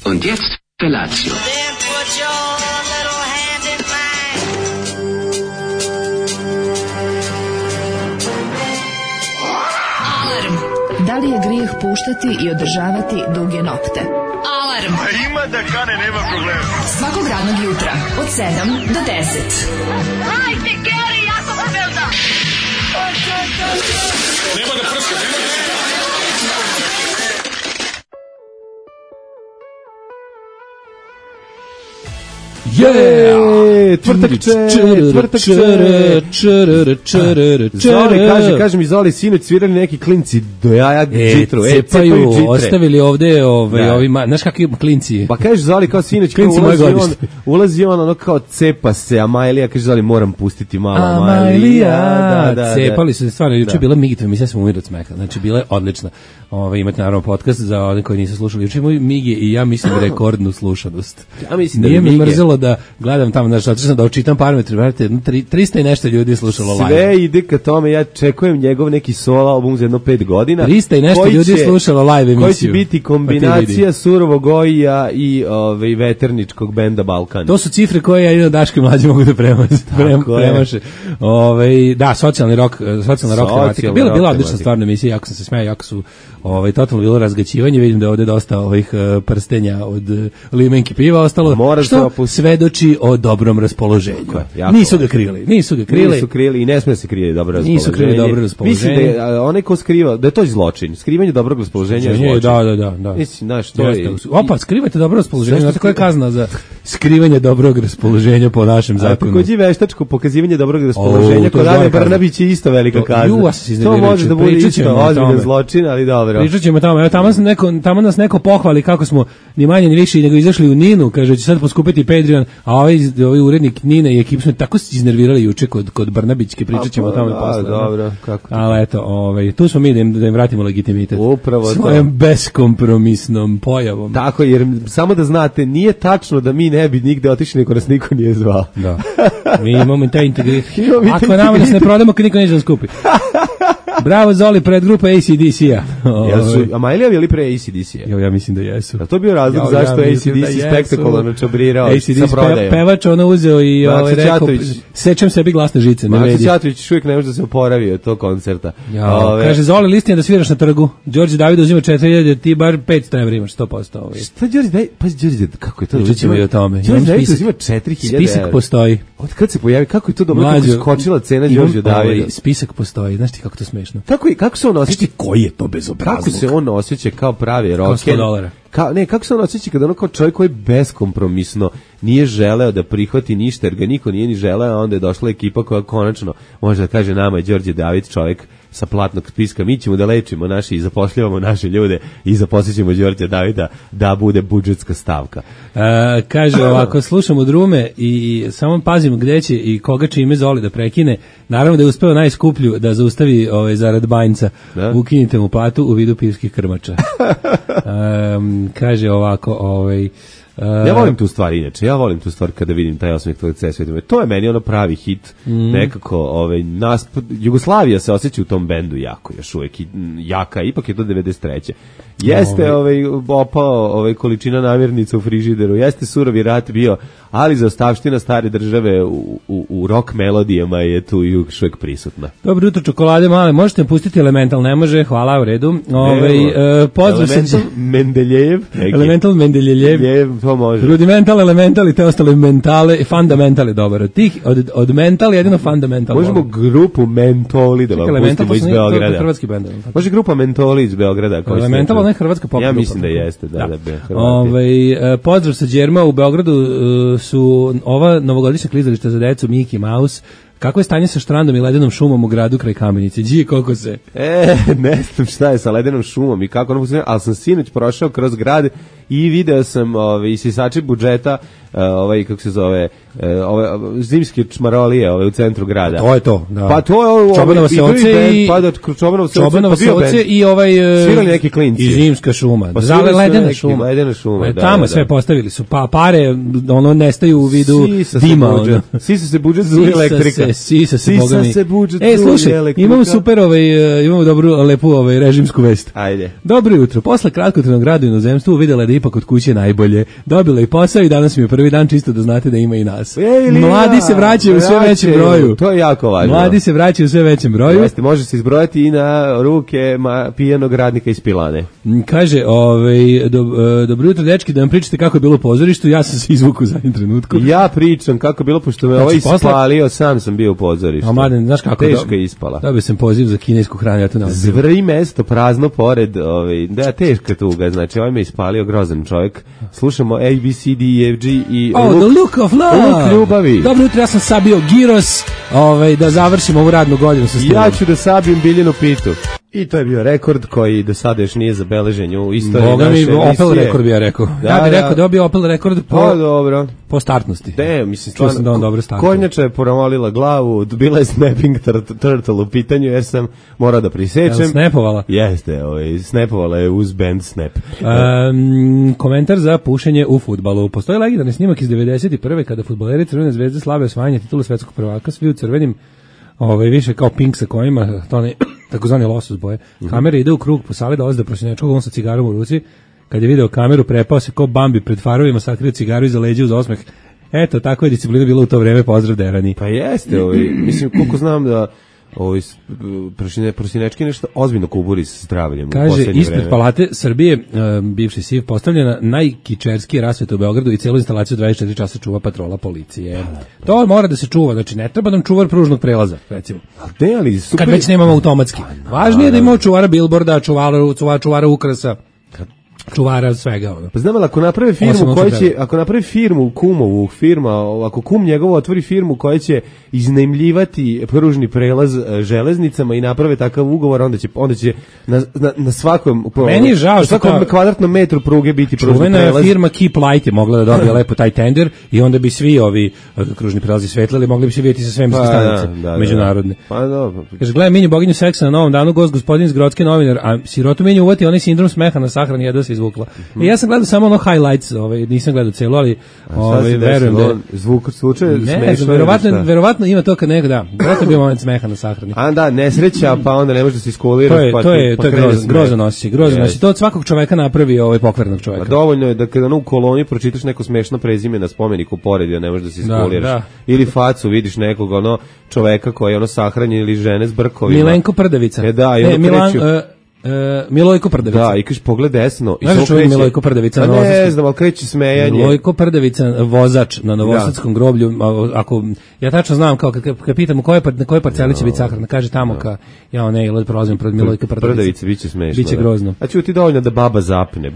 Und jetzt Felatio. Then put your little hand in mine. Alarm. Da li je grijeh puštati i održavati duge nokte? Alarm. A ima da kane, nema problema. Svakog radnog jutra od 7 do 10. Hajde, Geri, jako se velda. Nema da prska, nema da... Zoli, kaže mi Zoli, sinoć svirali neki klinci do jaja džitru. Cepaju džitre. Ostavili ovde ovima, znaš kakvi klinci? Pa kaže Zoli kao sinoć, ulazi on ono kao cepa se, Amajlija, kaže Zoli, moram pustiti malo Amajlija. Cepali su se stvarno, juče je bila Migitva, mi sve smo umiri od smeha, znači bila je odlična. Imate naravno podcast za one koji nisu slušali. Juče imaju Migi i ja mislim rekordnu slušanost. Ja mislim da nije mi mrzelo da gledam tamo, znači otišao sam da očitam parametre, brate, 300 i nešto ljudi je slušalo live. Sve ide ka tome, ja čekujem njegov neki solo album za jedno 5 godina. 300 i nešto ljudi je slušalo live emisiju. Koji će biti kombinacija Surovog Gojija i veterničkog benda Balkan. To su cifre koje ja i Daško i mlađi mogu da premaše. Da, socijalni rok tematika. Bila odlična stvarno emisija, jako sam se smejao, jako su totalno bilo razgaćivanje, vidim da je ovde dosta ovih prstenja od limenki piva ostalo, što svedoči o dobrom raspoloženju. Nisu ga krili i ne sme se krije dobro raspoloženje. Nisu krili dobro raspoloženje. Mislim da je onaj ko skriva, da je to zločin. Skrivanje dobrog raspoloženja je zločin. Da. Mislim, znaš, to je... Opa, skrivajte dobro raspoloženje. Znate koja je kazna za skrivanje dobrog raspoloženja po našem zakonu? Takođe veštačko pokazivanje dobrog raspoloženja kod Ane Brnabić je isto velika kazna. To može da bude isto ozbiljan zločin, ali dobro. Pričat ćemo tamo. Evo, tamo nas neko pohvali kako smo ni manje ni više nego izašli u Ninu, kaže će sad poskupiti Patreon, a ovaj urednik Nine i ekip smo tako se iznervirali juče kod Brnabićke, pričat ćemo o tome posle. Dobro, kako to? Ali eto, tu smo mi da im vratimo legitimitet. Upravo svojom beskompromisnom pojavom. Tako, jer samo da znate, nije tačno da mi ne bi nigde otišli, niko nas niko nije zvao. Da. Mi imamo taj integritet. Ako nama nas ne prodamo, kad niko neće da skupi. Bravo Zoli, predgrupa AC/DC-a. A Majlija je li pre AC/DC-a? Ja mislim da jesu. A to bio razlog zašto AC/DC spektakularno čabrirao sa prodajom. Pevač ono uzeo i rekao, sečem sebi glasne žice. Maksy Ćatović uvijek ne može da se oporavi od tog koncerta. Kaže, Zoli, listinja da sviraš na trgu. Đorđe David uzima 4.000, ti bar 500 evra imaš, 100%. Šta Đorđe David? Pa Đorđe David, kako je to? Pričat ćemo i o tome. Đorđe David uzima 4.000 evra. Spisak postoji. Od kad se pojavi, kako je to dobro, kako je skočila cena Đorđe Davida? Spisak postoji, znaš ti kako to smešno. Kako se on osjeća? Koji je to bezobrazluk? Kako se on osjeća kao pravi rocker? Kao $100. Kako se on osjeća kada ono kao čovjek koji beskompromisno nije želeo da prihvati ništa, jer ga niko nije ni želeo, a onda je došla ekipa koja konačno može da kaže nama je Đorđe David čovjek sa platnog spiska, mi ćemo da lečimo naše i zapošljavamo naše ljude i zaposlićemo Đorđe Davida da bude budžetska stavka. Kaže ovako, slušamo drume i samo pazimo gde će i koga će ime Zoli da prekine. Naravno da je uspeo najskuplju da zaustavi zarad banjca. Ukinite mu platu u vidu pivskih krmača. Kaže ovako, ja volim tu stvar inače, kada vidim taj osmeh tvojeg C-sveta. To je meni ono pravi hit, nekako, Jugoslavija se osjeća u tom bendu jako, još uvijek jaka, ipak je to 93. Jeste opao količina namirnica u frižideru, jeste surovi rat bio, ali zaostavština stare države u rock melodijama je tu još uvijek prisutna. Dobro jutro, čokolade male, možete pustiti Elemental, ne može, hvala, u redu. Elemental Mendeljejev. Elemental Mendeljejev. To može. Rudimental, Elemental i te ostale mentale, i Fundamental je dobar. Od Mental jedino Fundamental. Možemo grupu Mentoli da vam pustimo iz Beograda. Hrvatski bend. Može grupa Mentoli iz Beograda. Elemental, ona je hrvatska pop grupa. Ja mislim da jeste, da. Pozdrav sa Đerma, u Beogradu su ova novogodišnja klizališta za decu Mickey Mouse. Kako je stanje sa štrandom i ledenom šumom u gradu kraj Kamenice? Koliko se? Ne znam šta je sa ledenom šumom i kako ono funkcionira, ali sam sinoć prošao kroz grad i video sam isisače budžeta, kako se zove, zimske čmarolije u centru grada. To je to, da. Pa to je Čobanova se oce i svirali neki klinci. I zimska šuma. Zale ledena šuma. Tamo sve postavili su, pa pare nestaju u vidu dima. Sisa se budžet za elektrika. Sisa se budžet za elektrika. Slušaj, imamo super, imamo dobru, lepu režimsku vest. Ajde. Dobro jutro. Posle kratkotrajnog rada u inozemstvu uvidela da ipak od kuće najbolje. Dobila i posao i danas mi je prvi dan, čisto da znate da ima i nas. Mladi se vraćaju u sve većem broju. To je jako važno. Mladi se vraćaju u sve većem broju. Jeste, može se izbrojati i na ruke pijanog radnika iz Pilane. Kaže, dobro jutro dečki, da vam pričate kako je bilo u pozorištu, ja sam se izvukao u zadnjem trenutku. Ja pričam kako je bilo, pošto me ovaj ispalio, sam sam bio u pozorištu. A Mladen, znaš kako? Teško je ispala. Dobio sam poziv za kinesku hranu, ja to ne odbio. Zvri mesto prazno pored, da, teška tuga, znači ovaj me ispalio, grozan čovjek. Slušamo A, B, C, D, E, F, G i The Look of Love. Luk ljubavi. Dobro jutro, ja sam sabio giros, da završimo ovu radnu godinu sa stilom. Ja ću da sabijem Biljinu pitu. I to je bio rekord koji do sada još nije zabeležen u istoriji Boga naše emisije. Opel rekord bi ja rekao. Ja bih rekao da je bio Opel rekord po startnosti. Mislim, čuo sam da on dobro startuje. Kornjača je poramolila glavu, bila je snapping turtle u pitanju, jer sam morao da prisečem. Jel snapovala? Jeste, snapovala je uz band Snap. Komentar za pušenje u fudbalu. Postoji legendarni snimak iz 91. kada fudbaleri Crvene zvezde slave osvajanje titula svetskog prvaka, svi u crvenim, više kao pink sa kojima, to ne takozvani losos boje. Kamera ide u krug po sali, dolazi do prosinečkog, on sa cigarom u ruci. Kad je video kameru, prepao se ko Bambi pred farovima, sakrio cigaru iza leđa uz osmeh. Eto, tako je disciplina bila u to vreme, pozdrav Derani. Pa jeste, mislim, koliko znam da prosinečki nešto ozbiljno kuburi sa zdravljem. Kaže, ispred Palate Srbije, bivši SIV, postavljena najkičerskija rasveta u Beogradu i celu instalaciju 24 časa čuva patrola policije. To mora da se čuva, znači ne treba nam čuvar pružnog prelaza, recimo. Kad već nemamo automatski. Važnije je da imamo čuvara bilborda, čuvara ukrasa, čuvara svega. Pa znam, ali ako napravi firmu kumovu, ako kum njegovo otvori firmu koja će iznajmljivati pružni prelaz železnicama i naprave takav ugovor, onda će na svakom kvadratnom metru pruge biti pružni prelaz. Čuvena firma Keep Light je mogla da dobije lepo taj tender i onda bi svi ovi kružni prelazi svetlili, mogli bi se vidjeti sa svemirske stanice međunarodne. Pa dobro. Kaže, gledaj Minju boginju seksa na Novom danu, gospodin iz Grodske novinar, a sirotu Minju uvati onaj sindrom smeha na sahrani, jedva se izvukla. I ja sam gledao samo highlights, nisam gledao celo, ali verujem da zvuk slučaj smešno. Verovatno ima to kad nekada, verovatno bi moment smeha na sahrani. A da, nesreća, pa onda ne može da se iskoliraš. To je grozan osjećaj. To od svakog čoveka napravi pokvarnog čoveka. Dovoljno je da kada u koloni pročitaš neko smešno prezime na spomeniku pored, ne možeš da se iskoliraš. Ili facu vidiš nekog čoveka koji je sahranjen ili žene s brkovima. Milenko Prdavica. Milojko Prdavica. Da, i kažeš pogled desno. Znaš čujem Milojko Prdavica na Novosadskom? Ne znam, ali kreće smejanje. Milojko Prdavica, vozač na Novosadskom groblju. Ako, ja tačno znam, kao kad pitam na kojoj parceli će biti sahrana, kaže tamo prolazim pred Milojko Prdavica. Prdavica, biće smešno. Biće grozno. A ću ti dovoljno da baba zapne.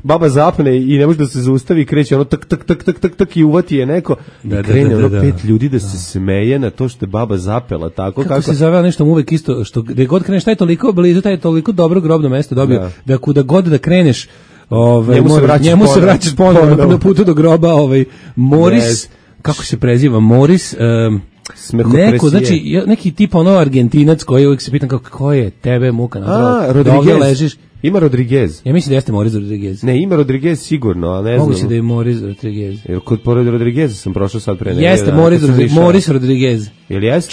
Baba zapne i ne može da se zaustavi i kreće tak i uvati je neko. I krene 5 ljudi da se smeje na to što je baba zapela. Kako se zove nešto uvek isto, što gde god kreneš, taj toliko blizu, taj toliko dobro grobno mesto dobio, da kuda god da kreneš, njemu se vraćaš ponovno na putu do groba, Moris, kako se preziva, Moris, neko, znači, neki tip Argentinac koji uvijek se pitam kako je tebe muka nadrao, da ovdje ležiš. Ima Rodriguez. Ja mislim da jeste Moris Rodriguez. Ne, ima Rodriguez sigurno, a ne znam. Mogu se da je Moris Rodriguez. Jer kod pored Rodrigueza sam prošao sad pre. Jeste Moris Rodriguez. Jel jeste?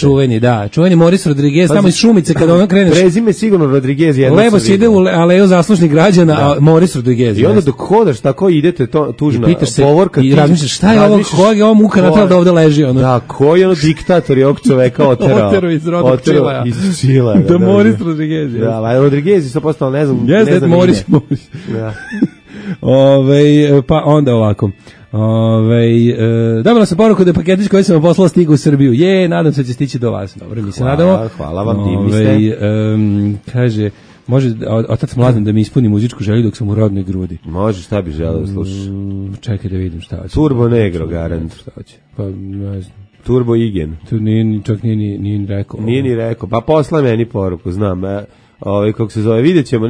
Čuveni Moris Rodriguez, tamo iz Šumice kada ono kreneš. Prezime sigurno Rodriguez. Levo se ide u aleju zaslužnih građana, a Moris Rodriguez. I onda dok hodaš tako idete tužna povorka. I razmišljaš šta je ovo, koja je ovo muka natrala da ovde leži. Da, koji je diktator je ovog čoveka oterao. Oterao iz rodnog Čilaja. Iz Čila. Da Moris Rodriguez. Da, Rodriguez je postao, ne znam. Jeste Moris. Da. Pa onda ovako. Dobila sam poruku da je paketić koji sam vam poslala stigu u Srbiju. Nadam se da će stići do vas. Dobro, mi se nadamo. Hvala vam, divni ste. Kaže, može otac Mladen da mi ispuni muzičku želju dok sam u rodnoj grudi. Može, šta bi želeo da slušaš? Čekaj da vidim šta hoće. Turbo Negro, garant. Šta hoće? Pa, ne znam. Turbo Igen. Tu čak nije ni rekao. Nije ni rekao. Pa posla meni poruku, znam. Kako se zove, vidjet ćemo,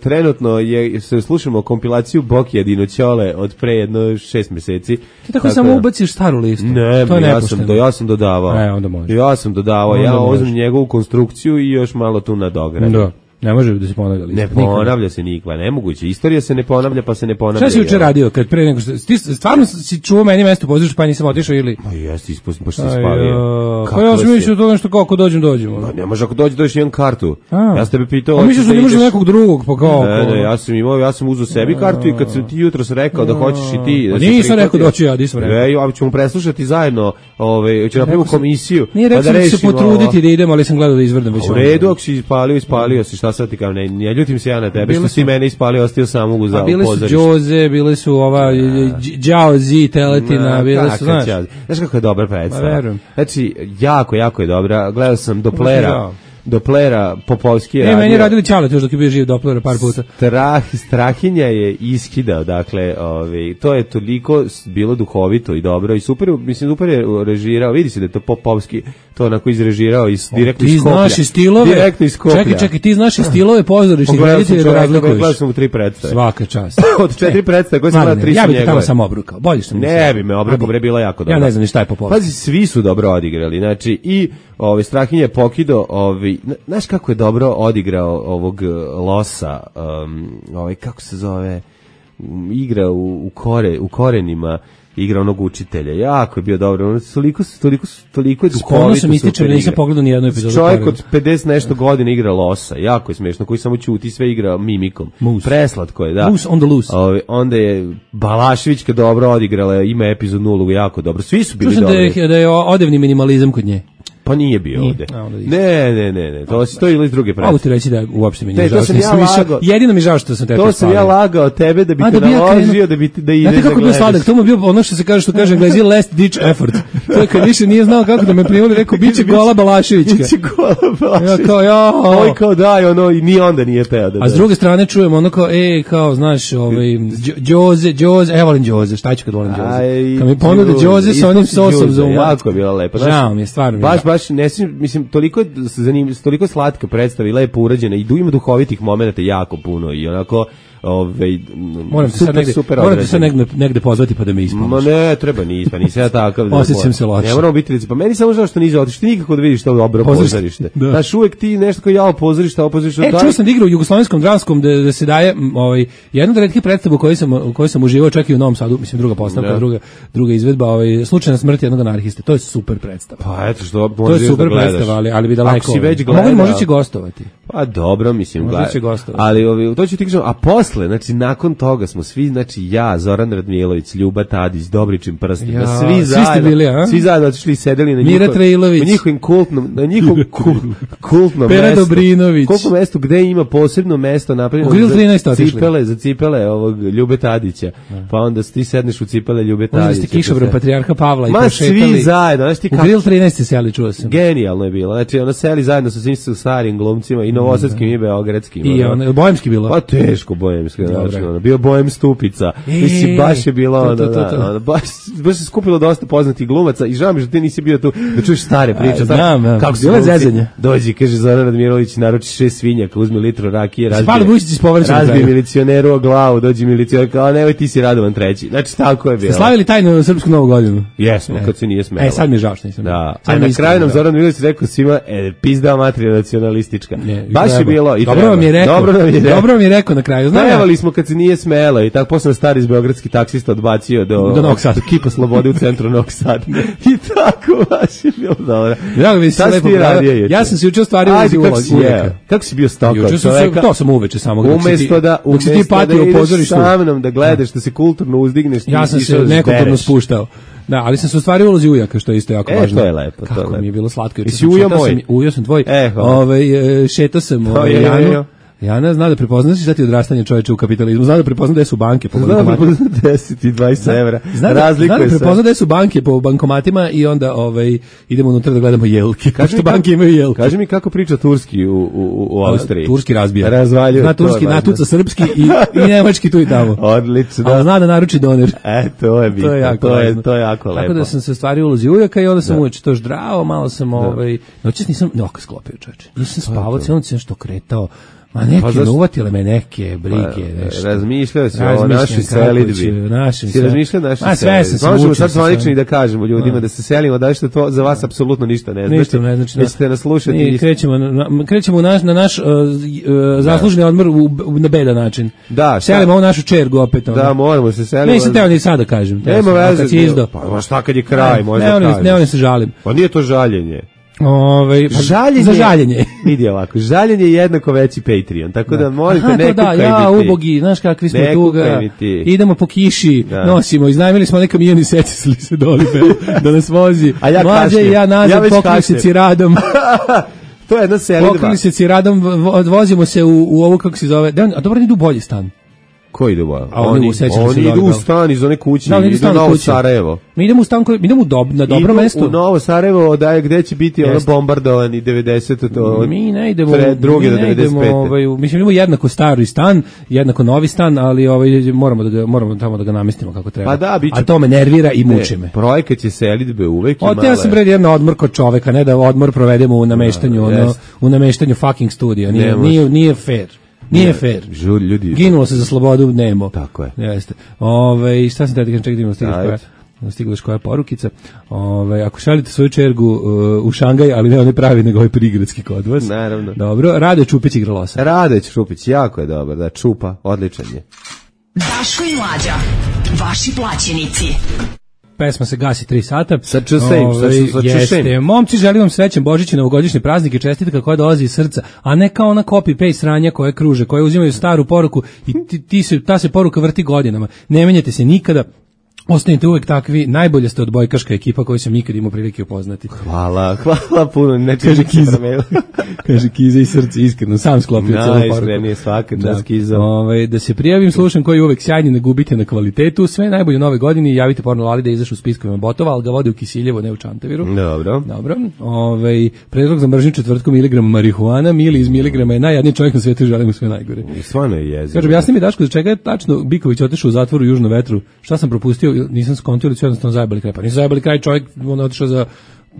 trenutno se slušamo kompilaciju Bokija Dinoćole od pre jedno 6 meseci. Ti tako samo ubaciš staru listu? Ne, ja sam dodavao. Onda može. Ja sam dodavao, ja uzmem njegovu konstrukciju i još malo tu nadogradam. Da. Ne može da se ponavlja lista. Ne ponavlja se nikva, nemoguće. Istorija se ne ponavlja, pa se ne ponavlja. Šta si juče radio kad pre nego što ti stvarno si čuo meni mesto pozorište pa nisam otišao ili? Ma jesi ispustio, pa što si spavio. Pa ja sam mislio to nešto kako dođemo. Ma ne može ako dođeš jedan kartu. Ja sam tebe pitao. A misliš da ne može nekog drugog pa kao? Ne, ja sam uzeo sebi kartu i kad sam ti jutros rekao da hoćeš i ti. Pa nisam rekao doći ja, nisam rekao. Ja ćemo preslušati zajedno, ćemo napraviti komisiju. Nije rekao da se potruditi da idemo, ali sam gledao da izvrdam već. U redu, ako si ispalio si, šta sad ti kao, ne ljutim se ja na tebe, što si mene ispalio, ostio sam u pozorištu. Bile su Džoze, bile su ova Đao Zi, Teletina, bile su, znaš. Znaš kako je dobra predstava? Znači, jako je dobra. Gledao sam Doplera Popovski je radio. Meni je radili Ćalet još dok je bio živ Doplera par puta. Strahinja je iskidao, dakle, to je toliko bilo duhovito i dobro i super, mislim, super je režirao, vidi se da je to Popovski to onako izrežirao direktno iz Skoplja. Ti znaš i stilove? Direktno iz Skoplja. Čekaj, ti znaš i stilove pozorišnih reditelja da razlikuješ. Gledao sam u 3 predstave. Svaka čast. Od 4 predstave koje sam gledao 3 su njegove. Ja bih te tamo samo obrukao. Bolje što mi ne bi me obrukao, bre, bilo jako dobro. Ja ne znam ni šta je Popovski. Pazi, svi su dobro odigrali, znači i Strahinja je pokido, znaš kako je dobro odigrao ovog Losa, kako se zove, igra u Korenima, igra onog učitelja, jako je bio dobro, toliko je duhovito. Sam ističem, nisam pogledao ni jednu epizodu. Čovjek od 50 nešto godina igra Losa, jako je smiješno, koji samo ćuti, sve igra mimikom. Preslatko je, da. Moose on the loose. Onda je Balaševićka dobro odigrala, ima epizod 0 jako dobro, svi su bili dobri. Da je odevni minimalizam kod nje. Pa nije bio ovde. Ne. To je ili iz druge predstave. Mogu ti reći da uopšte mi nije žao. Jedino mi žao što sam tebe to sam ja lagao tebe da bi te naložio da ide da gledaš. Znate kako bio sladak? To mu bio ono što kaže Englezi last ditch effort. To je kad više nije znao kako da me primoli, rekao biće Gola Balaševićka. Biće Gola Balaševićka. Oj kao daj, i ni onda nije peo da. A s druge strane čujemo ono kao, znaš, Džoze, volim Džoze, šta ću kad volim Džoze? Kad mi ponude Džoze sa onim sosom za umat. Jako je bila lepa. Žao mi je, stvarno. Baš mislim, toliko slatka predstava i lepo urađena i ima duhovitih momenata jako puno i onako moram te sad negde pozvati pa da me ispomniš. Ma ne, treba nisam ja takav. Osjećam se loše. Ne moramo biti lice, pa meni samo žao što nisi otišao, nikako da vidiš to dobro pozorište. Znaš, uvek ti nešto kao jao pozorište, ovo pozorište. Čuo sam da igra u Jugoslovenskom dramskom da se daje jedna od retkih predstava u kojoj sam uživao čak i u Novom Sadu, mislim druga postavka, druga izvedba, Slučajna smrt jednog anarhiste. To je super predstava. Pa eto što to je super predstava, ali bi daleko. Može će gostovati. Pa dobro, mislim, ali to će ti kažem, a posle, znači nakon toga smo svi, znači ja, Zoran Radmilović, Ljuba Tadić, Dobričin prstima, svi zajedno otišli i sedeli na njihovim kultnom Pera mestu. Dobrinović. Koliko mesto, gde ima posebno mesto napravljeno za cipele ovog Ljube Tadića. Pa onda ti sedneš u cipele Ljube Tadića. Možda ste kišobran patrijarha Pavla i prošetali. Svi zajedno. U Grill 13 seli, čuo sam. Genijalno je bilo. Znači ona seli zajedno sa svim starim glumcima i novosadskim i beogradskim. I bojemski bilo? Pa teško bojemski. Bio Bojem Stupica. Mislim, baš je bilo baš se skupilo dosta poznatih glumaca i žao mi što ti nisi bio tu da čuješ stare priče. Znam, kako se zezanje. Dođi, kaže Zoran Radmirović, naruči 6 svinjaka, uzmi litru rakije, razbije milicioneru o glavu, dođi milicioner, kao nemoj ti si Radovan treći. Znači, tako je bilo. Ste slavili tajnu srpsku novu godinu? Jesmo, kad se nije smelo. Sad mi je žao što nisam. Da, a na kraju nam Zoran Radmirović rekao svima, pizda materija nacionalistička. Baš je bilo i dobro vam je rekao na kraju. Najavali smo kad se nije smelo i tako posle stari iz beogradski taksista odbacio do Novog Sada, Kipa Slobode u centru Novog Sada. I tako baš je bilo dobro. Ja sam se juče ostvario ulogu. Kako si bio stalker? To sam uveče samo. Umesto da ideš sa mnom da gledaš, da se kulturno uzdigneš. Ja sam se nekulturno spuštao. Da, ali sam se ostvario ulozi ujaka, što je isto jako važno. To je lepo. Kako mi je bilo slatko. Ujao sam tvoj. Šetao sam Janu. Jana zna da prepoznaš šta ti odrastanje čoveče u kapitalizmu. Zna da prepozna gde su banke po bankomatima. Zna da 10 i 20 evra. Zna da prepozna gde su banke po bankomatima i onda idemo unutra da gledamo jelke. Što banke imaju jelke. Kaži mi kako priča turski u Austriji. Turski razbija. Razvaljuje. Zna turski, natuca srpski i nemački tu i tamo. Odlično. Ali zna da naruči doner. To je bitno. To je jako lepo. Tako da sam se stvario ulozi ujaka i onda sam uveče to ždrao, malo sam noćas nisam oko sklopio čoveče. Nisam spavao, cijelo noć sam nešto kretao. Ma neke, uvatile me neke brige, nešto. Razmišljao si o našoj selidbi. Si razmišljao o našoj selidbi. Možemo sad zvanično i da kažemo ljudima da se selimo, da što to za vas apsolutno ništa ne znači. Ništa ne znači. Nećete nas slušati. Krećemo na naš zasluženi odmor na bedan način. Da, selimo ovu našu čergu opet. Da, moramo se selimo. Nisam teo ni sada kažem. Nema veze. Pa šta kad je kraj, možda kažem. Ne, se žalim. Pa nije to žaljenje. Žaljenje. Za žaljenje. Vidi ovako, žaljenje je jednako veći Patreon, tako da molite ne kukaj mi ti. Ja, ubogi, znaš kakvi smo tuga, idemo po kiši, nosimo, iznajmili smo neka milijeni secili se doli da nas vozi. A ja Mlađe i ja nazad pokrili se ciradom. To je jedna selidba. Pokrili se ciradom, vozimo se u ovu, kako se zove, a dobro, idu bolji stan. Ko ide u Oni idu u stan iz one kuće, idu u Novo Sarajevo. Mi idemo u stan, idemo na dobro mesto. U Novo Sarajevo, gde će biti ono bombardovani 90. Mi ne idemo, druge do 95. Mislim, imamo jednako stari stan, jednako novi stan, ali moramo tamo da ga namestimo kako treba. Pa da, a to me nervira i muči me. Projekat će selidbe uvek i male. Ja sam jedan odmor kod čoveka, ne da odmor provedemo u nameštanju fucking studija. Nije fair. Nije fair. Ljudi. Ginulo se za slobodu, nemo. Tako je. Jeste. Šta sam tada čekaj da imamo stigla koja porukica. Ako šaljete svoju čergu u Šangaj, ali ne one pravi, nego ovaj prigradski kod vas. Naravno. Dobro, Rade Čupić igra losa. Rade Čupić, jako je dobar, da, Čupa, odličan je. Daško i Mlađa, vaši plaćenici. Pesma se gasi 3 sata. Sa čušem. Momci, želim vam srećan Božić i novogodišnje praznike, čestitka koja dolazi iz srca, a ne kao ona copy-paste sranja koje kruže, koje uzimaju staru poruku i ta se poruka vrti godinama. Ne menjate se nikada. Ostanite uvek takvi, najbolje ste odbojkaška ekipa koju sam nikad imao prilike upoznati. Hvala puno, ne kaže Kiza. Kaže Kiza i srce, iskreno, sam sklopio celu poruku. Najiskrenije svaka čast Kiza. Da se prijavim, slušam koji je uvek sjajni, ne gubite na kvalitetu, sve najbolje u nove godine, javite porno Lali da izašu u spiskovima botova, ali ga vode u Kisiljevo, ne u Čantaviru. Dobro. Predlog za mržnju četvrtkom miligrama marihuana, Mili iz miligrama je najjadniji čovjek na svijetu i želim mu sve najgore. I stvarno je jezivo. Kaže, objasni mi Daško, za čega je tačno Biković otišao u zatvoru u Južnom vetru? Šta sam propustio? Nisam skontio ili su jednostavno zajebali kraj. Pa nisu zajebali kraj, čovjek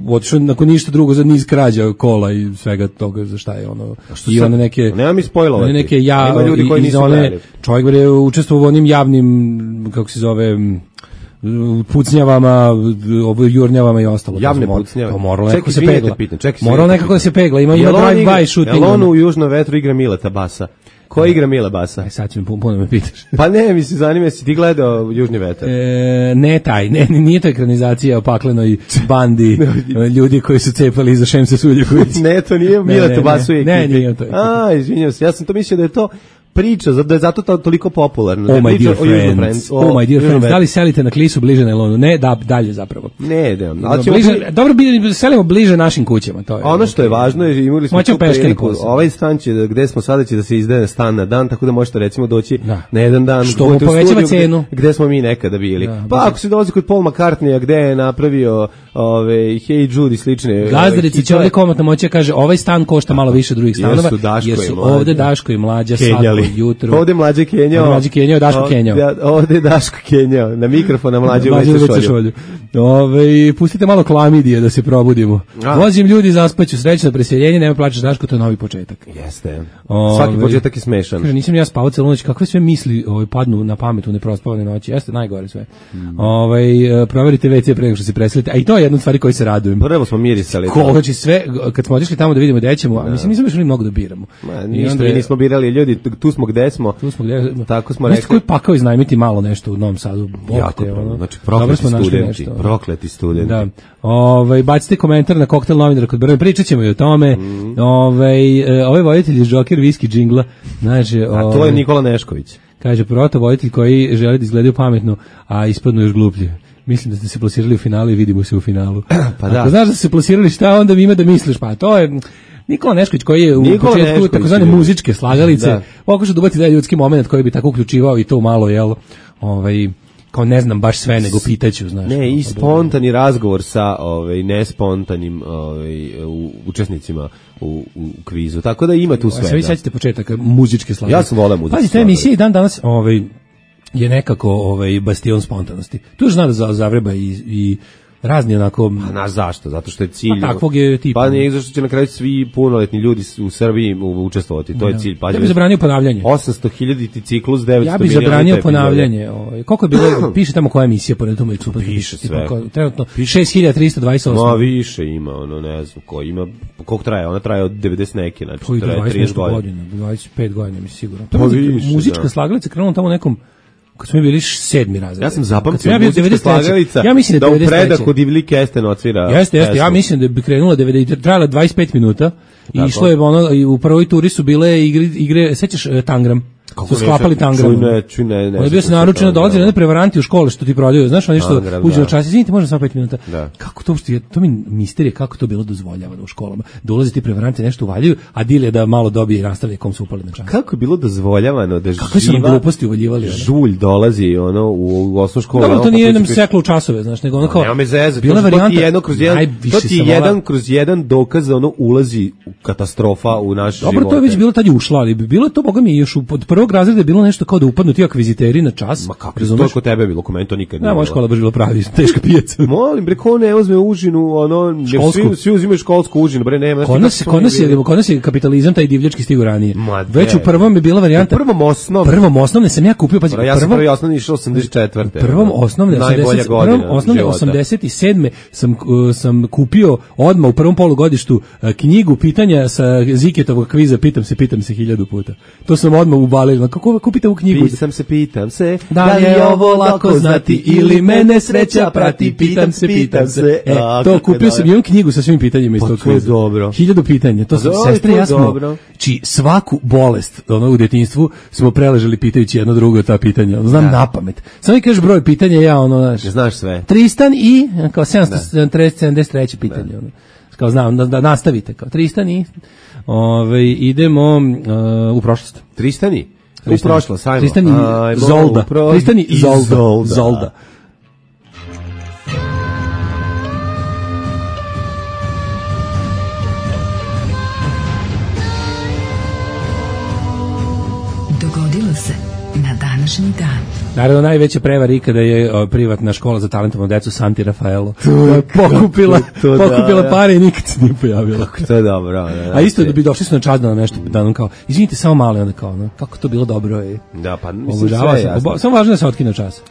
otišao nakon ništa drugo za niz krađa kola i svega toga za šta je ono. I one neke... Nema mi spojlovati. Ima ljudi koji nisu gledali. Čovjek je učestvovao u onim javnim, kako se zove, pucnjavama, jurnjavama i ostalo. Javne pucnjave. Moralo nekako se pegla. Moralo nekako da se pegla. Ima drive-by shooting. Jel on u Južnom vetru igra Mileta Basa? Ko igra Mile Basa? Sad ću mi puno me pitaš. Pa ne, mi se zanima, si ti gledao Južni vetar? Nije to ekranizacija o paklenoj bandi ljudi koji su cepali iza Šemsa Suljeković. Ne, to nije Mile Basu i ekipi. Nije to. Izvinjam se, ja sam to mislio da je to priča, da je zato toliko popularno. Oh my dear friends, da li selite na Klisu bliže na Elonu? Ne, da, dalje zapravo. Ne. Dobro, selimo bliže našim kućama. To je, ono što je važno je, imali smo priliku, ovaj stan će, gde smo sada će da se izdaje stan na dan, tako da možete recimo doći na jedan dan. Što mu povećava cenu. Gde smo mi nekada bili. Pa ako se dolazi kod Paul McCartneya, gde je napravio Hey Jude i slične. Gazdarici će ovdje komotno moći kaže, ovaj stan košta malo više drugih stanova, jer su ovdje Daško i Mlađa jutro. Ovde Mlađe Kenjao, Daško Kenjao. Ovde Daško Kenjao, na mikrofona Mlađe uveće šolju. Pustite malo klamidije da se probudimo. Vozim ljudi, zaspaću, srećno preseljenje, nema plaćaš Daško, to je novi početak. Jeste. Svaki početak je smešan. Kaže, nisam ja spavao celu noć, kakve sve misli padnu na pamet u neprospavane noći. Jeste, najgore sve. Proverite WC pre nego što se preselite. A i to je jedna od stvari koji se radujem. Prvo smo mirisali. Znači sve, kad smo otišli tamo da vidimo gde ćemo, mislim, nismo išli mnogo da biramo. Ništa, nismo birali ljudi, tu smo gde smo. Tako smo rekli. Koji pakao iznajmiti malo nešto u Novom Sadu. Znači, prokleti studenti. Da. Bacite komentar na Koktel novinara kod Brne, pričat ćemo i o tome. Ovaj voditelj iz Joker Whisky džingla. Znači, a to je Nikola Nešković. Kaže, proto voditelj koji želi da izgledaju pametno, a ispadnu još gluplje. Mislim da ste se plasirali u finalu i vidimo se u finalu. Pa da. Ako znaš da ste se plasirali, šta onda ima da misliš? Pa to je Nikola Nešković koji je u početku takozvane muzičke slagalice pokušao da ubaci da ljudski moment koji bi tako uključivao i to malo, jel, kao ne znam baš sve, nego pitaću, znaš. Ne, i spontani razgovor sa nespontanim učesnicima u kvizu, tako da ima tu sve. Sve vi sećate početak muzičke slagalice. Ja sam voleo muzičke slagalice. Pazi, ta emisija i dan danas je nekako bastion spontanosti. Tu zna da zavreba i razni onako... A znaš zašto? Zato što je cilj... Pa takvog je tipa. Pa nije zašto će na kraju svi punoletni ljudi u Srbiji učestvovati, to je cilj. Pa, ja bih zabranio ponavljanje. 800.000 ciklus, 900 miliona. Ja bih zabranio ponavljanje. Koliko je bilo, piše tamo koja emisija, po netom je super. Piše sve. Trenutno 6328. Ma više ima, ne znam ko ima, koliko traje, ona traje od 90 neke, znači traje 30 godina. 25 godina, mi sigurno. Muzička slagalica krenula tamo nekom kad smo bili 7. razred. Ja sam zapamtio ja muzička slagalica ja mislim da u predahu Divlji Kesten otvira. Jeste, ja mislim da bi krenula 90, trajala 25 minuta i išlo je ono, i u prvoj turi su bile igre sećaš Tangram? Su sklapali Tangram. Ne. Ono bio se naručeno, dolazi ne prevaranti u škole što ti prodaju, znaš, oni što uđu na čas, izvinite, može samo 5 minuta. Da. Kako to uopšte, to mi misterije kako to bilo dozvoljavano u školama. Da ulaze ti prevaranti nešto uvaljuju, a deal je da malo dobije i nastavlja kom su upali na čas. Kako je bilo dozvoljavano da kako su nam gluposti uvaljivali? Žulj dolazi u osnovnu školu. Dobro, to nije nam seklo u časove, znaš, nego ono kao nema me zezati. Bila varijanta to ti jedan kroz jedan dokaz da ono ulazi u katastrofa u naš život. Dobro, to je već bilo tad je ušlo, ali bilo to boga mi još od prvog razreda bilo nešto kao da upadnu ti akviziteri na čas. Ma kako, to je kod tebe bilo, kod mene to nikad nije. Moja škola baš bila pravi, teška pijaca. Molim, bre, ko ne uzme užinu, svi uzimaju školsku užinu, bre, nema. Kod nas je kapitalizam taj divljački stigu ranije. Već u prvom je bila varijanta. U prvom osnovne sam ja kupio, pazi, ja sam prvi osnovni išao 84. Prvom osnovne 87. sam kupio odmah u prvom polugodištu knjigu pitanja sa Ziketovog kviza, pitam se 1000 puta. To sam odmah ubalio. Kako kupite u knjigu? Pitam se, da li je ovo lako znati ili mene sreća prati, pitam se. To kupio sam, imam knjigu sa svim pitanjima iz tog kviza. 1000 pitanja, to sam sestre ja smo. Či svaku bolest u djetinjstvu smo preležali pitajući jedno drugo ta pitanja. Znam napamet. Samo mi kažeš broj pitanja, ja znaš sve. Tristan i kao 773 pitanje. Kao znam, da nastavite. Kao Tristan i idemo u prošlost. Tristani? U prošlost, ajmo. Tristani Zolda. Tristani Zolda. Dogodilo se na današnji dan. Naravno, najveća prevara ikada je privatna škola za talentovanu decu Santi Rafaelo. Pokupila pare i nikad se nije pojavila. Kako to je dobro. A isto da bi došli su na čas da nešto, da nam kao, izvinite, samo malo, onda kao, kako to bilo dobro. Da, pa mislim sve jasno. Samo važno da se otkine čas.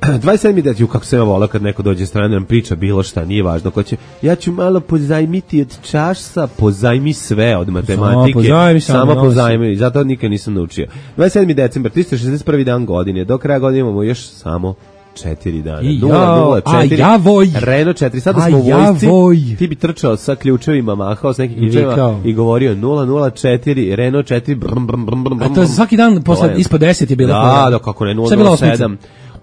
27. deti, kako se ja volao kad neko dođe strane nam priča bilo šta, nije važno ko će, ja ću malo pozajmiti od časa, pozajmi sve od matematike, samo pozajmi, i zato nikad nisam naučio. 27. decembar, 361. dan godine, do kraja godine imamo još samo 4 dana. 004, Renault 4, sada smo u vojsci, ti bi trčao sa ključevima, mahao s nekim ključevima i govorio 004, Renault 4, brum, brum, brum, brum. A to svaki dan ispod 10 je bilo. Da, kako ne, 007.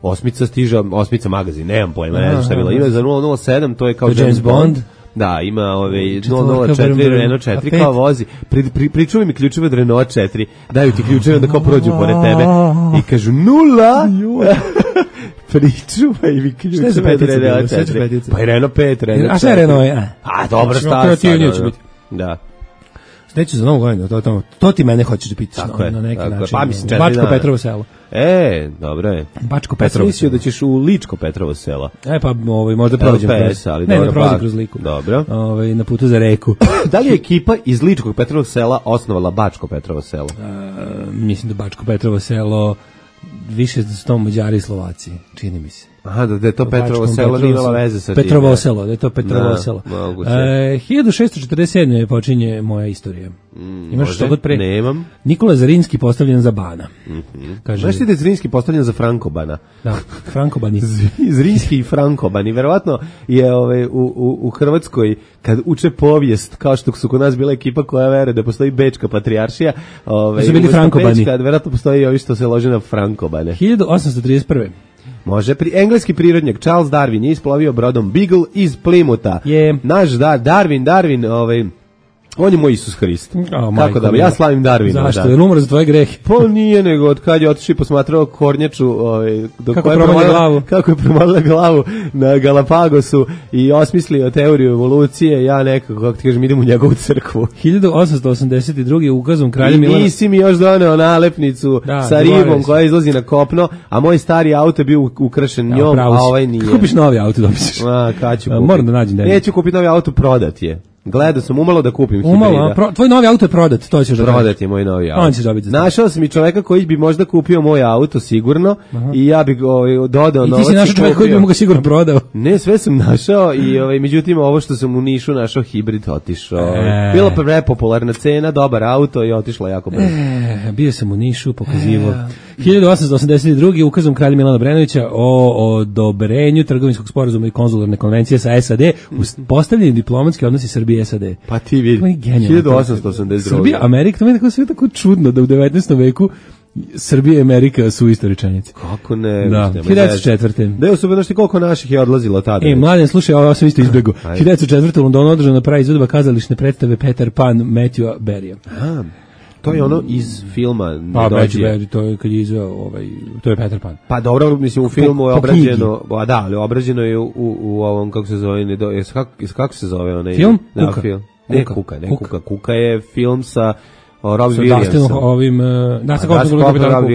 Osmica stiže, osmica magazin, nemam pojma, ne znam šta je bilo. Ima za 007, to je kao James Bond. Da, ima 004, Renault 4 kao vozi. Pričuvaj mi ključeve od Renault 4, daju ti ključeve onda kao prođu pored tebe i kažu 0. Pričuvaj mi ključeve od Renault 4. Pa i Renault 5, Renault 4. A šta je Renault? A dobro, šta sad? Da. Neću za novu godinu, to ti mene hoćeš da pitaš na neki način. Pa mislim, Bačko Petrovo selo. Dobro je. Bačko Petrovo selo. Mislio da ćeš u Ličko Petrovo selo. Pa možda prođem kroz. Ne prođem kroz Liku. Dobro. Na putu za reku. Da li je ekipa iz Ličkog Petrovog sela osnovala Bačko Petrovo selo? Mislim da Bačko Petrovo selo više su to Mađari i Slovaci, čini mi se. Aha, da je to Petrovo selo, nije imala veze sa tim. Petrovo selo, da je to Petrovo selo. 1647. počinje moja istorija. Imaš što god pre? Nemam. Nikola Zrinski postavljen za bana. Znaš ti da je Zrinski postavljen za Frankobana? Da, Frankobani. Zrinski i Frankobani. Verovatno je u Hrvatskoj, kad uče povijest, kao što su kod nas bila ekipa koja veruje da postoji Bečka patrijaršija, su bili Frankobani. Verovatno postoji i ovi što se lože na Frankobane. 1831. Može, engleski prirodnjak Charles Darwin je isplovio brodom Beagle iz Plymoutha. Je. Naš Darwin, On je moj Isus Hrist. Tako da, ja slavim Darvina. Zašto? Je umro za tvoje grehe? Pa nije, nego od kad je otišao i posmatrao kornjaču, kako je promalila glavu na Galapagosu i osmislio teoriju evolucije, ja nekako, kako ti kažem, idem u njegovu crkvu. 1882. ukazom kralja Milana... I nisi mi još doneo nalepnicu sa ribom koja izlazi na kopno, a moj stari auto je bio ukrašen njom, a ovaj nije. Kupiš novi auto, dobićeš. Kad ću kupiti? Moram da nađem da. Neću kupiti novi auto, prodat je. Gledao sam umalo da kupim hibrida. Tvoj novi auto je prodat, to ćeš da prodat je moj novi auto. On će dobiti. Našao sam i čoveka koji bi možda kupio moj auto sigurno. I ja bih dodao novac. I ti si našao čoveka koji bi mu ga sigurno prodao. Ne, sve sam našao i međutim ovo što sam u Nišu našao hibrid otišao. Bila prepopularna cena, dobar auto i otišla jako brzo. Bio sam u Nišu, pokazivao. 1882. ukazom kralja Milana Obrenovića o odobrenju trgovinskog sporazuma i konzularne konvencije sa SAD uspostavljeni diplomatski odnosi Srbije i SAD. Pa ti vidi, 1882. Srbija, Amerika, to je sve tako čudno da u 19. veku Srbija i Amerika su isto rečenice. Kako ne? Da, 1904. Da je osobeno koliko naših je odlazilo tada. Mladen, slušaj, ovo sam isto izbjegao. 1904. u Londonu održana prva izvedba kazališne predstave Peter Pan Matthewa Barrya. To je ono iz filma. Barry, to je kad je izveo, to je Peter Pan. Pa dobro, mislim, u filmu je obrađeno, ali obrađeno je u ovom, kako se zove, kako se zove onaj film? Kuka. Kuka je film sa Robin Williamsom. Robin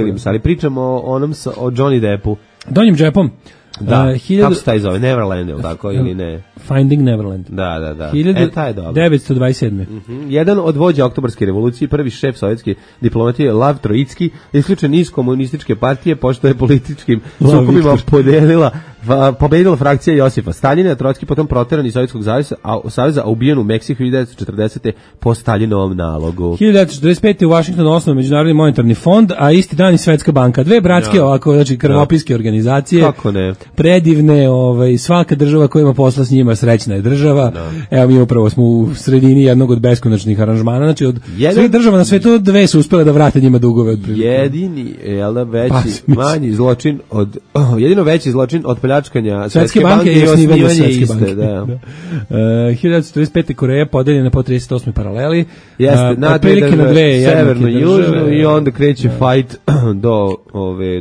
Williams, ali pričamo o onom o Johnny Deppu. Donjim džepom. Da, kako se taj zove? Neverland, ili tako, ili ne? Finding Neverland. Da. Taj je dobro. 1927. Jedan od vođa Oktobarske revolucije, prvi šef sovjetske diplomatije, Lav Trojicki, isključen iz komunističke partije, pošto je političkim sukobima pobedila frakcija Josipa Staljina, Trojicki potom proteran iz Sovjetskog saveza, a ubijen u Meksiku 1940. po Staljinovom nalogu. 1945. u Washingtonu osnovan Međunarodni monetarni fond, a isti dan i Svetska banka. Dve bratske ovako, znači krvopiske organizacije. Kako ne? Predivne, svaka država koja ima posla s njima srećna je država. Evo mi upravo smo u sredini jednog od beskonačnih aranžmana, znači od svih država na svetu dve su uspjele da vrate njima dugove. Jedini, manji zločin jedino veći zločin od pljačkanja Svetske banke i osnivanje Svetske banke. 1945. Koreja podeljena po 38. paraleli. Otprilike na dve severno i južno i onda kreće fight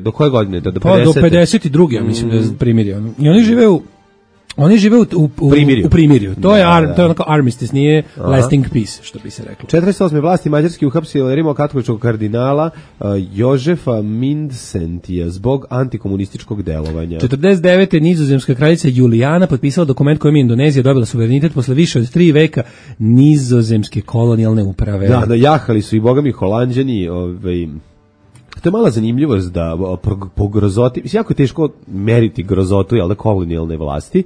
do koje godine? Do 50. Do 52. ja mislim da je primirje. I oni žive u primirju. To je onako armistice, nije lasting peace, što bi se reklo. 48. vlasti Mađarski uhapsili rimokatoličkog kardinala Jožefa Mindsentija zbog antikomunističkog delovanja. 49. nizozemska kraljica Julijana potpisala dokument kojim je Indonezija dobila suverenitet posle više od 3 veka nizozemske kolonijalne uprave. Da, jahali su i bogami Holanđani, to je mala zanimljivost da po grozoti, mislim, jako je teško meriti grozotu, jel da, kolonijalne vlasti,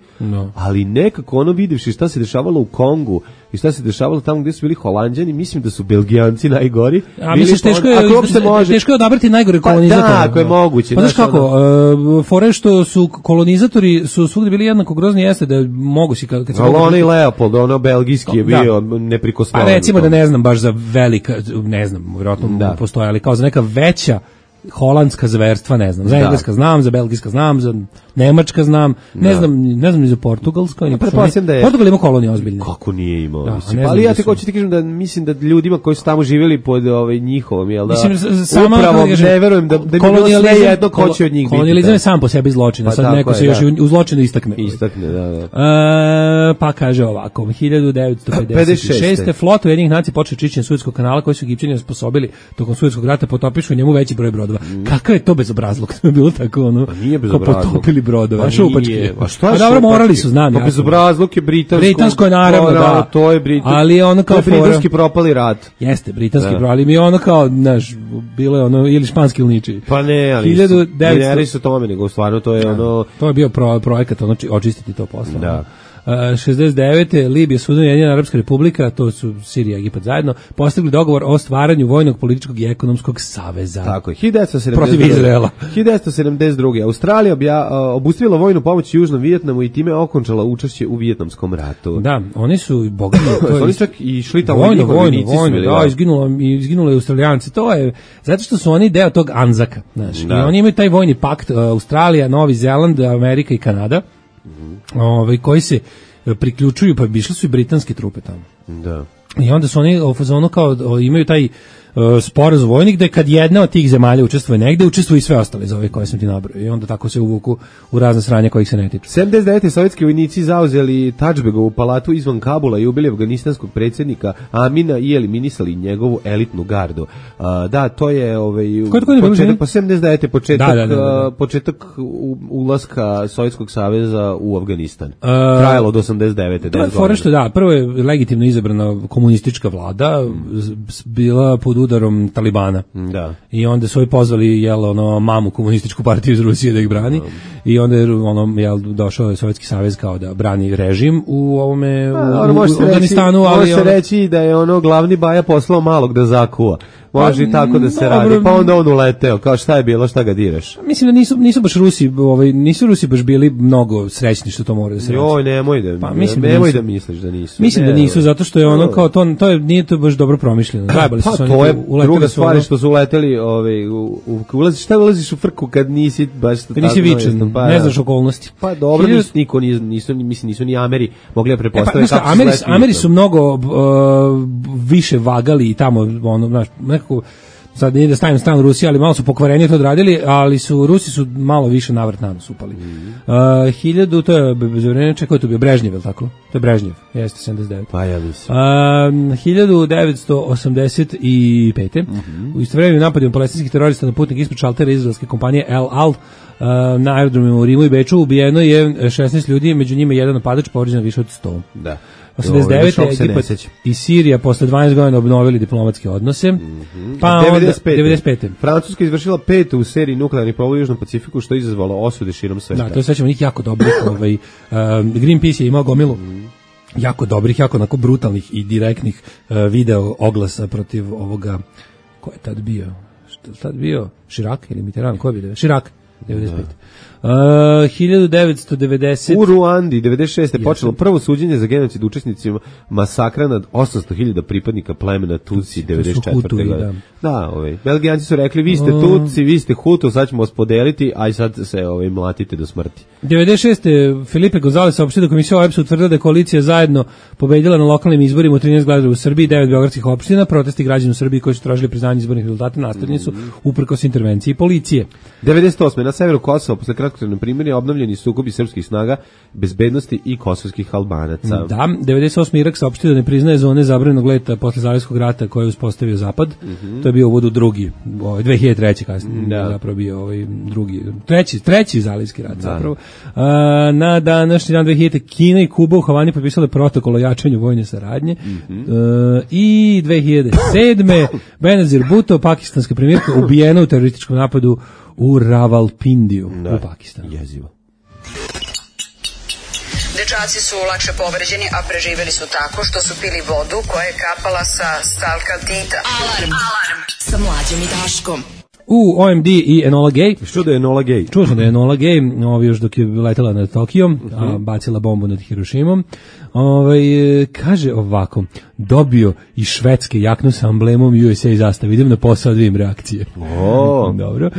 ali nekako ono vidivši šta se dešavalo u Kongu i šta se dešavalo tamo gdje su bili Holanđani, mislim da su Belgijanci najgori. A misliš, teško je odabrati najgore kolonizatore. Da, ako je moguće. Pa znaš kako, fore što su kolonizatori su svugdje bili jednako grozni, jeste da mogu si kad se... Ali ono i Leopold, ono belgijski je bio neprikosnovan. Pa recimo da ne znam baš za velika, ne znam, vjerojatno postoje, ali kao za neka veća holandska zverstva, ne znam. Za engleska znam, za belgijska znam, za nemačka znam, ne znam ni za portugalsko. Portugal ima kolonije ozbiljne. Kako nije imao? Ali ja te hoću ti kažem da mislim da ljudima koji su tamo živjeli pod njihovom, jel da? Upravo ne verujem da bi bilo sve jedno ko će od njih biti. Kolonijalizam je sam po sebi zločin, a sad neko se još u zločinu istakne. Da. Pa kaže ovako, 1956. flota Ujedinjenih nacija počeo čišćenje Suetskog kanala koji su Egipćani osposobili tokom Suetskog rata, potopišu njemu veći broj brodova. Kakav je to bezobrazluk? To je bilo tako ono. Pa nije bezobrazluk. Potopili brodove, šupačke. A šta je? Dobro, morali su, znam. Pa bezobrazluk je britansko je naravno, da. To je britansko. Ali ono kao britanski propali rat. Jeste, britanski propali. Mi ono kao, znaš, bilo je ono ili španski ili ničiji. Pa ne, ali 1900 su tome, nego stvarno to je ono. To je bio projekat, ono očistiti to posla. Da. 69. Libija, Sudan i Ujedinjena Arapska Republika, to su Sirija i Egipat zajedno, postigli dogovor o stvaranju vojnog, političkog i ekonomskog saveza. Tako je. 1972. Protiv Izraela. 1972. Australija obustavila vojnu pomoć Južnom Vijetnamu i time okončala učešće u Vijetnamskom ratu. Da, oni su bogami. Oni čak i šli tamo vojno, da, izginulo je Australijanci. To je, zato što su oni deo tog Anzaka, znaš. I oni imaju taj vojni pakt, Australija, Novi Zeland, Amerika i Kanada. Koji se priključuju, pa išli su i britanske trupe tamo. Da. I onda su oni u fazonu kao imaju taj sporazum vojnik da kad jedna od tih zemalja učestvuje negde, učestvuju i sve ostale za ove koje sam ti nabrojao. I onda tako se uvuku u razne sranja kojih se ne tiču. 79. sovjetski vojnici zauzeli Tadžbegovu palatu izvan Kabula i ubili afganistanskog predsjednika Amina i eliminisali njegovu elitnu gardu. Da, to je početak, pa 79. početak ulaska Sovjetskog saveza u Afganistan. Trajalo od 89. To je fora što da, prvo je legitimno izabrana komunistička vlada, bila pod udarom Talibana. Da. I onda su pozvali mamu komunističku partiju iz Rusije da ih brani. I onda je došao je Sovjetski savez kao da brani režim u ovome u Afganistanu, ali može se reći da je glavni baja poslao malog da zakuva. Može i tako da se radi. Pa onda on uleteo, kao šta je bilo, šta ga direš. Mislim da nisu baš nisu Rusi baš bili mnogo srećni što to mora da se reći. Joj, nemoj da misliš da nisu. Mislim da nisu, zato što je kao nije to baš dobro promišljeno. Trebali su to je druga stvar što su uleteli, ulaziš u frku kad nisi baš nisi vičan, ne znaš okolnosti. Pa dobro, nisu ni Ameri mogli da pretpostaviti kako su Ameri su mnogo više vagali i tamo nekako, sad nije da stavim stranu Rusije, ali malo su pokvarenije to odradili, ali Rusi su malo više navrat na nos upali. 1000, to je za vreme, čekaj, to je bio Brežnjev, je li tako? To je Brežnjev, jeste 79. Pa ja mislim. 1985. U istovremenu napadima palestinskih terorista na putnik ispred šaltera izraelske kompanije El Al na aerodromima u Rimu i Beču ubijeno je 16 ljudi, među njima jedan napadač, povređeno više od 100. Da. 89. Egipat i Sirija posle 12 godina obnovili diplomatske odnose. Pa 95. Francuska izvršila 5. u seriji nuklearnih proba u Južnom Pacifiku, što je izazvalo osude širom sveta. Da, to je svećamo njih jako dobrih. Greenpeace je imao gomilu jako dobrih, jako onako brutalnih i direktnih video oglasa protiv ovoga. Ko je tad bio? Što je tad bio? Širak ili Mitterrand? Ko je bio? Širak. 95. 1990 u Ruandi 96. je počelo prvo suđenje za genocid učesnicima masakra nad 800.000 pripadnika plemena Tutsi 94. godine. Da, Belgijanci su rekli vi ste Tutsi, vi ste Hutu, sad ćemo vas podeliti, aj sad se mlatite do smrti. 96. Filipe Gonzales saopštio da komisija OEBS utvrdila da je koalicija zajedno pobedila na lokalnim izborima u 13 gradova u Srbiji, 9 beogradskih opština. Protesti građana u Srbiji koji su tražili priznanje izbornih rezultata nastavljeni su uprkos intervenciji policije. 98. na severu Kosova posle kratkotrajnog primirja obnovljeni sukobi srpskih snaga bezbednosti i kosovskih Albanaca. Da, 98. Irak saopštio da ne priznaje zone zabranjenog leta posle Zalivskog rata koje je uspostavio Zapad. To je bio uvod u drugi, 2003. kasnije, zapravo bio drugi, treći Zalivski rat zapravo. Na današnji dan 2000. Kina i Kuba u Havani potpisale protokol o jačanju vojne saradnje. I 2007. Benazir Bhutto, pakistanska premijerka, ubijena u terorističkom napadu u Ravalpindiju u Pakistanu. Jezivo. Dečaci su lakše povređeni, a preživjeli su tako što su pili vodu koja je kapala sa stalkaltita. Alarm sa Mlađom i Daškom. OMD i Enola Gay. Što da je Enola Gay? Čuo sam da je Enola Gay, još dok je letela nad Tokijom, a bacila bombu nad Hirošimom. Kaže ovako, dobio i švedske jaknu sa emblemom USA zastave. Idem na posao da vidim reakcije. Dobro.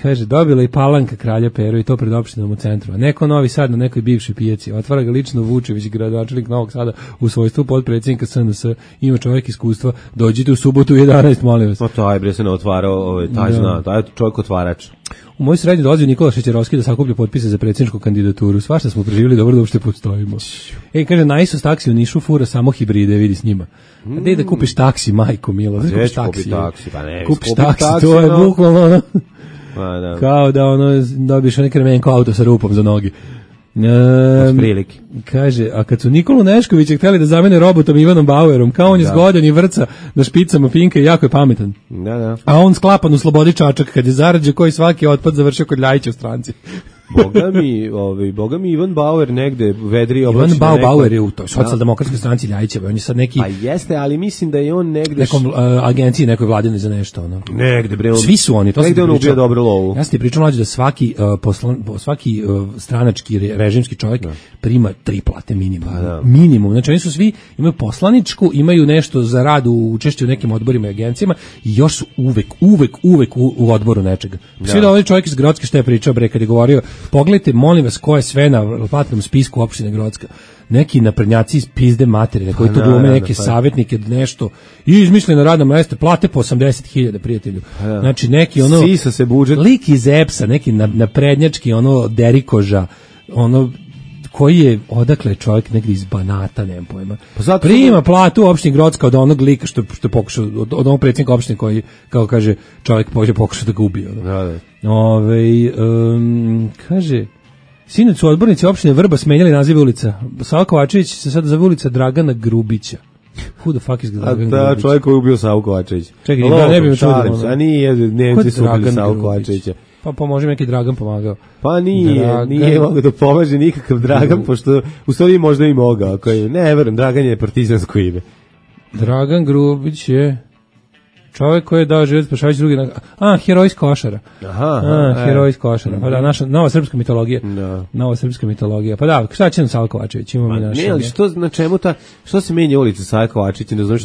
Kaže, dobila i palanka kralja Pero i to pred opštinom u centru. A neko Novi Sad na nekoj bivšoj pijaci. Otvara ga lično Vučević, gradonačelnik Novog Sada u svojstvu potpredsjednika SNS. Ima čovjek iskustva. Dođite u subotu u 11, molim vas. Taj bre se ne otvarao, taj zna, taj čovjek otvarač. U moj srednji dolazio Nikola Šećerovski da sakuplja potpise za predsjedničku kandidaturu. Svašta smo preživjeli, dobro da uopšte postojimo. Kaže, Naisos taksi u Nišu fura samo hibride, vidi s njima. A gde da kupiš taksi, majko milo? Kupiš taksi, kupiš taksi, to je bukvalno kao da dobiješ onaj kremenko auto sa rupom za noge. Kaže, a kad su Nikolu Neškovića htjeli da zamene robotom Ivanom Bauerom, kao on je zgodan i vrca na špicama finke i jako je pametan. A on sklapan u slobodi čačak kad je zarađe koji svaki otpad završio kod Ljajića u stranci. Boga mi Ivan Bauer negde vedri oblači. Ivan Bauer je u toj socijaldemokratskoj stranci Ljajićeva, on je sad neki. Pa jeste, ali mislim da je on negde nekom agenciji nekoj vladinoj za nešto Negde bre. Svi su oni, to negde on ubija dobru lovu. Ja sam ti pričao mlađe da svaki stranački režimski čovjek prima 3 plate minimum. Minimum. Znači oni su svi imaju poslaničku, imaju nešto za rad u učešću u nekim odborima i agencijama i još su uvek u odboru nečega. Svi da ovaj čovjek iz Grodske što je pričao bre kad je govorio Pogledajte, molim vas, ko je sve na platnom spisku opštine Grocka. Neki naprednjaci iz pizde materine koji tu glume neke savjetnike, nešto, i izmišljeno radno mesto, plate po 80.000, prijatelju. Znači, neki ono... Sisa se budžet. Lik iz EPS-a, neki naprednjački, ono, derikoža, ono, koji je odakle čovjek negdje iz Banata, nemam pojma. Pa prima platu u opštini Grocka od onog lika što je pokušao, od onog predsjednika opštine koji, kao kaže, čovjek pokušao da ga ubije. Kaže... Sinoć su odbornici opštine Vrba smenjali nazive ulica. Sava Kovačević se sada zove ulica Dragana Grubića. Who the fuck is Dragan Grubić? Da, čovjek koji je ubio Savu Kovačevića. Čekaj, da ne bi me čudio. A nije, Nemci su ubili Savu Kovačevića. Pa može neki Dragan pomagao. Pa nije mogao da pomaže nikakav Dragan, pošto u stvari možda i mogao. Ne, verujem, Dragan je partizansko ime. Dragan Grubić je... čovjek koji je dao život spašavajući drugi... heroj iz Košara. Heroj iz Košara. Pa da, naša nova srpska mitologija. Nova srpska mitologija. Pa da, šta će nam Sava Kovačević? Ne, ali što se menja ulica Sava Kovačević? Ne znam,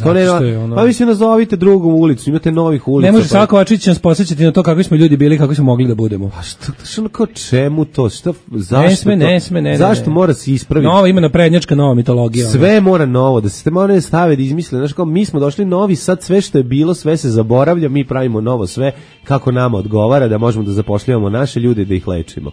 pa vi se nazovite drugom ulicu, imate novih ulica. Ne može Sava Kovačević nas posjećati na to kakvi smo ljudi bili, kakvi smo mogli da budemo. Pa što, kao čemu to? Zašto to? Ne sme. Zašto mora se ispraviti? Nova ima naprednjačka nova mitologija. Sve mora novo, da se moraju stave da izmisle. Znaš, kao mi smo došli novi, sad sve što je bilo, sve se zaboravlja, mi pravimo novo sve kako nama odgovara, da možemo da zapošljavamo naše ljude, da ih lečimo.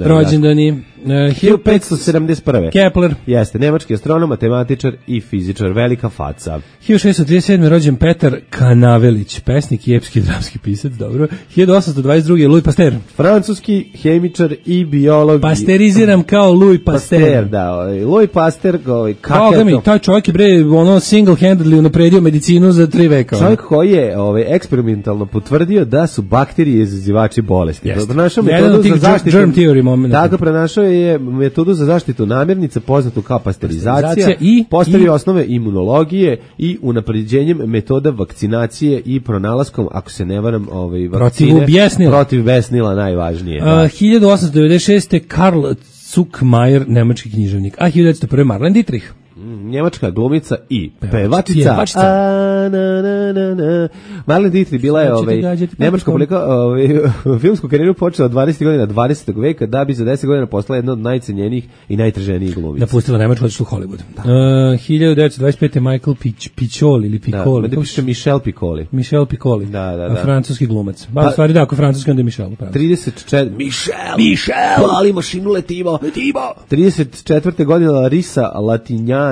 Rođendani 1571. Kepler. Jeste, nemački astronom, matematičar i fizičar, velika faca. 1637. rođen Petar Kanavelić, pesnik i epski dramski pisac, dobro. 1822. Louis Pasteur. Francuski hemičar i biolog. Pasteriziram kao Louis Pasteur. Da, Louis Pasteur, taj čovjek je single-handedly unapredio medicinu za 3 veka. Čovjek koji je eksperimentalno potvrdio da su bakterije izazivači bolesti. Pronašao metodu za zaštitu germ theory momenta. Tako pronašao je metodu za zaštitu namirnica poznatu kao pasterizacija i postavio osnove imunologije i unapređenjem metoda vakcinacije i pronalaskom, ako se ne varam, vakcine protiv besnila najvažnije. 1896. Karl Zuckmayer, nemački književnik, a 1901. Marlene Dietrich. Njemačka glumica i pevačica. Marlene Dietrich bila je nemačka filmsku karijeru počela od 20. godina 20. veka, da bi za 10 godina postala jedna od najcenjenijih i najtraženijih glumica. Napustila Nemačku, otišla u Hollywood. 1925. Michael Piccoli ili Piccoli. Da piše Michel Piccoli. Michel Piccoli. Da. Francuski glumac. U stvari da, ako francuski onda je Michel. 34. Michel! Ali mašinu letimo. 34. godina Larisa Latinjina,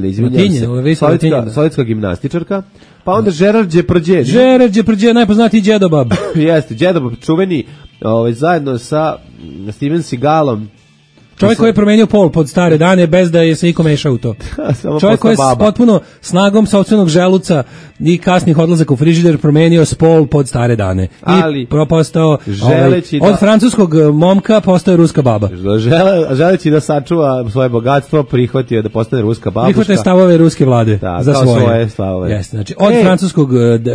izvinjavam se, sovjetska gimnastičarka, pa onda Gerard Depardieu, najpoznatiji Đedobab. Jeste, Đedobab čuveni, zajedno sa Steven Seagalom. Čovjek koji je promenio pol pod stare dane bez da je se iko mešao u to. Čovjek koji je potpuno snagom sopstvenog želuca i kasnih odlazaka u frižider promenio spol pod stare dane. I propostao od francuskog momka postao ruska baba. Želeći da sačuva svoje bogatstvo, prihvatio da postane ruska babuška. Prihvatio stavove ruske vlade za svoje stavove. Jeste, znači od francuskog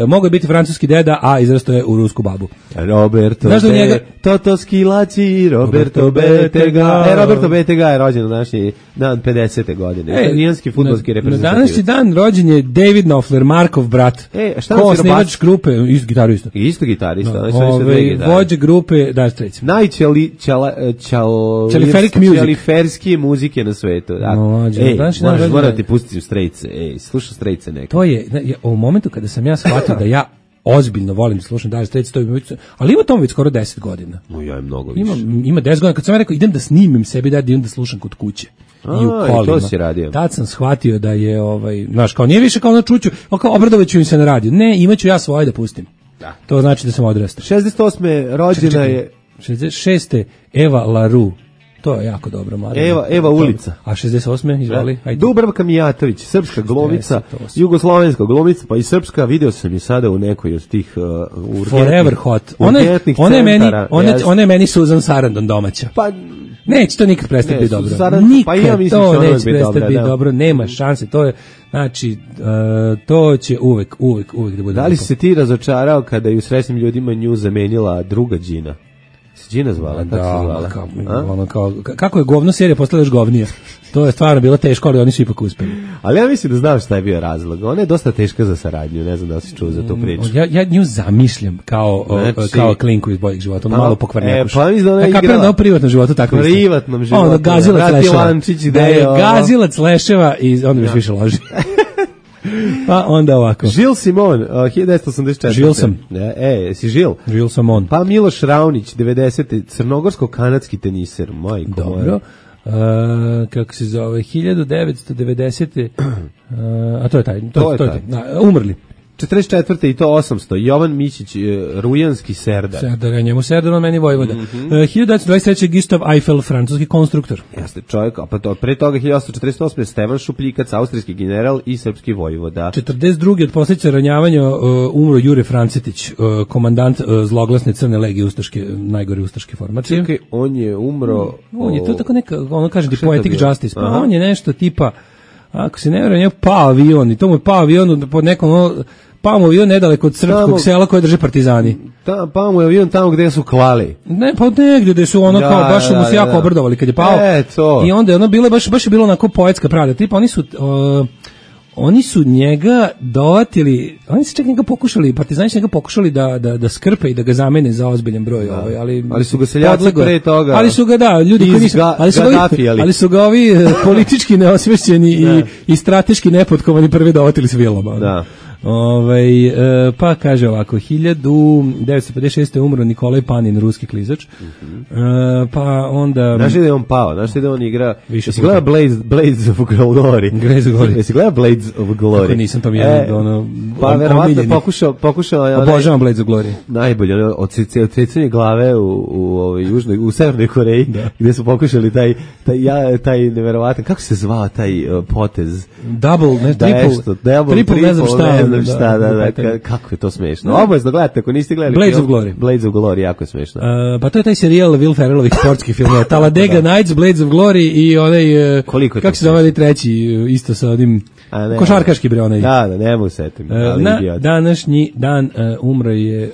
mogao je biti francuski deda, a izrastao je u rusku babu. Roberto Toto Schillaci, Roberto Bettega. Roberto Bettega je rođen na današnji dan 50. godine. Italijanski fudbalski reprezentativac. Na današnji dan rođen je David Knopfler, Markov brat. Ko-osnivač grupe, isto gitarista. Isto gitarista. Vođa grupe Dire Straits. Najčeliferskije muzike na svetu. Moram ti pustiti u Straits. Slušaj Straits nekako. To je, u momentu kada sam ja shvatio da ja ozbiljno volim da slušam Dire Straits, ali ima tomu već skoro 10 godina. Ja je mnogo više. Ima 10 godina. Kad sam ja rekao, idem da snimim sebi, da idem da slušam kod kuće. I u kolima. To si radio. Tad sam shvatio da je, znaš, kao nije više kao na čuću, kao obradovaću im se na radio. Ne, imaću ja svoje da pustim. Da. To znači da sam odrastao. 68. rođena je... 66. Eva LaRue. To je jako dobro, Marija. Eva ulica. A 68. izvoli. Dubravka Mijatović, srpska glumica, jugoslovenska glumica, pa i srpska, video sam je sada u nekoj od tih Forever Hot. Ona je meni Susan Sarandon domaća. Pa neće to nikad prestati biti dobro. Nikad to neće prestati biti dobro. Nema šanse. To je, znači, to će uvek da bude. Da li se ti razočarao kada je u Srećnim ljudima nju zamenila druga Đina? Đina zvala, kako se zvala? Kako je govno serija postala još govnija? To je stvarno bilo teško, ali oni su ipak uspeli. Ali ja mislim da znam šta je bio razlog. Ona je dosta teška za saradnju, ne znam da li si čuo za tu priču. Ja nju zamišljam kao klinku iz Boljeg života, ono malo pokvarnjakuš. Pa mislim da ona je igrala. Kapiram da u privatnom životu tako isto. Privatnom životu. Ono, gazilac leševa. Da je gazilac leševa i onda biš više loži. Pa onda ovako. Žil Simon, 1984. Žil sam. Si Žil? Žil sam on. Pa Miloš Raonić, 90. Crnogorsko-kanadski teniser. Majko dobro. Kako se zove, 1990. A to je taj. To je taj. Umrli. 44. i to 800. Jovan Mićić, Rujanski Serdar. Serdar, njemu Serdar, on meni Vojvoda. 1923. Gustav Eiffel, francuski konstruktor. Jeste čovjek, a pa pre toga 1848. Stevan Šupljikac, austrijski general i srpski vojvoda. 42. od posljedica ranjavanja umro Jure Francetić, komandant zloglasne Crne legije ustaške, najgore ustaške formacije. Čekaj, on je umro... On je to tako neka, ono kaže ti poetic justice, pa on je nešto tipa, ako se ne vjerujem, je pao avion i to mu je pao avion pod nekom... Pao mu avion nedaleko od srpskog sela koje drže partizani. Pao mu je avion tamo gde su klali. Ne, pa negdje gde su ono kao, baš mu se jako obrdovali kad je pao. I onda je ono bilo, baš je bilo onako poetska pravda. Tipa oni su njega dovatili, oni su čak njega pokušali, partizani su njega pokušali da skrpe i da ga zamene za ozbiljan broj. Ali su ga seljaci pre toga. Ali su ga, da, ljudi koji nisu, ali su ga ovi politički neosvešćeni i strateški nepotkovani prvi dovatili s vilama. Da. Pa kaže ovako, 1956. umro Nikolaj Panin, ruski klizač. Pa onda... Znaš da je on pao, znaš da on igra... Jesi gleda Blades of Glory? Jesi gleda Blades of Glory? Kako nisam, to mi je ono... Pa verovatno pokušao... Obožavam Blades of Glory. Najbolje, odsecanje glave u Severnoj Koreji, gde su pokušali taj neverovatan, kako se zvao taj potez? Triple, ne znam šta. Kako je to smešno. Obavezno gledajte, ako niste gledali Blades of Glory, jako je smešno. Pa to je taj serijal Will Ferrellovih sportskih filmova. Talladega Nights, Blades of Glory i onaj, kako se zove treći, isto sa onim košarkaški bre onaj. Da, ne mogu setim. Na današnji dan umro je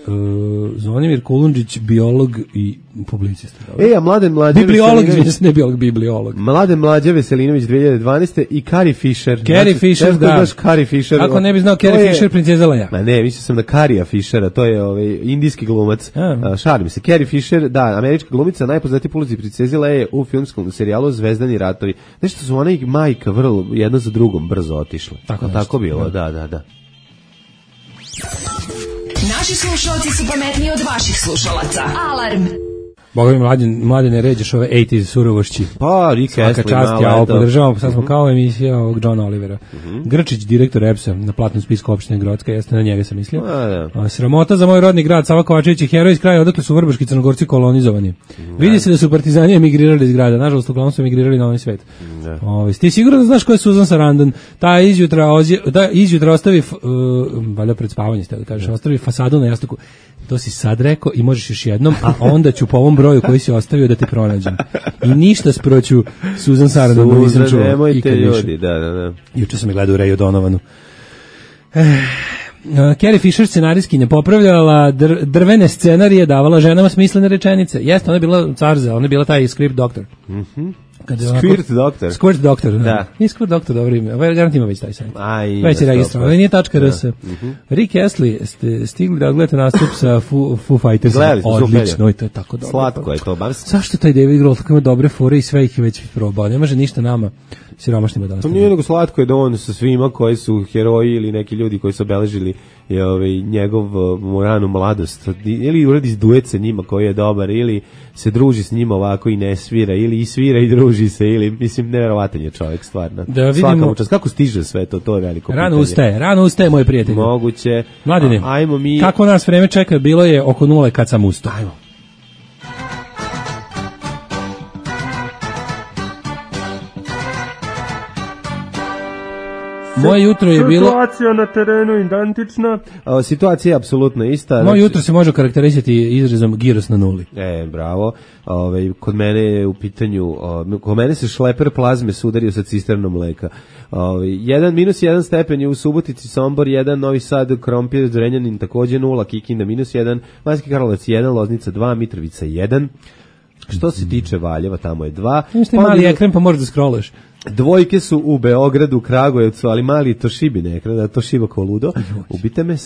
Zvonimir Kulundžić, biolog i publicista. A Mladen bibliolog. Mladen Mlađa Veselinović 2012. i Carrie Fisher. Carrie Fisher. Ako ne bi znao Carrie Fisher, princeza Leia. Ma ne, mislio sam na Carrie Fishera, to je indijski glumac. Šalim se. Carrie Fisher, da, američka glumica, najpoznatija po ulozi princeze Leie u filmskom serijalu Zvezdani ratovi. Nešto su ona i majka vrlo jedno za drugom brzo otišle. Tako bilo, da. Naši slušalci su pametniji od vaših slušalaca. Alarm! Boga mi mladine ređeš ove 80s surovošći. Pa, Rick Astley. Svaka čast, ja ovo podržavam, sad smo kao emisija ovog Johna Olivera. Grčić, direktor EPS-a, na platnom spisku opštine Grocka, jeste, na njega sam mislio. Sramota za moj rodni grad, Sava Kovačević je heroj iz kraja, odakle su vrbaški Crnogorci kolonizovani. Vidi se da su partizani emigrirali iz grada, nažalost, uglavnom su emigrirali na ovaj svet. Ti sigurno da znaš ko je Susan Sarandon? Ta izjutra ostavi, valjda pred spavanje ste da kažeš, ostavi fasadu na jastuku. To si sad rekao i možeš još jednom, a onda ću po ovom broju koji si ostavio da te pronađem. I ništa sproću Susan Sarandon nisam čuo. Nemojte ljudi, da. Juče sam je gledao u Ray O'Donovanu. Carrie Fisher scenarijski ne popravljala drvene scenarije, davala ženama smislene rečenice. Jeste, ona je bila carza, ona je bila taj script doktor. Squirt Doctor, da. I Squirt Doctor, dobro ime. Ovaj garant ima već taj sajt. Već je registrovan. Ovo nije .rs. Rick Astley, ste stigli da gledate nastup sa Foo Fighters. Odlično, i to je tako dobro. Slatko je to. Zašto taj David Grohl tako ima dobre fore i sve ih je već probao? Ne može ništa nama siromašnima da ostavimo. To nije nego slatko je da on sa svima koji su heroji ili neki ljudi koji su obeležili njegov ranu mladost, ili uradi duet sa njima koji je dobar, ili se druži s njima ovako i ne svira, ili i svira i druži se, ili, mislim, nevjerovatan je čovjek, stvarno. Da vidimo, kako stiže sve to, to je veliko pitanje. Rano ustaje, moje prijatelji. Moguće. Mladine, kako nas vreme čeka, bilo je oko 0 kad sam ustao. Ajmo. Moje jutro je bilo... Situacija na terenu identična. Situacija je apsolutno ista. Moje jutro se može karakterisati izrazom giros na nuli. Bravo. Kod mene je u pitanju, kod mene se šleper plazme sudario sa cisternom mleka. -1 stepen je u Subotici, Sombor 1, Novi Sad, Krompir, Zrenjanin takođe 0, Kikinda -1, Banjski Karlovac 1, Loznica 2, Mitrovica 1. Što se tiče Valjeva, tamo je 2. Imaš taj mali ekran pa možeš da scrollaš. Dvojke su u Beogradu, Kragujevcu, ali mali Tošibine ekran, da to šiba kao ludo. Ubite me,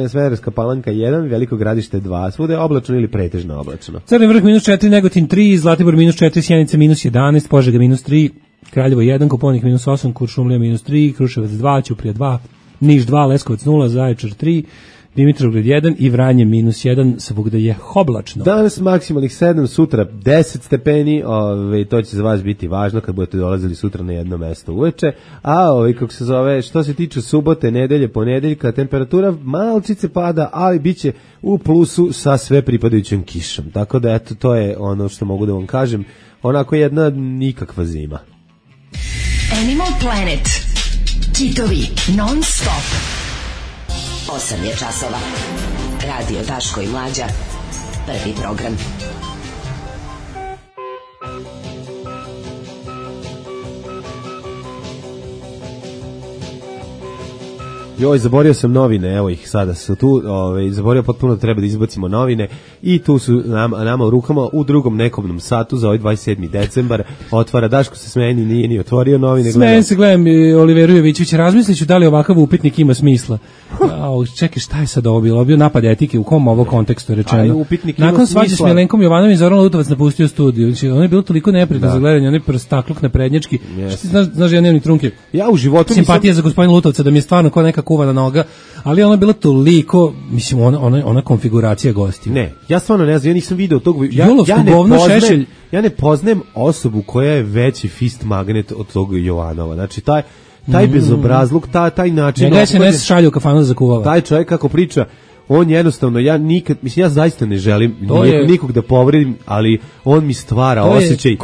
Smederevska Palanka 1, Veliko Gradište 2, svuda je oblačno ili pretežno oblačno. Crni Vrh -4, Negotin 3, Zlatibor -4, Sjenica -11, Požega -3, Kraljevo 1, Koponik -8, Kuršumlija -3, Kruševac 2, Ćuprija 2, Niš 2, Leskovac 0, Zaječar 3, Dimitrovgrad 1 i Vranje -1, svugde je oblačno. Danas maksimalnih 7, sutra 10 stepeni, to će za vas biti važno kad budete dolazili sutra na jedno mesto uveče, a kako se zove, što se tiče subote, nedelje, ponedeljka, temperatura malčice pada, ali biće u plusu sa sve pripadajućom kišom, tako da eto, to je ono što mogu da vam kažem, onako jedna nikakva zima. Animal Planet. Kitovi non stop. 8 je časova. Radio Daško i Mlađa. Prvi program. Joj, zaborio sam novine, evo ih, sada su tu, zaborio potpuno da treba da izbacimo novine i tu su nama u rukama u drugom nekobnom satu za ovaj 27. decembar, otvara, Daško se smeni, nije ni otvorio novine. Smejem se, gledam Oliveru Jovićevića, razmisliću da li ovakav upitnik ima smisla. Čekaj, šta je sad ovo bilo? Bio napad etike, u kom ovo kontekstu rečeno? Nakon svađe s Milenkom Jovanom i Zoran Lutovac napustio studiju. Znači, on je bilo toliko neprijatno za gledanje, on je prstakluk naprednjački. Znaš, ja nemam ni trunke. Ja u životu simpatija za gospodina Lutovca, da mi je stvarno kao neka kuvana noga, ali ona je bila toliko, mislim, ona konfiguracija gostiju. Ne, ja stvarno ne znam, ja nisam video tog... Ja ne poznajem osobu koja je veći fist magnet od tog Jovanova. Znači, taj bezobrazluk, taj način... Njega se ne šalju u kafanu za kuvava. Taj čovjek kako priča, on jednostavno, ja zaista ne želim nikog da povredim, ali on mi stvara osjećaj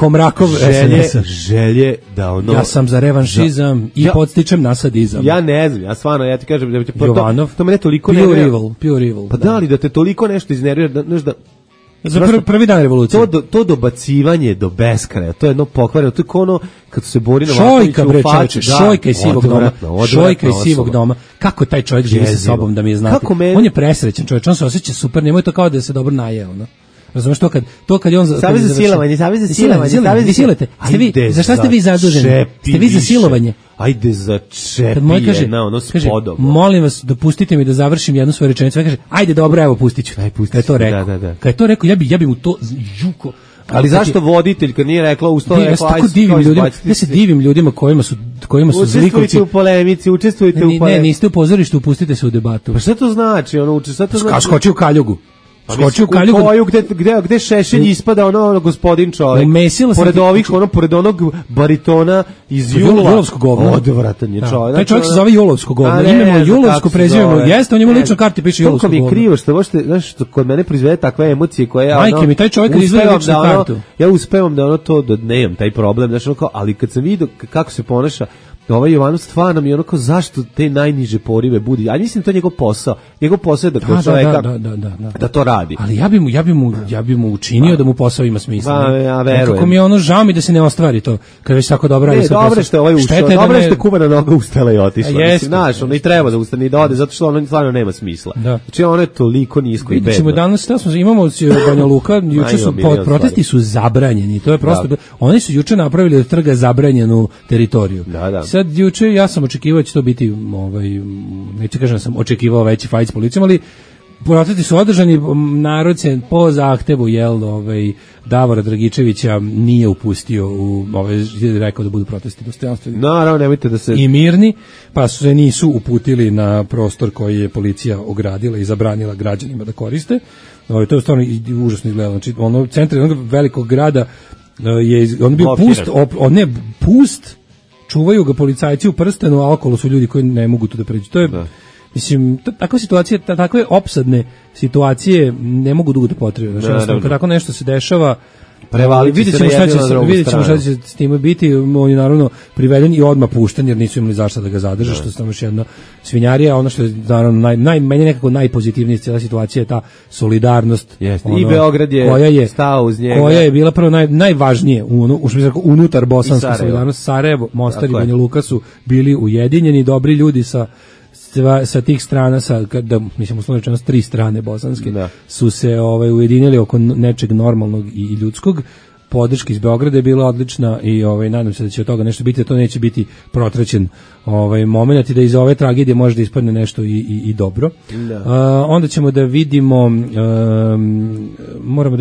želje da ono... Ja sam za revanšizam i podstičem na sadizam. Ja ne znam, ja stvarno, ja ti kažem... Jovanov, to mene toliko pure evil. Pa da li da te toliko nešto iznervira, za prvi dan revolucije. To dobacivanje do beskraja, to je jedno pokvareno, to je kao ono kad se bori Novaković u facu. Šojka iz sivog doma. Kako taj čovjek živi sa sobom, da mi je znati. On je presrećan čovjek, on se osjeća super, nemoj to kao da se dobro najeo, no. Razumeš to kad je on Savez za silovanje. Za šta ste vi zaduženi? Ste vi za silovanje? Ajde za čepi jedna, ono spodobno. Molim vas, dopustite mi da završim jednu svoju rečenicu. Kaže, ajde dobro, evo pustit ću. Kad je to rekao. Kad je to rekao, ja bi mu to juko. Ali zašto voditelj kad nije rekla ustao je ja se divim ljudima kojima su zlikovci. Učestvujte u polemici, učestvujte u polemici. Ne, niste u pozorištu, upustite se u debatu. Pa šta to znači? Skoči u kaljugu. Skoči u koju gde Šešelj ispada ono gospodin čovjek. Pored onog baritona iz Julovskog govna. Odvratan je čovjek. Taj čovjek se zove Julovsko govno. Imamo Julovsko, prezivamo. Jeste, on njemu lično karti piše Julovsko govno. Koliko mi je krivo što možete, znaš, kod mene proizvede takve emocije koje ja... Majke mi, taj čovjek kad izvede ličnu kartu. Ja uspevam da ono to, da nemam taj problem, znaš, ali kad sam vidio kako se ponaša ovaj Jovanov, stvarno mi je onako, zašto te najniže porive budi, a mislim to je njegov posao je da kod čovjeka da to radi. Ali ja bi mu učinio da mu posao ima smisla. Ja verujem. Kako mi je ono, žao mi da se ne ostvari to, kad već tako dobro radi. Dobro što je ovaj ušao, dobro što je kuvana noga ustala i otišla. Mislim, znaš, ono i treba da ustane i da ode, zato što ono stvarno nema smisla. Znači ono je toliko nisko i bedno. Vidimo danas, imamo Banja Luka, juče su protesti su zabranjeni, to je prosto, oni su juče napravili od trga zabranjenu teritoriju. Sad juče ja sam očekivao da će to biti, neću kažem da sam očekivao veći fajt s policijom, ali protesti su održani, narod se po zahtevu Davora Dragičevića nije upustio rekao da budu protesti dostojanstveni. Naravno, nemojte da se... I mirni, pa se nisu uputili na prostor koji je policija ogradila i zabranila građanima da koriste. To je stvarno užasno izgledalo. Znači, centar jednog velikog grada on bio pust, čuvaju ga policajci u prstenu, a okolo su ljudi koji ne mogu tu da pređu. To je Mislim, takve situacije, takve opsadne situacije ne mogu dugo da potrebe. Znači, kad tako nešto se dešava, vidjet ćemo šta će s time biti. On je naravno priveden i odmah pušten, jer nisu imali zašto da ga zadrže, što je samo još jedna svinjarija. Ono što je naravno meni nekako najpozitivnije cijela situacija je ta solidarnost. I Beograd je stao uz njega. Koja je bila prvo najvažnije unutar bosanske solidarnosti. Sarajevo, Mostar i Banja Luka su bili ujedinjeni, dobri ljudi sa tih strana, mislim uslovno rečeno 3 strane bosanske, su se ujedinili oko nečeg normalnog i ljudskog. Podrška iz Beograda je bila odlična i nadam se da će od toga nešto biti, da to neće biti protraćen moment i da iz ove tragedije može da ispadne nešto i dobro. Onda ćemo da vidimo, moram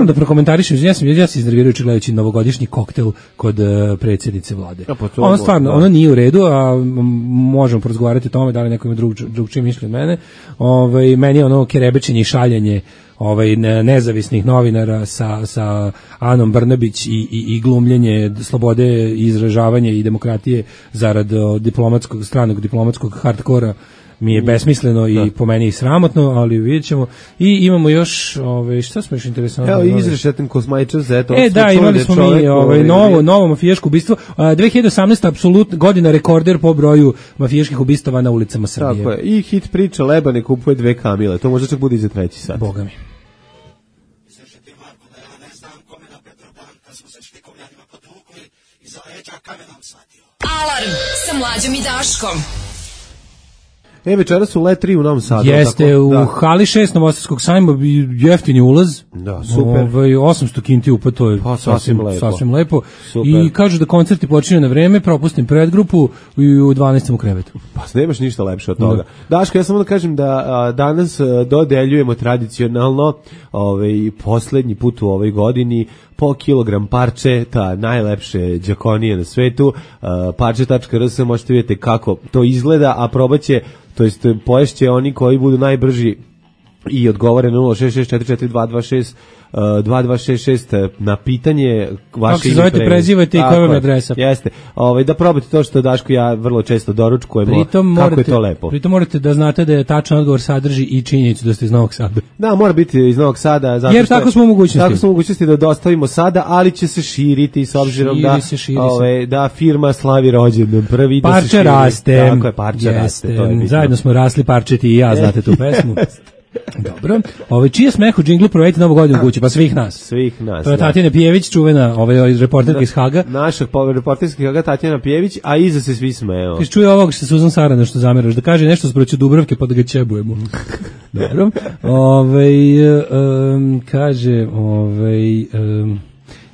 da prokomentarišem, ja se iznervirajući gledajući novogodišnji koktel kod predsjednice vlade. Ono stvarno, ono nije u redu, a možemo porazgovarati o tome da li neko ima drugčije mišljenje od mene. Meni je ono kerebečenje i šaljenje nezavisnih novinara sa Anom Brnabić i glumljenje slobode izražavanja i demokratije zarad stranog diplomatskog hardkora mi je besmisleno i po meni i sramotno, ali vidjet ćemo. I imamo još, šta smo još interesantno? Evo, izrešeten Kosmajčev Z. Imali smo mi novo mafijaško ubistvo. 2018. apsolutno godina rekorder po broju mafijaških ubistava na ulicama Srbije. Tako je. I hit priča Lebane kupuje 2 kamile. To možda čak bude i za 3. sat. Boga mi. Alarm sa Mlađom i Daškom. Večeras su Let 3 u Novom Sadu. Jeste, u hali 6 Novosadskog sajma jeftini ulaz. Da, super. 800 kinti upa, to je sasvim lepo. I kažu da koncerti počinju na vreme, propustim predgrupu i u 12. u krevetu. Pa nemaš ništa lepše od toga. Daško, ja samo da kažem da danas dodeljujemo tradicionalno poslednji put u ovoj godini po kilogram parče, ta najlepše đakonije na svetu. Parče.rs, možete vidjeti kako to izgleda, a probaće, to jest poješće oni koji budu najbrži i odgovore na 066442266 na pitanje vaše ime, zovete, prezivajte i koja vam je adresa. Jeste. Da probate to što Daško ja vrlo često doručkujemo, kako je to lepo. Pritom morate da znate da je tačan odgovor sadrži i činjenicu da ste iz Novog Sada. Da, mora biti iz Novog Sada, zato jer tako smo u mogućnosti. Tako smo u mogućnosti da dostavimo sada, ali će se širiti s obzirom da firma slavi rođendan prvi. Parče raste. Tako je, parče raste. Zajedno smo rasli parčeti i ja, znate tu pesmu. Dobro. Čije smeh u džinglu provedite Novu godinu kući, pa svih nas. To je Tatjana Pijević, čuvena reporterka iz Haga. Naša reporterska iz Haga, Tatjana Pijević, a iza se svi smeju. Kaže, čuje ovog što Suzan Sarana što zameraš, da kaže nešto sproću Dubravke pa da ga ćebujemo. Dobro. Kaže,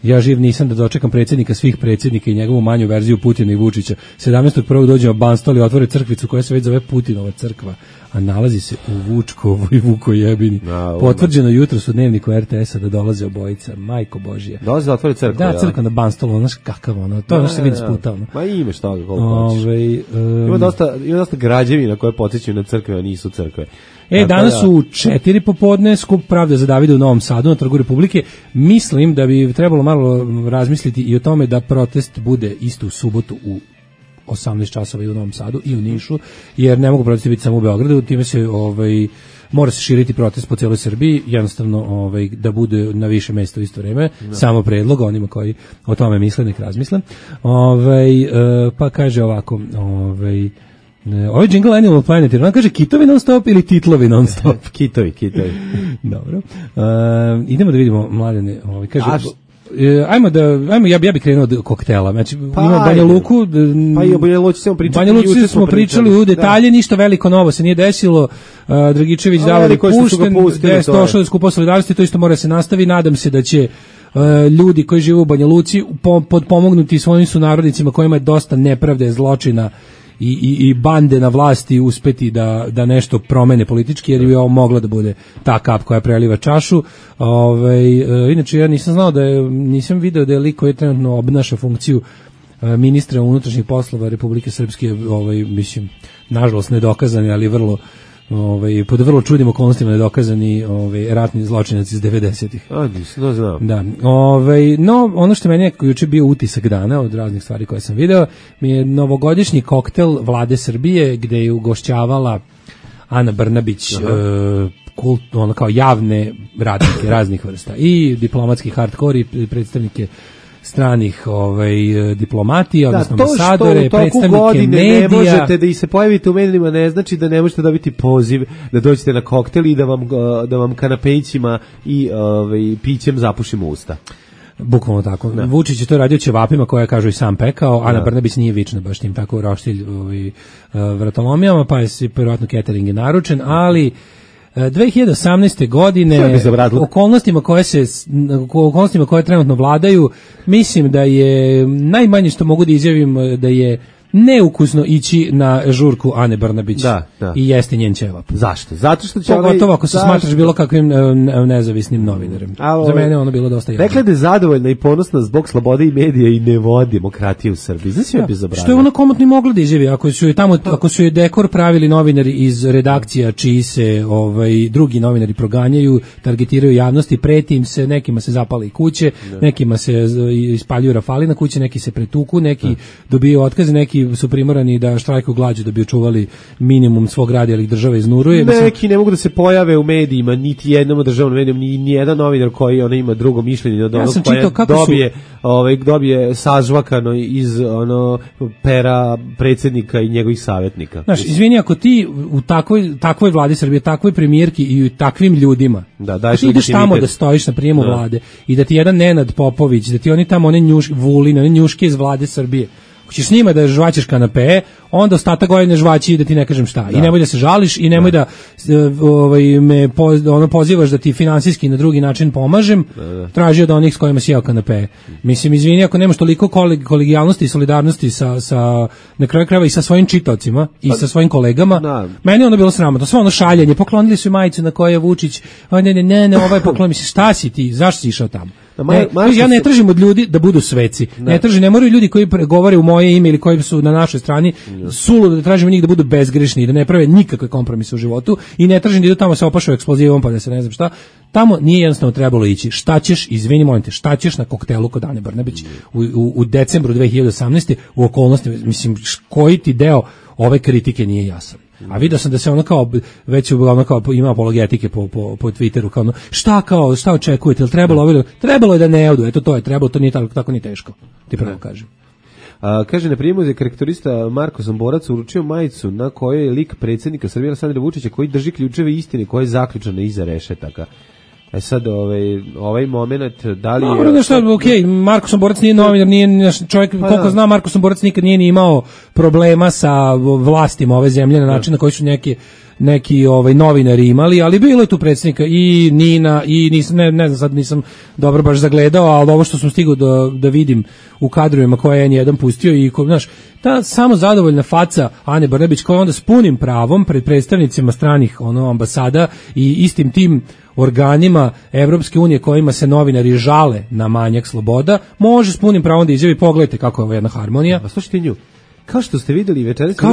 ja živ nisam da dočekam predsjednika svih predsjednika i njegovu manju verziju Putina i Vučića. 17.1. dođem u Banstol i otvore crkvicu koja se već zove Putinova crkva, a nalazi se u Vučkovoj Vukojebini. Potvrđeno jutros u dnevniku RTS-a da dolaze obojica. Majko Božija. Dolaze da otvore crkvu. Da, crkva na Banstolu, znaš kakav ono. To se vidi sputa. Ma imaš toga koliko hoćeš. Ima dosta građevina koje podsjećaju na crkve, a nisu crkve. Danas u 4 popodne skup Pravda za Davida u Novom Sadu na Trgu Republike. Mislim da bi trebalo malo razmisliti i o tome da protest bude isto u subotu u 18 časova i u Novom Sadu i u Nišu, jer ne mogu protesti biti samo u Beogradu, time se mora se širiti protest po cijeloj Srbiji, jednostavno da bude na više mjesta u isto vrijeme. Samo predlog onima koji o tome misle, nek razmisle. Pa kaže ovako, ovaj jingle Animal Planet, on kaže kitovi non stop ili titlovi non stop? Kitovi. Dobro. Idemo da vidimo, Mladene, kaže... ja bih krenuo od koktela. Znači, ima Banja Luku. Pa i o Banja Luci smo pričali u detalje, ništa veliko novo se nije desilo. Dragičević davali pušten, došlo je skupo solidarnosti, to isto mora se nastavi. Nadam se da će ljudi koji žive u Banja Luci potpomognuti svojim sunarodnicima kojima je dosta nepravde, zločina i bande na vlasti uspeti da nešto promene politički, jer bi ovo mogla da bude ta kap koja preliva čašu. Inače, ja nisam video da je lik koji trenutno obnaša funkciju ministra unutrašnjih poslova Republike Srpske, mislim, nažalost nedokazani, ali pod vrlo čudnim okolnostima nedokazani ratni zločinac iz 90-ih. Nisam znao. Da. No, ono što meni je juče bio utisak dana od raznih stvari koje sam video, mi je novogodišnji koktel Vlade Srbije, gde je ugošćavala Ana Brnabić, ono kao javne radnike raznih vrsta i diplomatski hardcore i predstavnike stranih diplomatija, odnosno ambasadore, predstavnike medija. Ne možete da i se pojavite u medijima, ne znači da ne možete dobiti poziv da dođete na koktel i da vam kanapejcima i pićem zapušimo usta. Bukvalno tako. Da. Vučić je to radio ćevapima koje kažu i sam pekao, Ana Brnabić nije vična baš tim tako roštilj vratolomijama, pa je vjerojatno catering je naručen, ali 2018. godine okolnostima koje trenutno vladaju, mislim da je najmanje što mogu da izjavim da je neukusno ići na žurku Ane Brnabić i jesti njen ćevap. Zašto? Zato što će pogotovo ako se smatraš bilo kakvim nezavisnim novinarem. Za mene ono bilo dosta jasno. Rekla da je zadovoljna i ponosna zbog slobode i medija i ne vodi demokratije u Srbiji. Znači je bezobrazno. Što je ona komotno mogla da izjavi ako su je dekor pravili novinari iz redakcija čiji se drugi novinari proganjaju, targetiraju javnosti, preti im se, nekima se zapale i kuće, nekima se ispaljuju rafali na kuće, neki se pretuku, neki dobiju otkaze, neki su primorani da štrajkuju glađu da bi očuvali minimum svog rada, ali ih država iznuruje. Neki ne mogu da se pojave u medijima, niti jednom državnom medijom, ni jedan novinar koji ima drugo mišljenje od onog koje dobije sažvakano iz pera predsjednika i njegovih savjetnika. Znaš, izvini, ako ti u takvoj vladi Srbije, takvoj premijerki i u takvim ljudima, ti ideš tamo da stojiš na prijemu vlade i da ti jedan Nenad Popović, da ti oni tamo one njuške iz vlade Srbije, ćeš s njima da žvaćeš kanape, onda ostatak godine žvaći da ti ne kažem šta. I nemoj da se žališ i nemoj da me pozivaš da ti finansijski na drugi način pomažem, traži od onih s kojima si jeo kanape. Mislim, izvini, ako nemaš toliko kolegijalnosti i solidarnosti sa na kraju krajeva i sa svojim čitaocima i sa svojim kolegama, meni ono bilo sramotno. Sve ono šaljenje, poklonili su majicu na kojoj je Vučić, ne, ovaj poklon, mislim, šta si ti, zašto si išao tamo? Ja ne tražim od ljudi da budu sveci. Ne moraju ljudi koji govore u moje ime ili koji su na našoj strani suludo da tražimo njih da budu bezgrešni i da ne prave nikakve kompromise u životu i ne tražim da idu tamo se opašaju eksplozivom pa da se ne znam šta. Tamo nije jednostavno trebalo ići. Šta ćeš, izvini, molim te, šta ćeš na koktelu kod Ane Brnabić u decembru 2018. u okolnostima, mislim, koji ti deo ove kritike nije jasan. A vidio sam da se ono kao već ima apologetike po Twitteru kao ono, šta očekujete, trebalo je da ne odu, eto to je trebalo, to nije tako ni teško. Ti pravo kažem. Kaže, na primjer, je karakterista Marko Somborac uručio majicu na kojoj je lik predsjednika Srbije Aleksandra Vučića koji drži ključeve istine koja je zaključana iza rešetaka. Sad ovaj moment da li je Marko Somborac nije novinar, nije čovjek, koliko zna, Marko Somborac nikad nije ni imao problema sa vlastima ove zemlje na način na koji su neki novinari imali, ali bilo je tu predsjednika i Nina i ne znam, sad nisam dobro baš zagledao, ali ovo što sam stigao da vidim u kadrovima koje je N1 pustio i znaš, ta samo zadovoljna faca Ane Brnabić koja onda s punim pravom pred predstavnicima stranih ambasada i istim tim organima Evropske unije kojima se novinari žale na manjak sloboda, može s punim pravom da izjavi, pogledajte kako je ovo jedna harmonija. A slušajte nju. Kao što ste videli večeras, to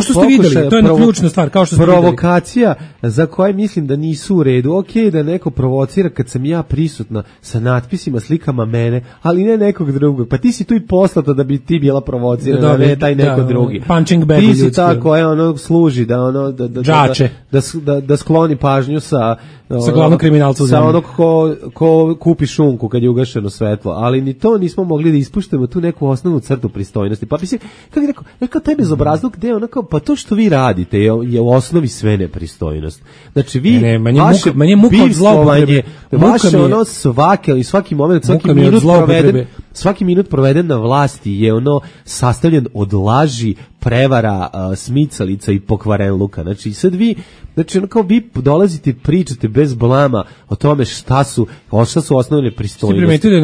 je ključna stvar, kao što ste provokacija za koje mislim da nisu u redu. Okej, da neko provocira kad sam ja prisutna sa natpisima, slikama mene, ali ne nekog drugog. Pa ti si tu i poslata da bi ti bila provocirana, ne taj neko drugi. Punching bag ti si ta koja služi da skloni pažnju sa glavnog kriminalca u zemlji. Sa onog ko kupi šunku kad je ugašeno svetlo, ali ni to nismo mogli da ispuštamo tu neku osnovnu crtu pristojnosti. Pa mislim, kako je rekao taj bezobrazluk gde onako, pa to što vi radite je u osnovi sve nepristojnost. Znači vi manje muka od zloupotrebe, vaše svaki moment, svaki minut proveden na vlasti je sastavljen od laži, prevara, smicalica i pokvarenluka. Znači sad vi vi dolazite i pričate bez blama o tome šta su osnovne pristojnosti. Ste primetili da je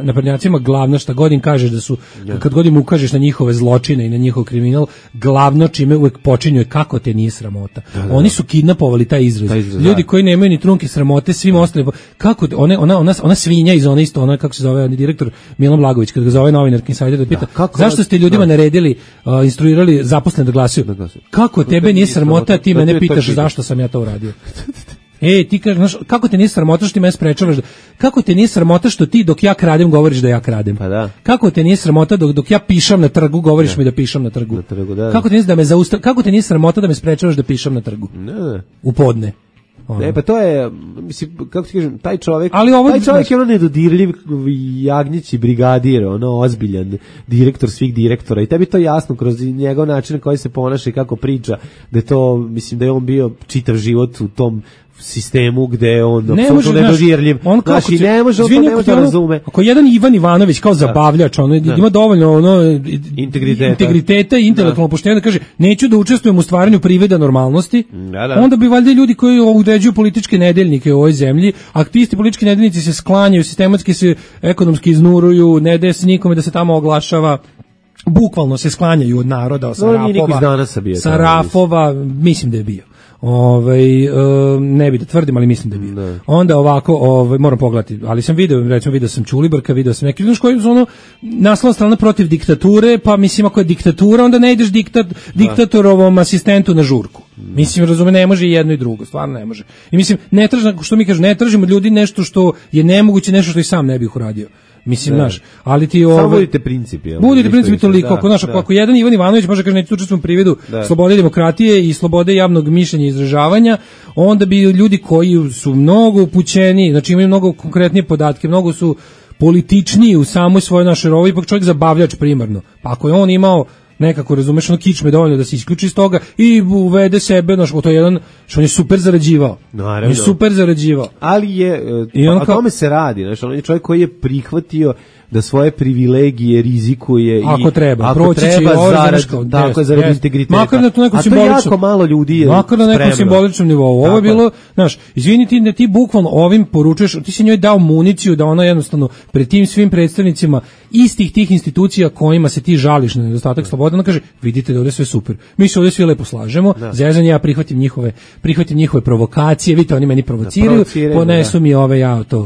naprednjacima glavna šta god im kažeš da su, kad god im ukažeš na njihove zločine i na njihov kriminal, glavno čime uvek počinju je kako te nije sramota. Oni su kidnapovali taj izraz. Ljudi koji nemaju ni trunke sramote, svim ostalim, kako ona svinja iz ona kako se zove direktor Milan Blagović, kad ga zove novinarki Insider da pita, zašto ste ljudima naredili, instruirali zaposlene da glasuju? Kako tebe nije sramota, ti mene pitaš zašto sam ja to uradio? Ti kažeš, znaš, kako te nije sramota što ti me sprečavaš? Kako te nije sramota što ti dok ja kradem govoriš da ja kradem? Pa da. Kako te nije sramota dok ja pišam na trgu govoriš mi da pišam na trgu? Da. Kako te nije sramota da me sprečavaš da pišam na trgu? Ne. U podne. Ne, pa to je, mislim, kako ti kažem, taj čovjek je ono nedodirljiv jagnjić i brigadir, ono ozbiljan direktor svih direktora i tebi to jasno kroz njegov način na koji se ponaša i kako priča, da je to, mislim da je on bio čitav život u tom sistemu gde je on apsolutno nedodirljiv. Znači, ne može da razume. Ako jedan Ivan Ivanović kao zabavljač, ima dovoljno integriteta i intelektualno poštenja da kaže, neću da učestvujem u stvaranju privida normalnosti, onda bi valjda ljudi koji određuju političke nedeljnike u ovoj zemlji, a ti isti politički nedeljnici se sklanjaju, sistematski se ekonomski iznuruju, ne daje se nikome da se tamo oglašava, bukvalno se sklanjaju od naroda, sa rafova, mislim da je bio. Ne bi da tvrdim, ali mislim da bi. Ne. Onda ovako, moram pogledati, ali sam video sam Ćulibrka, video sam neki, znaš koji su naslovna strana protiv diktature, pa mislim ako je diktatura, onda ne ideš diktatorovom asistentu na žurku. Mislim, razume, ne može i jedno i drugo, stvarno ne može. I mislim, ne tražimo od ljudi nešto što je nemoguće, nešto što i sam ne bih uradio. Mislim, znaš, ali ti samo budite principi. Budite principi toliko, ako jedan Ivan Ivanović može kaže neću učestvovati u prividu slobode demokratije i slobode javnog mišljenja i izražavanja, onda bi ljudi koji su mnogo upućeni, znači imaju mnogo konkretnije podatke, mnogo su političniji u samoj svojoj našoj rovi, ipak čovjek zabavljač primarno. Pa ako je on imao nekako, razumeš, kičme dovoljno da se isključi iz toga i uvede sebe, to je jedan, što on je super zarađivao. Naravno. On je super zarađivao. Ali je, o tome se radi, znači, on je čovjek koji je prihvatio da svoje privilegije rizikuje ako treba zarad integriteta. Makar na to nekom simboličnom, jako malo ljudi je makar na nekom simboličnom nivou. Ovo je bilo, znaš, izviniti da ti bukvalno ovim poručuješ, ti si njoj dao municiju da ona jednostavno pred tim svim predstavnicima istih tih institucija kojima se ti žališ na nedostatak slobode, ona kaže, vidite da ovdje sve super. Mi se ovdje svi lepo slažemo, zezanje, ja prihvatim njihove provokacije, vidite, oni meni provociraju, ponesu mi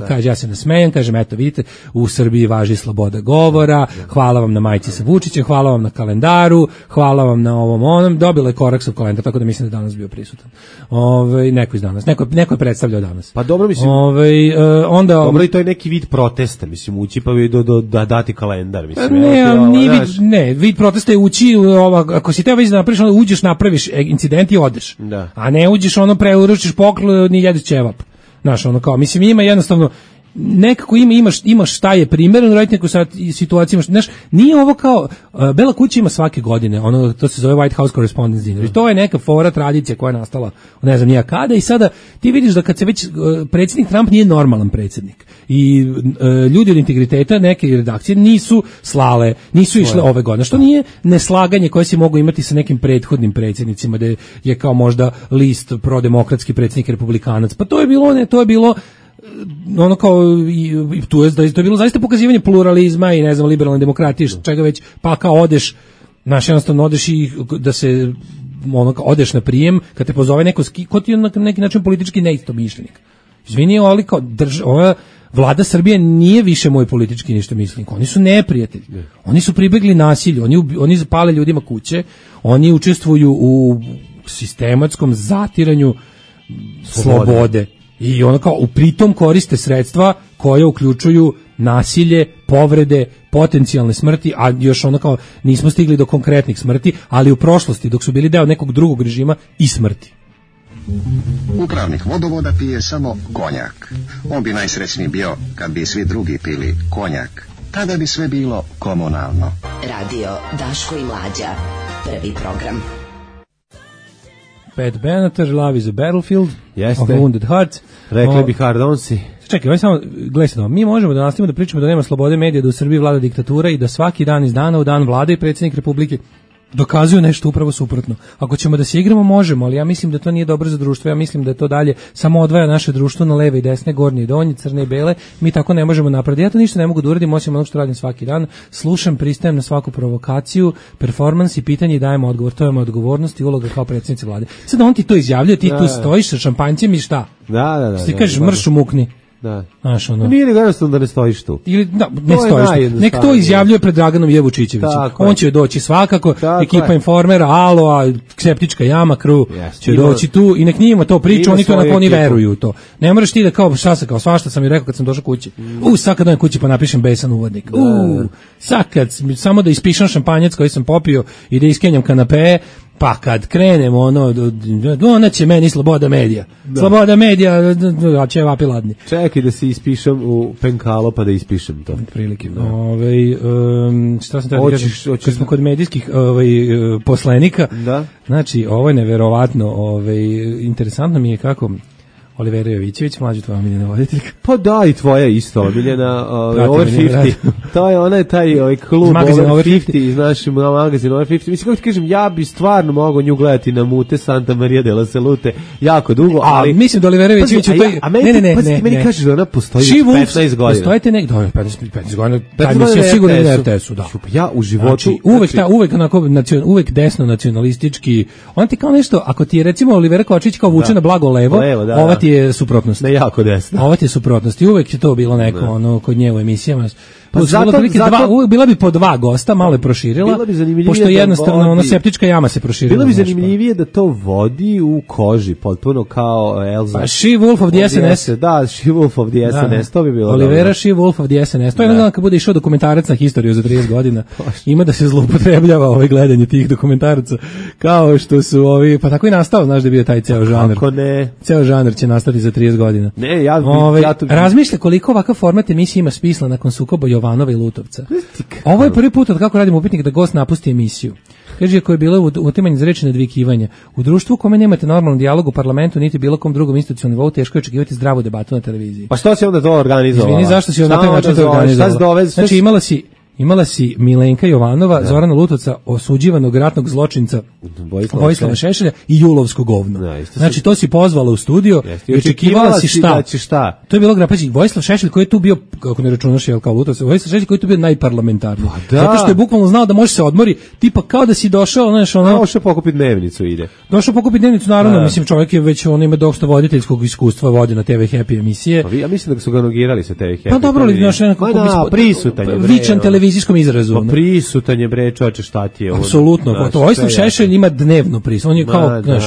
kaže, ja se nasmejem, kažem, eto, vidite, u Srbiji važi sloboda govora, hvala vam na majici sa Vučićem, hvala vam na kalendaru, hvala vam na ovom, dobila je Koraksov kalendar, tako da mislim da danas bio prisutan. Neko iz danas, neko je predstavljao danas. Pa dobro, mislim, onda dobro, i to je neki vid protesta, mislim, ući pa da dati kalendar, mislim. Vid protesta je ući, ako si teo već da napraviš, onda uđeš, napraviš incident i odeš. A ne uđeš, preuručiš poklon i jedeš ćevap. Znaš, mislim, ima jednostavno nekako imaš šta je primjereno raditi neku situaciju, znaš, nije ovo kao Bela kuća ima svake godine, to se zove White House Correspondence Dinner, i to je neka fora, tradicija koja je nastala, ne znam nija kada, i sada ti vidiš da kad se već predsjednik Trump nije normalan predsjednik i ljudi od integriteta neke redakcije nisu slale, nisu išle ove godine, što nije neslaganje koje si mogu imati sa nekim prethodnim predsjednicima, da je kao možda list prodemokratski predsjednik republikanac, pa to je bilo to je bilo zaista pokazivanje pluralizma i ne znam liberalne demokratije, čega već, pa kao odeš, znaš, jednostavno odeš i da se odeš na prijem kad te pozove neko ko ti je na neki način politički neistomišljenik. Izvini, ali kao ova vlada Srbije nije više moj politički neistomišljenik, oni su neprijatelji, oni su pribegli nasilju, oni zapale ljudima kuće, oni učestvuju u sistematskom zatiranju slobode. I u pritom koriste sredstva koje uključuju nasilje, povrede, potencijalne smrti, a još nismo stigli do konkretnih smrti, ali u prošlosti, dok su bili deo nekog drugog režima, i smrti. Upravnik vodovoda pije samo konjak. On bi najsrećniji bio kad bi svi drugi pili konjak. Tada bi sve bilo komunalno. Radio Daško i Mlađa. Prvi program. Pat Benatar, Love is a Battlefield, Jeste. Of Wounded Hearts. Rekli bi Hard Onsi. Čekaj, samo gledajte, mi možemo da nastavimo da pričamo da nema slobode medija, da u Srbiji vlada diktatura i da svaki dan iz dana u dan vlada i predsjednik Republike dokazuju nešto upravo suprotno. Ako ćemo da se igramo, možemo, ali ja mislim da to nije dobro za društvo, ja mislim da to dalje samo odvaja naše društvo na leve i desne, gornje i donje, crne i bele, mi tako ne možemo napraviti. Ja to ništa ne mogu da uradim, osim onog što radim svaki dan, slušam, pristajem na svaku provokaciju, performans i pitanje i dajem odgovor, to je moja odgovornost i uloga kao predsjednice vlade. Sad on ti to izjavljuje, ti tu stojiš sa šampanjcem i šta? Da. Ti kažeš mršu mukni. Da. Znaš, ono. Nije li jednostavno da ne stojiš tu? Ili ne stojiš. Nek to izjavljuje pred Draganom Jevučićevićem. On će doći svakako, ekipa Informera, Aloa, Septička jama, Kru će doći tu i nek njima to priča, oni to onako oni veruju u to. Ne moraš ti da kao svašta sam mi rekao kad sam došao kući. Sad kad dođem kući pa napišem besan uvodnik. Sad kad samo da ispišem šampanjac koji sam popio i da iskenjam kanape, pa kad krenemo ona će meni sloboda medija. Sloboda medija, a će vapi ladni. Čekaj da se ispišem u penkalo pa da ispišem to. Prilike. Šta sam treba da kažem? Kad smo kod medijskih poslenika, znači ovo je neverovatno, interesantno mi je kako Olivera Jovićević, mlađa tvoja omiljena voditeljka. Pa da, i tvoja isto omiljena, Over 50. To je onaj taj klub Over 50 iz našeg magazina Over 50. Mislim, kako ti kažem, ja bi stvarno mogao nju gledati na mute Santa Maria de la Salute jako dugo, ali... mislim da Olivera Jovićević... Meni kažeš da ona postoji 15 godina. Postojite nek... 15 godina, taj mislim sigurno na RTS-u, da. Ja u životu... Uvek desno nacionalistički... On ti kao nešto, ako ti je recimo Olivera Kovačić kao vuče na blago levo, ova ti je suprotnost. Ne jako desno. Ovo ti je suprotnost. I uvek je to bilo neko kod nje u emisijama. Pa zato bila bi po 2 gosta, malo je proširila. Pošto jednostavno Septička jama se proširila. Bilo bi zanimljivije da to vodi u koži, potpuno kao Elza. Pa She Wolf of the SNS. Da, She Wolf of the SNS, to bi bilo. Olivera She Wolf of the SNS. To je jedan kad bude išao dokumentarac na historiju za 30 godina. Ima da se zloupotrebljava gledanje tih dokumentaraca. Kao što su pa tako i nastao, znaš da je bio taj ceo žanr. Kako ne? Ceo žanr će nastati za 30 godina. Ne, razmišlja koliko ovakav format emisije ima smisla nakon sukoba Jovanova i Lutovca. Ovo je prvi put od kako radim upitnik da gost napusti emisiju. Kaže, ako je bilo utimanje za reči nadvikivanja. U društvu u kome nemate normalan dijalog u parlamentu, niti bilo kom drugom institucionalnom nivou, teško je očekivati zdravu debatu na televiziji. Pa što si onda to organizovala? Izvini, zašto si na taj način to organizovala? Znači, imala si Milenka Jovanova, Zorana Lutovca, osuđivanog ratnog zločinca Vojislava Šešelja i julovsko govno. Znači, to si pozvala u studio i očekivala si šta? To je bilo grapaći. Vojislav Šešelj koji je tu bio, kako ne računaš kao Lutovca, Vojislav Šešelj koji je tu bio najparlamentarniji. Zato što je bukvalno znao da može se odmori, tipa kao da si došao, došao pokupiti dnevnicu ide. Došao pokupiti dnevnicu, naravno, mislim, čovjek je već, on ima dosta voditeljskog iskustva, vodi na TV Happy emisije. Ja mislim da su ga nogirali sa TV Happy. Pa dobro li, vičan televizijskom izrazu. Pa prisutan je bre, čoveče, šta ti je ovo? Apsolutno, Vojislav Šešelj ima dnevno prisutan. On je kao, znaš,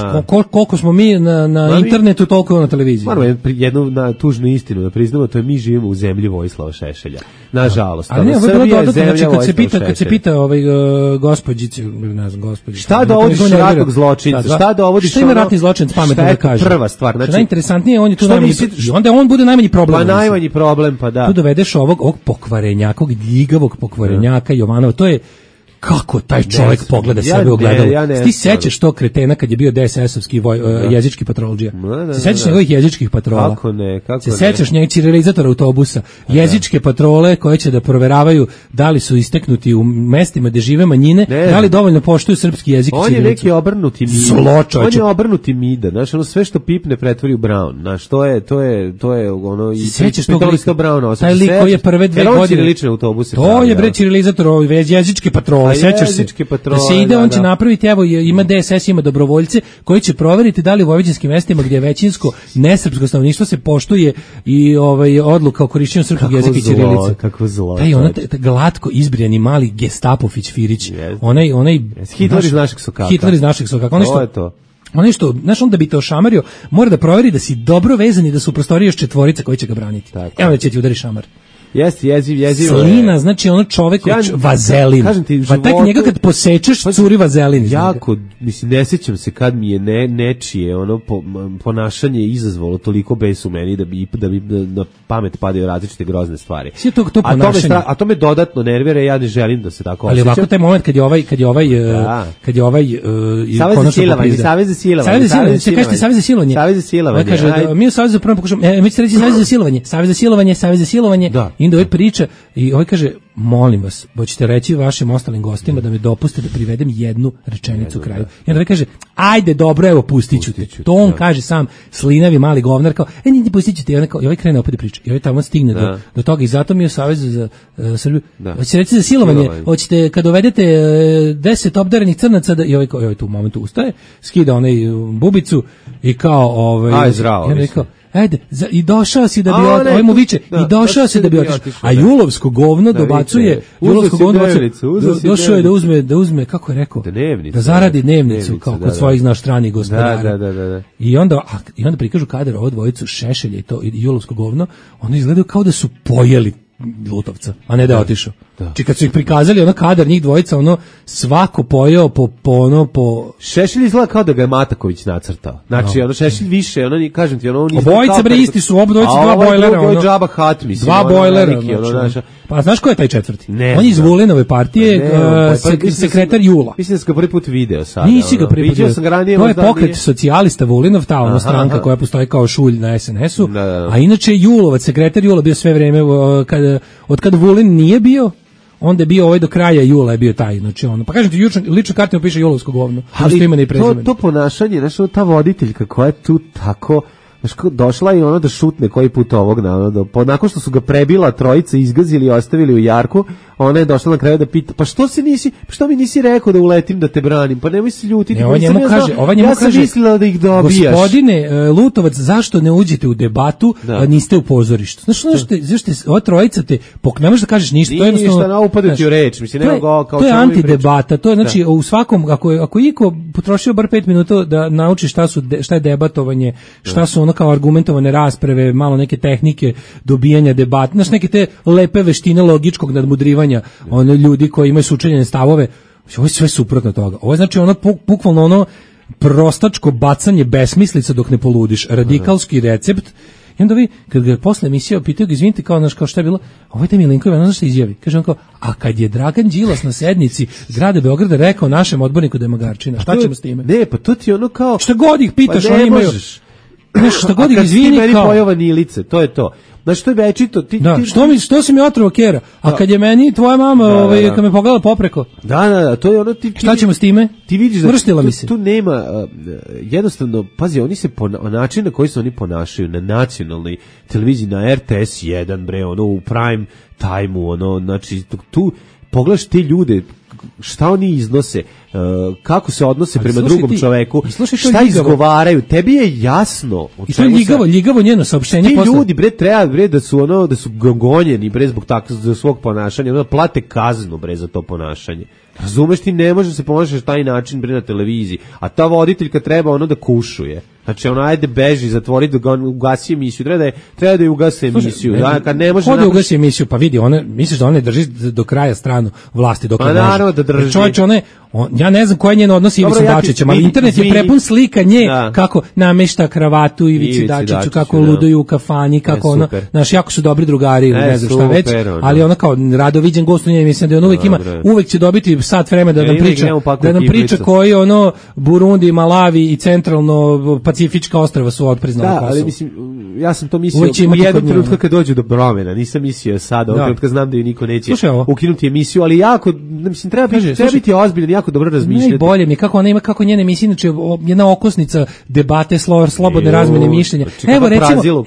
koliko smo mi na internetu, toliko na televiziji. Moramo jednu tužnu istinu da priznamo, to je mi živimo u zemlji Vojislava Šešelja. Nažalost. Ali ne, ovo je bilo dodatno, znači kad se pita gospođici, ne znam, gospođici. Šta dovodiš ratnog zločinca? Šta dovodiš? Šta ima ratni zločinac pametno da kaže? Prva stvar, znači najinteresantnije, on je tu najmanji, onda on bude najmanji problem. Pa najmanji problem, pa da. Tu dovedeš ovog pokvarenjaka, ovog ljigavog pokvarenjaka Jovanova, to je kako taj čovjek pogleda sebe u ogledalu. Ti sećaš to kretena kad je bio DSS-ovski jezički patrolđija? Se sećaš njegovih jezičkih patrola? Kako ne? Se sećaš njegovih cirilizatora autobusa? Jezičke patrole koje će da proveravaju da li su isteknuti u mestima gde žive manjine, da li dovoljno poštuju srpski jezik i cirilicu. On je neki obrnuti mida. On je obrnuti mida. Znaš, ono sve što pipne pretvori u Brown. Znaš, to je ono... Sećaš tog lika? Taj lik koji je prve 2 godine... To je bre cirilizator, jezičke patrole. Sećaš se da se ide, on će napraviti, evo ima DSS, ima dobrovoljce koji će proveriti da li u vojvođanskim mestima gdje je većinsko nesrpsko stanovništvo se poštuje i odluka o korišćenju srpskog jezika i ćirilice. Kako zlo. Taj glatko izbrijani mali gestapović Firić. Onaj Hitler iz našeg sokaka. Hitler iz našeg sokaka. Ono što, znaš, on da bi te ošamario, mora da proveri da si dobro vezan i da su u prostoriji još 4 koji će ga braniti. Evo da će ti udari šamar. Jeste, jezivo. Slina, znači ono čovjek vazelin. Pa tak njega kad posečeš, curi vazelin. Jako, mislim, ne sjećam se kad mi je nečije ono ponašanje izazvalo toliko bes u meni da bi na pamet padaju različite grozne stvari. Sve to ponašanje. A to me dodatno nervira i ja ne želim da se tako osjećam. Ali ovako taj moment kad je ovaj Savez za silovanje. Savez za silovanje. Kaže, mi u Savezu prvo pokušamo, mi će reći Savez za silovanje. Inda ovaj priča i ovaj kaže, molim vas, hoćete reći vašim ostalim gostima da me dopuste da privedem jednu rečenicu kraju. I onda ovaj kaže, ajde, dobro, evo, pustit ću te. To on kaže sam, slinavi mali govnar, kao, nije, pustit ću te. I ovaj krene opet da priča. I ovaj tamo stigne do toga. I zato mi u Savezu za Srbiju, hoćete reći za silovanje, hoćete kad dovedete 10 obdarenih crnaca, i ovaj tu u momentu ustaje, skida onaj bubicu i kao, zdravo, ajde, i došao si da bi ovaj mu viče, i došao si da bi otišao. A julovsko govno dobacuje, došao je da uzme, kako je rekao, da zaradi dnevnicu, kao kod svojih stranih gospodara. Da. I onda prikažu kadar ovo dvojicu Šešelja i julovsko govno, oni izgledaju kao da su pojeli Lutovca, a ne da je otišao. Či kad su ih prikazali kadar njih dvojica, svako pojeo po Šešelj izgleda kao da ga je Mataković nacrtao. Znači, Šešelj više, kažem ti, on obojica bre isti su, obojica dva bojlera, ovo je Džaba Hat, mislim. Dva bojlera. Pa znaš ko je taj četvrti? On je iz Vulinove partije, sekretar Jula. Mislim da sam ga prvi put video sad. Nisi ga prvi put video. To je pokret socijalista Vulinov, ta stranka koja postoji kao šulj na SNS-u, a inače Julovac, sekretar Jula bio sve vreme, od kada Vulin nije bio, onda je bio do kraja jula je bio taj, znači pa kažem ti, lično kartimo piše julovsko govno, ali to ponašanje, znači ta voditeljka koja je tu tako, znači došla i da šutne koji put ovog, nakon što su ga prebila trojica, izgazili i ostavili u jarku, ona je došla na kraju da pita, pa što mi nisi rekao da uletim da te branim, pa nemoj se ljutiti. Ova njemu kaže, mislila da ih dobijaš. Gospodine Lutovac, zašto ne uđete u debatu, a niste u pozorištu? Zašto ova trojica ne možeš da kažeš ništa, to je jednostavno. Upada ti u reč, mislim, to je antidebata, to je znači u svakom, ako iko potrošio bar 5 minuta da nauči šta je debatovanje, šta su kao argumentovane rasprave, malo neke tehnike dobijanja debata, znači neke te lepe veštine logičkog nadmudrivanja ljudi koji imaju sučeljene stavove. Ovo je sve suprotno toga. Ovo je znači bukvalno prostačko bacanje besmislica dok ne poludiš, radikalski recept. I onda vi, kad ga posle emisije pitaju ga, izvinite, kao šta je bilo, ovo je Milinković, ono što izjavi. Kaže on kao, a kad je Dragan Đilas na sednici grada Beograda rekao našem odborniku da je magarčina, šta ćemo s time? Ne, pa to ti kao... Šta god ih pitaš, oni imaju... Nešto god ih izvini kao... A kad ti meni pojava nilice, to je to. Znači, što je večito... Što si mi otrovo kera? A kad je meni tvoja mama, kad me pogledala popreko... Da, to je šta ćemo s time? Ti vidiš da tu nema... Jednostavno, pazi, oni se način na koji se oni ponašaju na nacionalnoj televiziji, na RTS 1, bre, u prime time-u, znači, tu pogledaš te ljude, šta oni iznose, kako se odnose prema drugom čoveku, šta izgovaraju, tebi je jasno. I to je ljigavo njeno saopštenje. Ti ljudi treba da su gonjeni zbog takvog svog ponašanja, plate kaznu za to ponašanje. Razumeš, ti ne možeš se ponašati na taj način na televiziji, a ta voditeljka treba da kušuje. Znači, ajde beži, zatvori da ugasi emisiju, treba da je ugasi emisiju. Kad ne može da ugasi emisiju, pa vidi, misliš da ona drži do kraja stranu vlasti dok ne može. Naravno da drži. Čovječ, ja ne znam koje je njeno odnos Ivicom Dačićem, ali internet je prepun slika nje, kako namešta kravatu Ivici Dačiću, kako luduju u kafani, kako jako su dobri drugari, ne znam šta već, ali kao rado viđen gost u njej, mislim da on uvek će dobiti sat vremena da nam priča koji Burundi, Malavi i centralno Pacifička ostrava su otpriznala Kosovo. Da, ali mislim, ja sam to mislio u jednom trenutku kad dođu do promjena, nisam mislio sada, ovog trenutka znam da ju niko neće ukinuti emisiju, ali jako, mislim, treba biti ozbiljan, jako dobro razmišljati. Najbolje mi kako njene emisije, znači jedna okosnica debate, slobodne razmene mišljenja.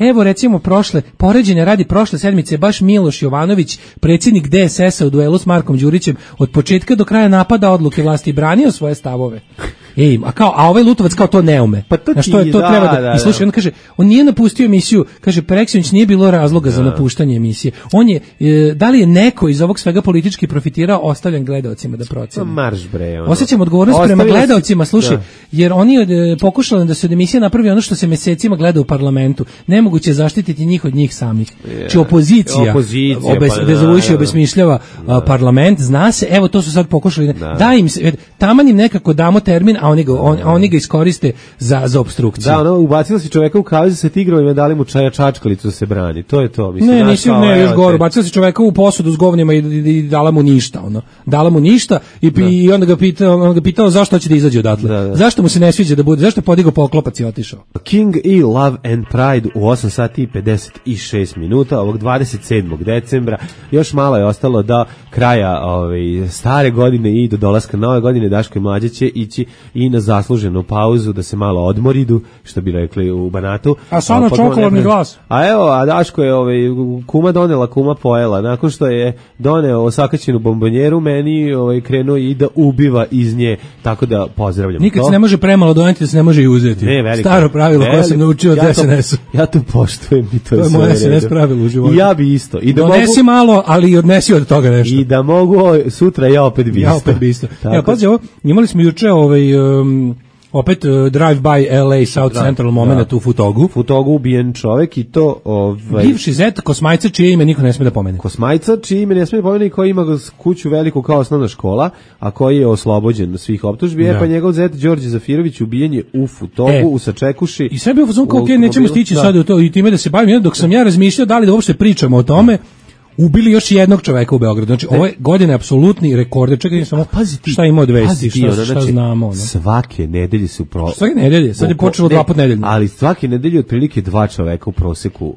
Evo recimo poređenja radi prošle sedmice, baš Miloš Jovanović, predsjednik DSS-a u duelu s Markom Đurićem, od početka do kraja napada odluke vlasti i branio svoje stavove. A ovaj Lutovac kao to ne ume. Pa to treba da. I slušaj, on kaže, on nije napustio emisiju, kaže Preksinoć nije bilo razloga za napuštanje emisije. On je, da li je neko iz ovog svega politički profitirao, ostavljen gledaocima da procene. Marš bre. Osjećam odgovornost prema gledaocima, slušaj, jer oni pokušali da se od emisije napravi ono što se mesecima gleda u parlamentu. Nemoguće zaštititi njih od njih samih. Či opozicija dezavujući obesmišljava parlament, zna se, evo to su sad pokušali, da im se, taman im nekako damo termin, a oni ga iskoriste za opstrukciju. Da, ubacila si čoveka u kavez sa tigrovima, dali mu čačkalicu da se brani. To je to. Mislim, još gore, ubacila si čoveka u posudu s govnima i dala mu ništa. Dala mu ništa i onda ga pitao zašto hoće da izađe odatle. Zašto mu se ne sviđa da bude, zašto je podigao poklopac i otišao. King i Love and Pride u 8 sati i 56 minuta ovog 27. decembra. Još malo je ostalo do kraja stare godine i do dolaska nove godine. Daško i Mlađa će ići i na zasluženu pauzu da se malo odmoridu, što bi rekli u Banatu. A samo čokoladni glas. A evo, a Daško je kuma donela, kuma pojela. Nakon što je doneo osakaćenu bombonjeru, meni krenuo i da ubiva iz nje, tako da pozdravljam. Nikad se ne može premalo doneti, da se ne može i uzeti. Staro pravilo koje sam naučio od SNS-u. Ja to poštujem i to je moje SNS pravilo u životu. I ja bi isto. I da donesi malo, ali i odnesi od toga nešto. I da mogu sutra ja opet bi isto. Ja, pazi ovo, imali smo juče opet drive-by LA South Central moment u Futogu. Futogu ubijen čovek i to... Bivši zet Kosmajca, čije ime niko ne sme da pomene. Kosmajca, čije ime ne sme da pomene i koji ima kuću veliku kao osnovna škola, a koji je oslobođen svih optužbi, pa njegov zet Đorđe Zafirović ubijen je u Futogu, u Sačekuši. I sve bio fazon kao, nećemo stići sad u to i time da se bavim, dok sam ja razmišljao da li da uopšte pričamo o tome, ubili još jednog čoveka u Beogradu. Znači, ove godine apsolutni rekord. Čekaj, samo šta ima od vesti, šta znamo. Svake nedelje su svake nedelje, sad je počelo 2 puta nedeljno. Ali svake nedelje otprilike 2 čoveka u proseku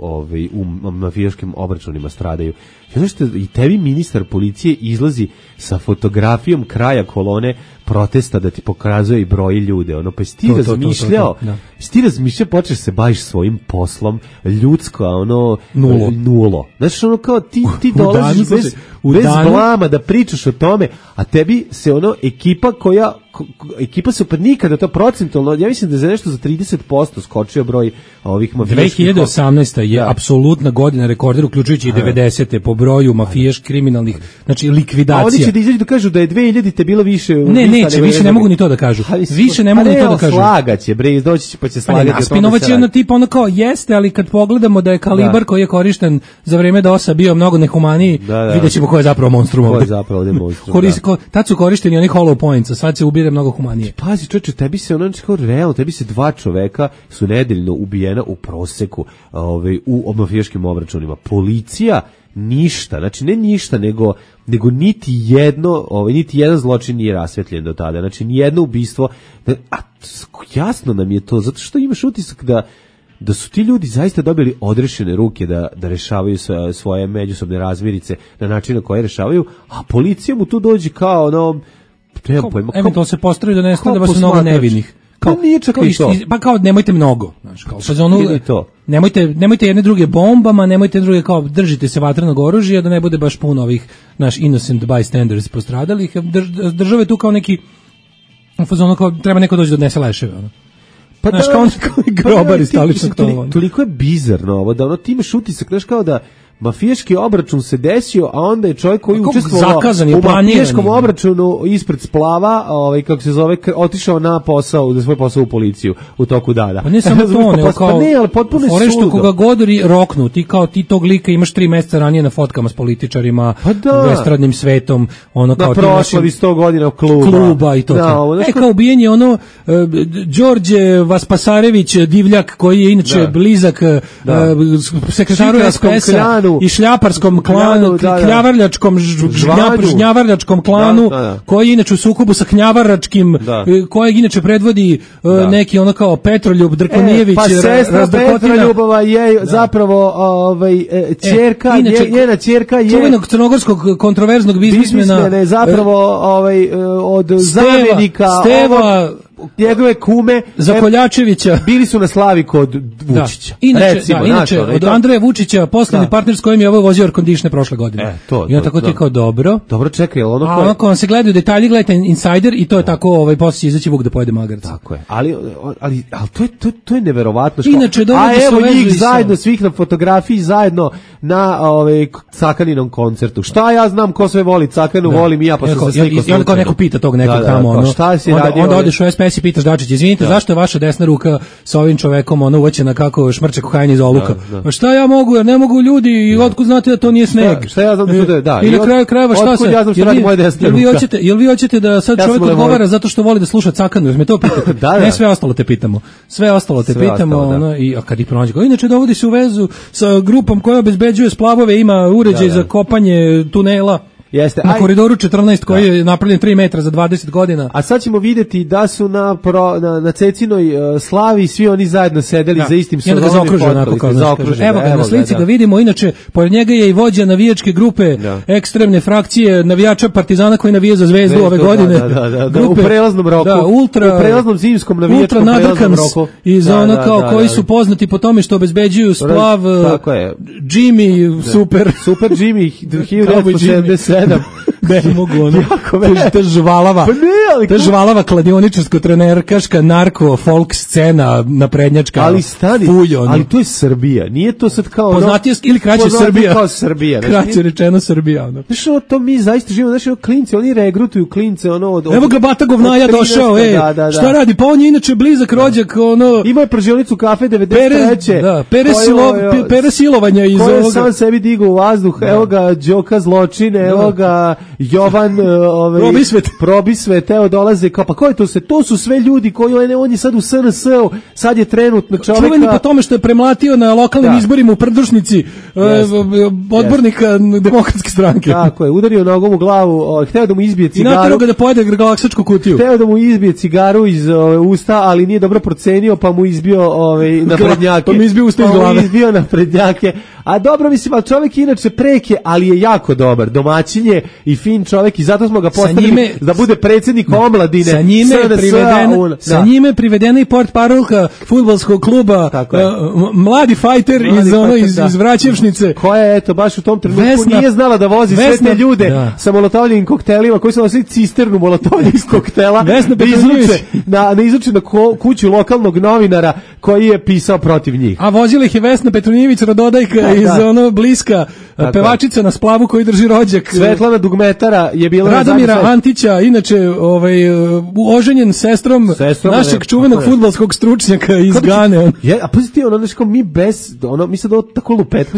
u mafijaškim obračunima stradaju. Zato što i tebi ministar policije izlazi sa fotografijom kraja kolone protesta da ti pokazuje i broji ljude. Pa si ti razmišljao, počeš se baviš svojim poslom, ljudsko, nulo. Znači, kao ti dolaziš bez blama da pričaš o tome, a tebi se ekipa se opet nikada to procentualno, ja mislim da je za nešto za 30% skočio broj ovih mafijaških. 2018. je apsolutna godina rekorder, uključujući i 90. po broju mafijaških kriminalnih, znači likvidacija. A oni će da izađu da kažu da je 2000 bilo više. Neće, više ne mogu ni to da kažu. Više ne mogu ni to da kažu. Slagaće, doći će pa će slagati. Spinovac je ono tipa ono kao jeste, ali kad pogledamo da je kalibar koji je korišten za vreme DOS-a bio mnogo nehumaniji, vidjet ćemo ko je zapravo monstrum ovdje. Tad su korišteni oni hollow points, a sad se ubire mnogo humanije. Pazi, čoveče, tebi se realno, tebi se 2 čoveka su nedeljno ubijena u proseku u mafijaškim obračunima. Policija ništa, znači ne ništa, nego niti jedan zločin nije rasvetljen do tada, znači ni jedno ubistvo, a jasno nam je to, zato što imaš utisak da su ti ljudi zaista dobili odrešene ruke da rešavaju svoje međusobne razmirice na način na koji rešavaju, a policija mu tu dođe kao eventualno se postavi da nestane da su mnogo nevinih. Pa kao nemojte mnogo, znači kao nemojte jedne druge bombama, nemojte druge kao držite se vatrenog oružja da ne bude baš puno ovih naš innocent bystanders postradalih. Države tu kao neki fazon kao treba neko doći da odnese leševe, Pa znaš, kao grobari staličnog tova. Toliko je bizarno ovo, da ti imaš utisak, znaš, kao da mafijaški obračun se desio, a onda je čovjek koji učestvovao u mafijaškom obračunu ispred splava, kako se zove, otišao na posao, za svoj posao u policiju u toku dana. Pa ne samo to, nego kao Forestu koga godori roknu, ti tog lika imaš 3 mjeseca ranije na fotkama s političarima, estradnim svetom, ono kao na proslavi 100 godina kluba i to. Kao ubijen je Đorđe Vaspasarević Divljak, koji je inače blizak sekretaru SPS-a i šljaparskom klanu, kljavarljačkom žnjavarljačkom klanu, koji je inače u sukobu sa knjavaračkim, kojeg inače predvodi neki ono kao Petroljub Drkonijević. Pa sestra Petroljubova je zapravo ćerka, njena ćerka je čuvenog crnogorskog kontroverznog biznismena je zapravo od zamjenika Steva njegove kume Zakoljačevića. Bili su na slavi kod Vučića. Inače od Andreja Vučića, poslovni partner s kojim je ovo vozio air-conditioner prošle godine. I on tako ti kao dobro. Dobro, čekaj, ono a onako vam se gledaju detalji, gledajte Insider i to je tako, poslije će izaći Vuk da pojede magarac. Tako je. Ali to je neverovatno. Inače, a evo njih zajedno, svih na fotografiji, zajedno na Cakaninom koncertu. Šta ja znam ko sve voli Cakanu, volim i ja, pa sam se slikao. I onda kao neko pita tog nekog tamo, onda odeš u SPS i pitaš Dačić, izvinite, zašto je vaša desna ruka sa ovim čovekom uvaćena kako šmrče kokain iz oluka? Pa šta ja mogu, jer ne mogu ljudi, i otkud znate da to nije sneg? Šta ja znam da to da? I na kraju krajeva šta se? Ja znam šta radi moja desna ruka. Jel vi hoćete da sad čovjek odgovara zato što voli da sluša Cakanu, jer me to pitate? Ne, sve ostalo te pitamo. I kad ih pronađe, inače dovodi se u vezu sa grupom koja obezbeđuje splavove, ima uređaj za kopanje tunela. Jeste. Na koridoru 14 koji je napravljen 3 metra za 20 godina. A sad ćemo videti da su na Cecinoj slavi svi oni zajedno sedeli za istim stolom. I onda ga zaokruže onako kao zaokruže. Evo ga, na slici ga vidimo. Inače, pored njega je i vođa navijačke grupe ekstremne frakcije navijača Partizana koji navija za Zvezdu ove godine. Da, u prelaznom roku. Da, u prelaznom zimskom navijačkom prelaznom roku. Iz ono koji su poznati po tome što obezbeđuju splav Jimmy Super Jimmy 1977. Ne mogu ono. To je žvalava kladioničarsko-trenerkaška narko folk scena naprednjačka. Ali stani, ali to je Srbija. Nije to sad kao poznatije ili kraće Srbija. Kao Srbija. Kraće rečeno Srbija. Ono. Znaš, to mi zaista živimo, znaš, klinci, oni regrutuju klince, ono od... Evo ga Bata Govnaja došao, šta radi? Pa on je inače blizak rođak, ono... Ima je pražionicu kafe 93. Pere silovanja iz ovoga. Ko je sam sebi digao u vazduh, evo ga Đoka zločine, evo ga Jovan Probisvet, evo dolaze, kao, pa ko je to se? To su sve ljudi koji, on je sad u SNS-u, sad je trenutno čoveka... Čuveni po tome što je premlatio na lokalnim izborima u Prdušnici odbornika Demokratske stranke. Tako je, udario nogom u glavu, hteo da mu izbije cigaru. I naterao ga da pojede galaksačku kutiju. Hteo da mu izbije cigaru iz usta, ali nije dobro procenio, pa mu izbio naprednjake. Pa mu izbio usta iz glave. Pa mu izbio naprednjake. A dobro, mislim, ali čovjek inače preke, ali je jako dobar. Domaćin je i fin čovjek i zato smo ga postavili da bude predsjednik omladine. Sa njime je privedena i portparolka fudbalskog kluba, mladi fajter iz Vraćevšnice. Koja je, eto, baš u tom trenutku nije znala da vozi sve te ljude sa molotovljivim koktelima, koji su nosili cisternu molotovljivih koktela da izruče na kuću lokalnog novinara koji je pisao protiv njih. A vozila ih je Vesna Petronijević Rododajka iz Bliska, pevačica na splavu koji drži rođak. Svetlana Dugmetara je bila Radomira Antića, inače oženjen sestrom našeg čuvenog fudbalskog stručnjaka iz Gane. A pazite, mi sad ovo tako lupet,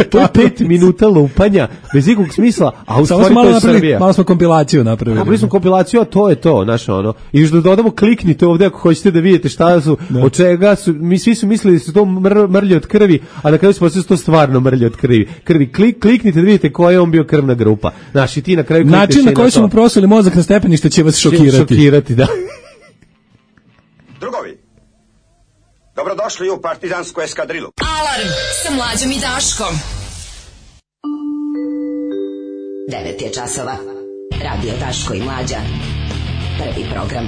to je 5 minuta lupanja, bez ikog smisla, a u stvari to je Srbija. Malo smo kompilaciju napravili. Napravili smo kompilaciju, a to je to, naše ono. I još da dodamo, kliknite ovdje ako hoćete da vidite šta su, od čega su, mi svi su mislili da su to mrlje od krvi, a na kraju su to stvarno mrlje od krvi. Kliknite da vidite koja je on bio krvna grupa. Znaš, i ti na kraju klikneš. Način na koji su mu prosuli mozak na stepenište će vas šokirati. Da. Drugovi, dobrodošli u partizansku eskadrilu. Alarm sa Mlađom i Daškom. 9 je časova. Radio Daško i Mlađa. Prvi program.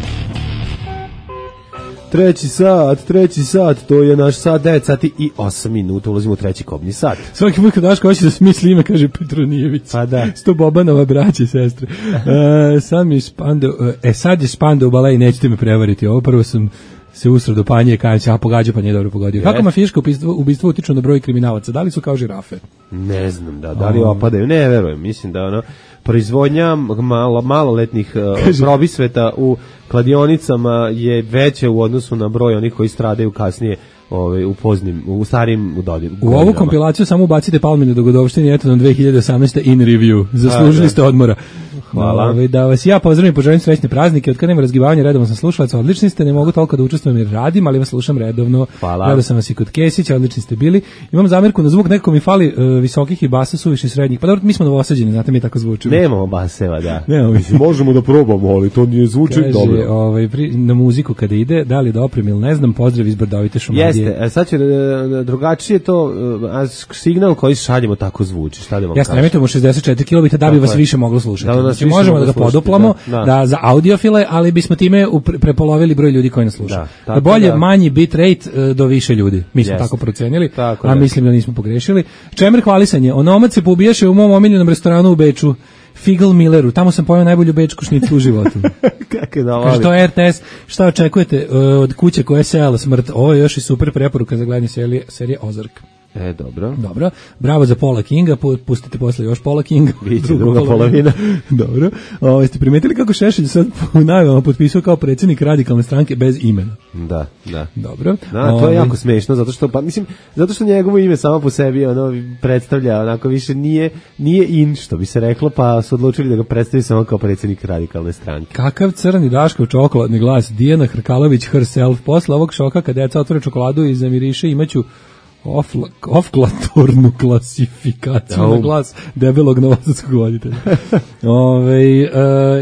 Treći sat, to je naš sat, 9 sati i 8 minuta, ulazimo u treći kobni sat. Svaki put kad Daško hoće da smisli ime, kaže Petronijević. Pa da. Sto Bobanova braće i sestre. Sad je Spandau bale i nećete me prevariti. Ovo prvo sam se usrao do Panje, kajem a pogađa, pa nije dobro pogodio. Kako mafijaška ubistvo utiču na broj kriminalaca? Da li su kao žirafe? Ne znam, da li opadaju, ne verujem, mislim da proizvodnja maloletnih probisveta u kladionicama je veća u odnosu na broj onih koji stradaju kasnije u starim godinama. U ovu kompilaciju samo ubacite Palmine dogodovštine, eto nam 2018. in review. Zaslužili ste odmora. Hvala. Da vas ja pozdravim i poželim srećne praznike. Od kada nema razgivanja, redovno sam slušalac, odlični ste, ne mogu toliko da učestvujem jer radim, ali vas slušam redovno. Hvala. Gledao sam vas i kod Kesića, odlični ste bili. Imam zamerku na zvuk, nekako mi fali visokih i basa, suviše srednjih. Pa dobro, mi smo novosađeni, znate, mi tako zvučimo. Nemamo baseva, da. Možemo da probamo, ali to nije zvuči dobro. Na muziku kada ide, da li da oprem ili ne znam, pozdrav iz Brdovite Šumadije. Jeste, sad će drugačije to, signal koji šaljemo tako zvuči, šta da vam kažem. Jeste, emitujemo 64 kilobita da bi vas više moglo slušati. Znači, možemo da ga poduplamo za audiofile, ali bismo time prepolovili broj ljudi koji nas slušaju. Bolje manji bit rate do više ljudi. Mi smo tako procenili, a mislim da nismo pogrešili. Čemer hvalisanje. Onomac se poubijaše u mom omiljenom restoranu u Beču, Figel Milleru. Tamo sam pojeo najbolju bečku šnicu u životu. Kaže, to je RTS. Šta očekujete od kuće koja je sejala smrt? Ovo je još i super preporuka za gledanje serije Ozark. Dobro. Bravo za Paula Kinga, pustite posle još Paula Kinga. Biće druga polovina. Dobro. Ste primetili kako Šešelj sad u najavama potpisao kao predsjednik radikalne stranke bez imena? Da. Dobro. To je jako smešno, zato što njegovo ime samo po sebi predstavlja, onako više nije in, što bi se reklo, pa su odlučili da ga predstavi samo kao predsjednik radikalne stranke. Kakav crni Daškov čokoladni glas, Dijana Hrkalović herself. Posle ovog šoka kad deca otvore čokoladu i zamiriše, imaću ofklatornu klasifikaciju na glas debelog novosadskog voditelja.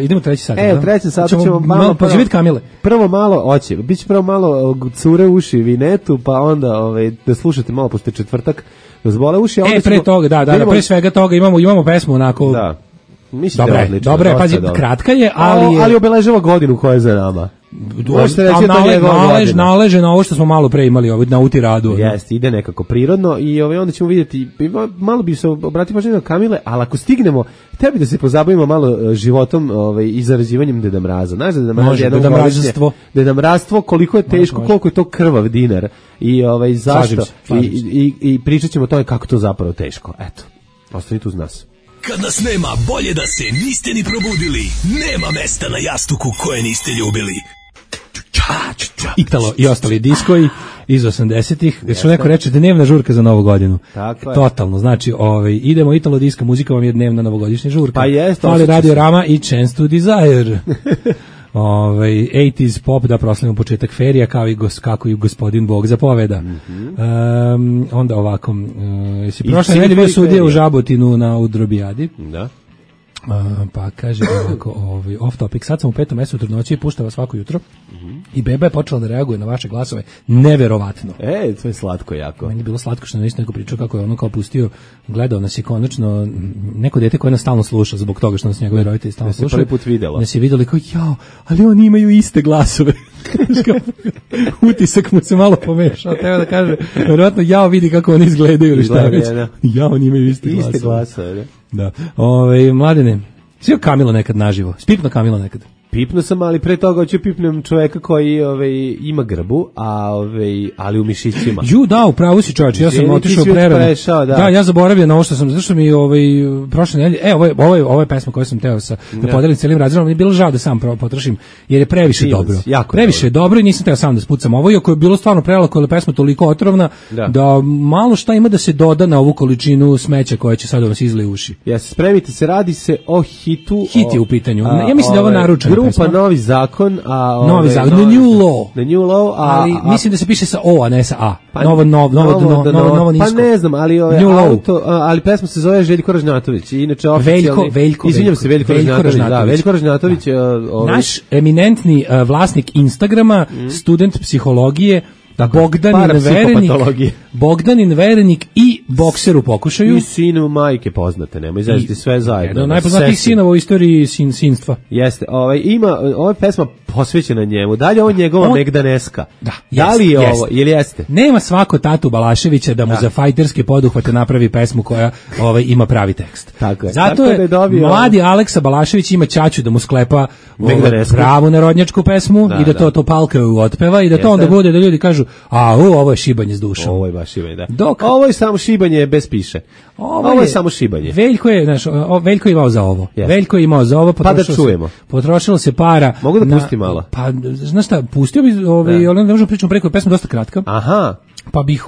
Idemo treći sat. U trećem satu ćemo malo poživjeti Kamile. Prvo malo, biće prvo malo cure uši vinetu, pa onda da slušate malo, pošto je četvrtak, da zbole uši. Pre toga, da, pre svega toga imamo pesmu onako... Da. Mislim da je odlično. Dobre, pazi, kratka je, ali obeležava godinu koja je za nama. Naleže na ovo što smo malo pre imali na Utiradu. Jeste, ide nekako prirodno i onda ćemo vidjeti, malo bi se obratio pažnju na Kamile, ali ako stignemo, tebi da se pozabavimo malo životom i zarađivanjem Deda Mraza. Znaš da Deda Mrazstvo, koliko je teško, koliko je to krvav dinar i zašto i pričat ćemo o tome kako to zapravo teško. Eto, ostanite uz nas. Kad nas nema, bolje da se niste ni probudili. Nema mesta na jastuku koje niste ljubili. Italo i ostali diskoji iz 80-ih, što neko reče dnevna žurka za Novu godinu. Totalno, znači idemo Italo disko, muzika vam je dnevna novogodišnja žurka. Pa jeste. Ali Radio Rama i Chance to Desire. 80s pop da proslavimo početak ferija kako i gospodin Bog zapoveda. Onda ovako, si prošle nedelje bio sudija u Žabotinu na Udrobijadi. Da. Pa kaže ovako, off topic, sad sam u 5. mesecu trudnoće i puštava svako jutro i beba je počela da reaguje na vaše glasove neverovatno. To je slatko jako. Meni je bilo slatko što nam isto neko pričao kako je ono kao pustio, gledao nas je konačno neko dete koje nas stalno sluša zbog toga što nas njegovi roditelji stalno slušaju. Prvi put videlo. Nas je vidjeli kao ali oni imaju iste glasove. Utisak mu se malo pomešao, treba da kaže, verovatno vidi kako oni izgledaju ili šta već. Oni imaju iste glasove. Da. Mladene, svi Kamilo nekad naživo. Spipno Kamilo nekad. Pipno sam, ali pre toga hoću pipnem čoveka koji ima grbu, ali u mišićima. Da, upravo si čovječ, ja sam otišao prerano. Da, ja zaboravio na ovo što sam, zašto mi prošle nedelje, ovo je pesma koju sam teo da podelim cijelim razredom, mi je bilo žao da sam potrošim, jer je previše dobro. Previše dobro i nisam teo sam da spucam ovo, iako je bilo stvarno prelako, jer je pesma toliko otrovna, da malo šta ima da se doda na ovu količinu smeća koja će sad vas izlije uši. Spremite se, radi se o hitu. Hit je u pitanju. Ja mislim da ovo naručeno. Grupa Novi zakon, The New Law, ali mislim da se piše sa O, a ne sa A. Novo nisko. Pa ne znam, ali pesma se zove Željko Ražnjatović. Inače Veljko. Izvinjam se, Veljko Ražnjatović. Naš eminentni vlasnik Instagrama, student psihologije, Bogdanin Verenik i bokser u pokušaju. I sinu majke poznate, nemoj zajediti sve zajedno. Jedan od najpoznatijih sinova u istoriji sinstva. Jeste, ova pesma posvećena njemu. Da li je ovo njegova Megdaneska? Da li je ovo, ili jeste? Nema svako tatu Balaševića da mu za fajterske poduhvate napravi pesmu koja ima pravi tekst. Tako je. Zato je mladi Aleksa Balašević ima ćaću da mu sklepa pravu narodnjačku pesmu i da to palkaju otpeva i da to onda bude da ljudi kažu ovo je šibanje s dušom. Ovo je baš šibanje, da. Ovo je samo šibanje bez piše. Ovo je samo šibanje. Veljko je imao za ovo. Yes. Veljko je imao za ovo. Pa da čujemo. Potrošilo se para. Mogu da pustim malo? Pa, znaš šta, pustio bi, ali ne možemo pričati preko, pesma dosta kratka. Aha. Pa bih,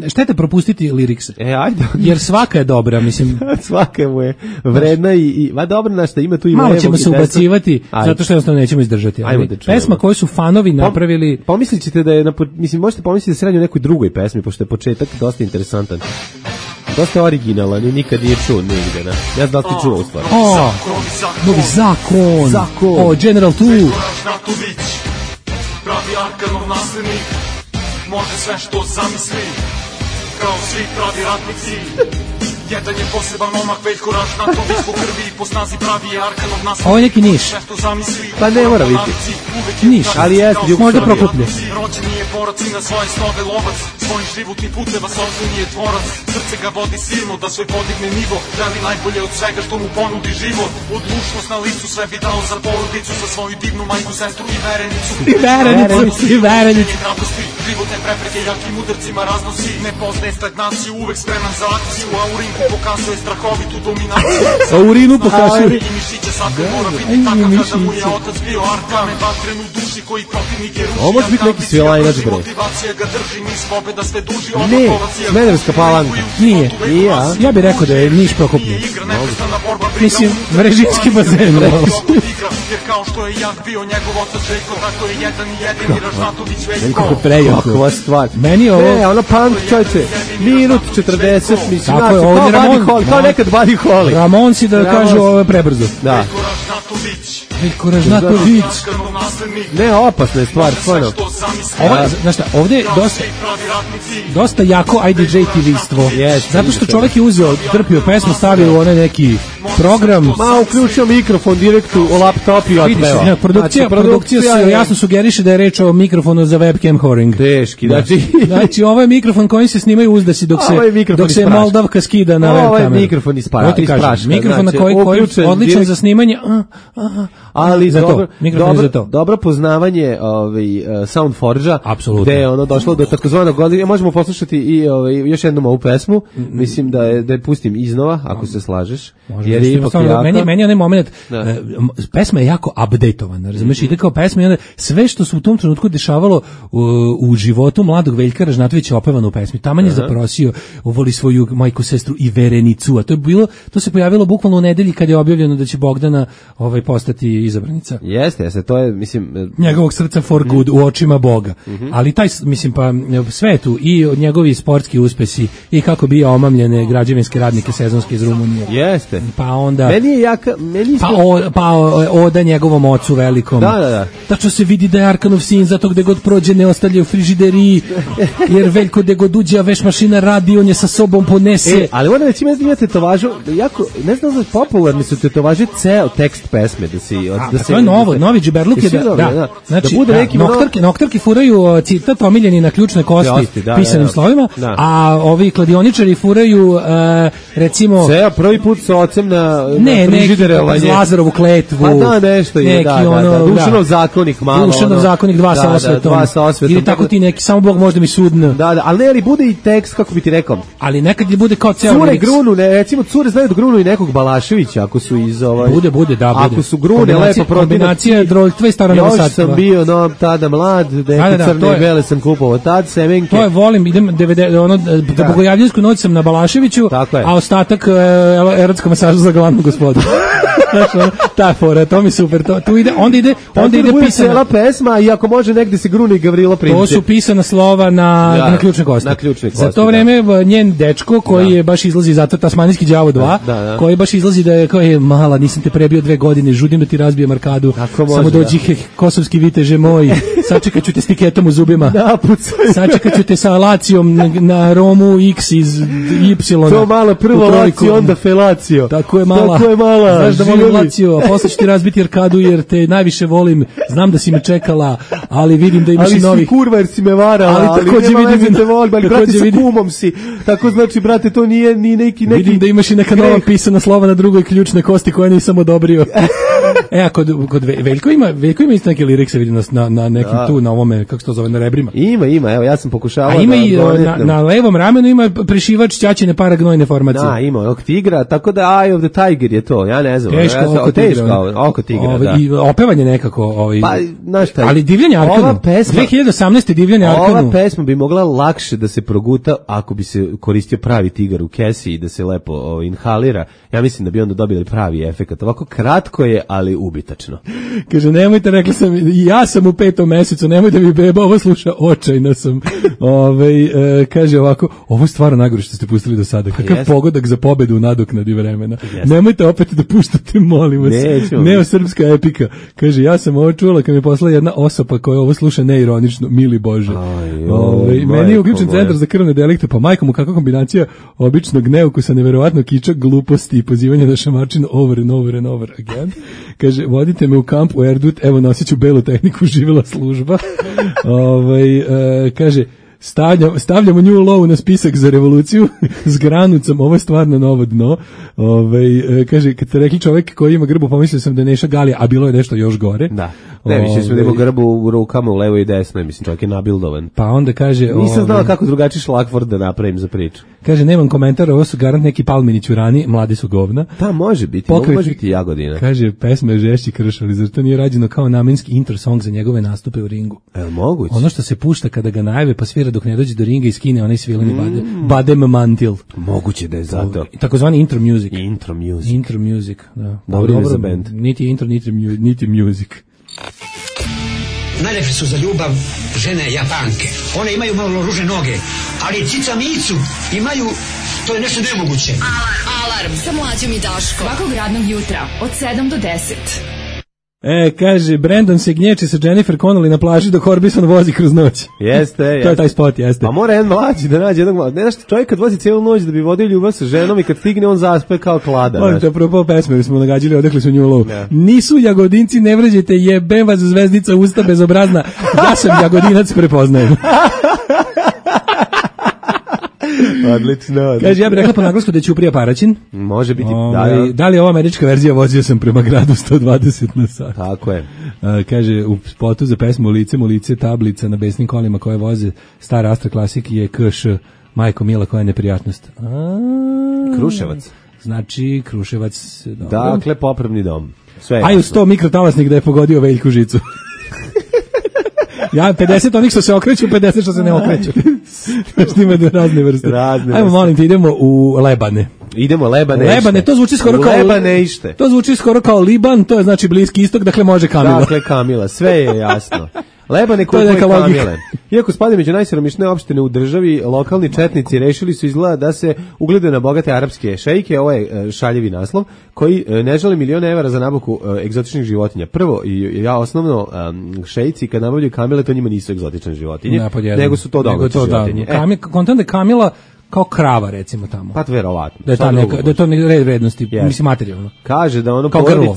štete propustiti lirikse. Ajde. Jer svaka je dobra, mislim. Svaka mu je vredna i dobro, znaš šta, ima tu i malo ćemo se ubacivati, zato što jednostavno nećemo izdržati. Pesma koju su fanovi napravili... Pomislit ćete da je, mislim, možete pomisliti da se radi o nekoj drugoj pesmi, pošto je početak dosta interesantan. Dosta originalan i nikad nije čuo nigde, ne? Ja znam da ti čuo u stvari. Novi zakon. General 2. Pravi Arkanov naslednik, može sve što zamisli, kao svi pravi ratnici. Jedan je poseban momak, Veljko Ražnjatović, po krvi i po snazi pravi je Arkanov naslednik. Ovo je neki Niš. Pa ne mora biti. Niš, ali jeste možda Prokuplje. Rođeni je borac i na svoje snove lovac, svojih životnih puteva sopstveni je tvorac. Srce ga vodi silno da svoj podigne nivo, želi najbolje od svega što mu ponudi život. Odlučnost na licu, sve bi dao za porodicu, za svoju divnu majku, sestru i verenicu. I verenicu. Životne prepreke jakim udarcima raznosi, ne poznaje stagnaciju, uvek spreman za akciju, a u ring Kako pokazuje strahovitu dominaciju. A urinu pokazuje. I mišiće svaka mora biti takav kada mu je otac bio Arkamen. Vatrenu duši koji protivnik je ruži. Ovo može biti neki svilajnač, bre. Motivacija ga drži, niz pobjeda sve duži. Ne, Smederevska Palanka. Nije. Ja bih rekao da je Niš Prokoplje. Mislim, Vrežinski bazen. Jer kao što je Jak bio njegov otac Željko, tako je jedan i jedini Ražnatović Veljko. Kako prejako. Kakva stvar. Meni je ovo... Ne, ono punk, čovječe, minut 40, mislim, tako je, ovdje Ramon. Kao nekad Buddy Holly. Ramon si da kažu ovo prebrzo. Da. Veljko Ražnatović. Ne, opasna je stvar, stvarno. Znaš šta, ovdje je dosta jako IDJ-tivistvo. Zato što čovjek je uzeo, drpio pesmu, stavio u onaj neki program. Ma, uključio mikrofon direktu u laptop i otpeva. Produkcija jasno sugeriše da je reč o mikrofonu za webcam whoring. Teški, znači ovo je mikrofon kojim se snimaju uzdasi dok se Moldavka skida na web kameru. Ovo je mikrofon iz praška. Mikrofon na koji je odličan za snimanje. Ali dobro poznavanje Soundforge-a, gde je ono došlo do takozvanog godina. Možemo poslušati i još jednom ovu pesmu. Mislim da je pustim iznova, ako se slažeš. Jer je ipak jaka. Meni je onaj moment, pesma je jako updateovana, razumiješ, ide kao pesma i onda sve što se u tom trenutku dešavalo u životu mladog Veljka Ražnatovića opevano u pesmi. Taman je zaprosio, voli svoju majku, sestru i verenicu, a to se pojavilo bukvalno u nedelji kad je objavljeno da će Bogdana postati izabranica. Jeste, to je, mislim... njegovog srca for good, u očima Boga. Ali taj, mislim, pa sve tu, i njegovi sportski uspesi, i kako bija omamljene građevinske radnike sezonske iz Rumunije. Jeste. Pa onda... Meni je jaka... Pa oda njegovom ocu velikom. Da. Tačno se vidi da je Arkanov sin, zato gde god prođe ne ostavlja u frižideriji, jer Veljko gde god uđe, a veš mašina radi, on je sa sobom ponese. Ali onda već ima tetovažu, jako, ne znam da popularni su tetovaže ceo tekst pesme, to je novi džiberluk je da. Znači, noktarki furaju citat omiljeni na ključne kosti pisanim slovima, a ovi kladioničari furaju recimo... Ceo prvi put sa ocem na frižiderovanje. Neki Lazarovu kletvu. Pa da, nešto je, da. Dušanov zakonik malo. Dušanov zakonik, dva sa osvetom. Ili tako ti neki, samo Bog možda mi sudno. Da, ali ne, ali bude i tekst, kako bi ti rekao. Ali nekad bude kao ceo cure grunu, recimo cure znaju da grunu i nekog Balaševića, ako su iz Bude. Ako su grune lepo kombinacija droljtva i stara novosadstva. Još sam bio tada mlad, neke crne i bele sam kupovao tad, semenke. To je, volim, idem da Bogojavljansku noć sam na Balaševiću, a ostatak erotska masaža za glavnu gospodu. Ta fora, to mi super. Tu ide, onda ide pisana cela pesma, i ako može negde se grune i Gavrilo Princip. To su pisana slova na ključne kosti. Za to vreme njen dečko koji je baš izlazi zato Tasmanijski đavo 2, koji baš izlazi da je kao je mala, nisam te prebio 2 godine, žudim da ti razbijem arkadu. Samo dođi kosovski viteže moj, sačekat ću te s tiketom u zubima. Sačekat ću te sa lacijom na Romu X iz Y. To mala prvo lacio, onda felacio. Tako je mala. Znaš da volim lacio, a posle ću ti razbiti arkadu jer te najviše volim. Znam da si me čekala, ali vidim da imaš i novih. Ali si kurva jer si me varala, ali nema veze te volim, ali brate sa kumom si. Tako znači, brate, to nije ni neki... Vidim da imaš i neka nova pisana slova na drugoj ključne kosti koje nisam odobrio. A kod Veljko ima isto neke lirikse, vidim na nekim tu, na ovome, kako se to zove, na rebrima. Ima, evo, ja sam pokušavao. A ima i na levom ramenu ima prešivač ćaćine paragnojne formacije. Da, ima ovog tigra, tako da Eye of the Tiger je to, ja ne znam. Teško oko tigra, da. I opevanje nekako. Pa, znaš šta, ali Divljanje Arkanu, 2018. Divljanje Arkanu. Ova pesma bi mogla lakše da se proguta ako bi se koristio pravi tigar u kesi i da se lepo inhalira. Ja mislim da bi onda dobili pravi efekat. Ovako kratko je, ali ubitačno. Kaže, nemojte, rekla sam, ja sam u 5. mesecu, nemoj da mi beba ovo sluša, očajna sam. Kaže ovako, ovo je stvarno najgore što ste pustili do sada. Kakav pogodak za pobedu u nadoknadi vremena. Nemojte opet da puštate, molim vas. Neosrpska epika. Kaže, ja sam ovo čula kad mi je poslala jedna osoba koja ovo sluša neironično, mili Bože. Meni je uključen centar za krvne delikte, pa majko mu kakva kombinacija običnog neukusa, neverovatno kiča, gluposti i pozivanja na šamarčinu over and over again. Kaže, vodite me u kamp u Erdut, evo nosit ću belu tehniku, živjela služba. Kaže, stavljamo New Low na spisak za revoluciju s granucom, ovo je stvarno novo dno. Kaže, kad ste rekli čovjek koji ima grbu, pomislio sam da je Neša Galija, a bilo je nešto još gore. Da. Ne, više smo nego grbu u rukama u levo i desno, mislim, čovjek je nabildovan. Pa onda kaže... Nisam znao kako drugačiji šlagvord da napravim za priču. Kaže, nemam komentar, ovo su garant neki Palmini ćurani, mladi su govna. Da, može biti, može biti Jagodina. Kaže, pesma je žešći krš, ali zar to nije rađeno kao namenski intro song za njegove nastupe u ringu? Moguće. Ono što se pušta kada ga najave pa svira dok ne dođe do ringa i skine onaj svileni badem mantil. Moguće da je zato. Takozvani intro music. Intro music, da. Dobro za band. Niti intro, niti music. Najlepše su za ljubav žene Japanke. One imaju malo ružne noge, ali cica Micu imaju, to je nešto nemoguće. Alarm sa Mlađom i Daškom. Svakog radnog jutra od 7 do 10. Kaže, Brandon se gnječi sa Jennifer Connelly na plaži dok Orbison vozi kroz noć. Jeste. To je taj spot, jeste. Pa mora jedan mlađi da nađe jednog mlađi. Ne znaš, čovjek kad vozi cijelu noć da bi vodio ljubav sa ženom i kad stigne on zaspe kao klada. Ono to prvo pesme smo nagađili, odekli su nju low. Yeah. Nisu Jagodinci, ne vređajte, jebem vas zvezdica usta bezobrazna. Ja sam Jagodinac, prepoznajem. Odlično. Kaže, ja bih rekla po naglasku da je Ćuprija Paraćin. Može biti, da li je ova američka verzija vozio sam prema gradu 120 na sat. Tako je. Kaže, u spotu za pesmu u lice tablica na besnim kolima koje voze star Astra Classic je KŠ, majko mila, koja je neprijatnost. Kruševac. Znači, Kruševac. Dobro. Dakle, popravni dom. Sve aj u 100 mikrotalasnik da je pogodio Veljku žicu. Ja 50 onih što se okreću, 50 što se ne okreću. Znači ima razne vrste. Ajmo, molim te, idemo u Lebane. Idemo Lebane. Lebane, to zvuči skoro kao Lebane ište. To zvuči skoro kao Liban, to je znači Bliski istok, dakle može Kamila. Dakle Kamila, sve je jasno. Lebane koji je Kamile. Iako spada među najsiromašnije opštine u državi, lokalni četnici rešili su izgleda da se ugledaju na bogate arapske šejke, ovo je šaljevi naslov, koji ne žele milione evra za nabavku egzotičnih životinja. Prvo, osnovno, šejci kad nabavljaju kamile, to njima nisu egzotične životinje, nego su to domaće životinje. Kontent da Kamila kao krava, recimo, tamo. Pa verovatno. Da je to red vrednosti, mislim, materijalno. Kaže da ono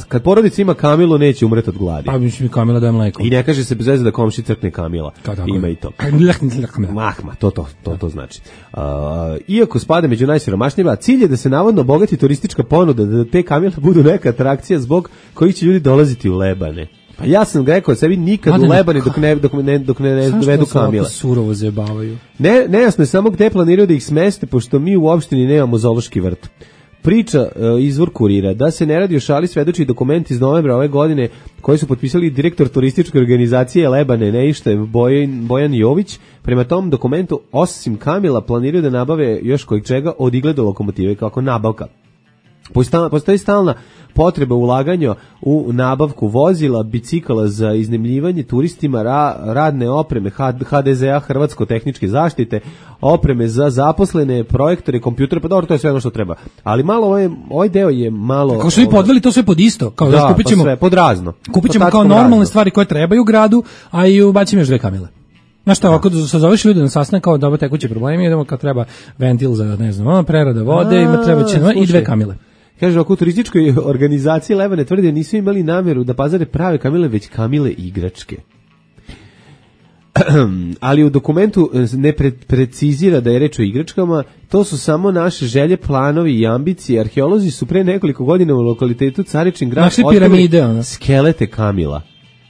kad porodica ima Kamilu, neće umreti od gladi. Pa mislim, Kamila daje mleko. I ne kaže se bez veze da komši crkne Kamila. Ima i to. Mahma, to znači. Iako spada među najsiromašnijima, cilj je da se navodno bogati turistička ponuda, da te Kamile budu neka atrakcija zbog kojih će ljudi dolaziti u Lebane. Pa ja sam rekao sebi nikad u Lebane dok ne dovedu Kamile. Zašto surovo zajebavaju? Nejasno je samo gde planiraju da ih smeste, pošto mi u opštini nemamo zoološki vrt. Priča izvor Kurira da se ne radi o šali svedoči dokument iz novembra ove godine koji su potpisali direktor turističke organizacije Lebane Neište Bojan Jović. Prema tom dokumentu osim Kamila planiraju da nabave još kojeg čega od igle do lokomotive kako nabavka. Postoji stalna potreba ulaganja u nabavku vozila, bicikala za iznajmljivanje turistima, radne opreme HDZ-a, Hrvatsko-tehničke zaštite, opreme za zaposlene, projektore, kompjutere, pa dobro, to je sve ono što treba. Ali malo ovaj deo je malo... Kako su vi podveli to sve pod isto? Kao da kupit ćemo, pa sve, pod razno. Kupit ćemo kao normalne stvari koje trebaju u gradu, a i ubacimo još 2 Kamile. Znaš šta, ako sazoveš ljude na sastanak kao dobro tekući problemi, idemo kad treba ventil za, ne znam, prerada vode, ima treba će i 2 Kamile. Kaže, oko turističkoj organizaciji Lebane tvrde da nisu imali namjeru da pazare prave Kamile, već Kamile igračke. Ali u dokumentu ne precizira da je reč o igračkama, to su samo naše želje, planovi i ambicije. Arheolozi su pre nekoliko godina u lokalitetu Caričin grad otkrili skelete Kamila.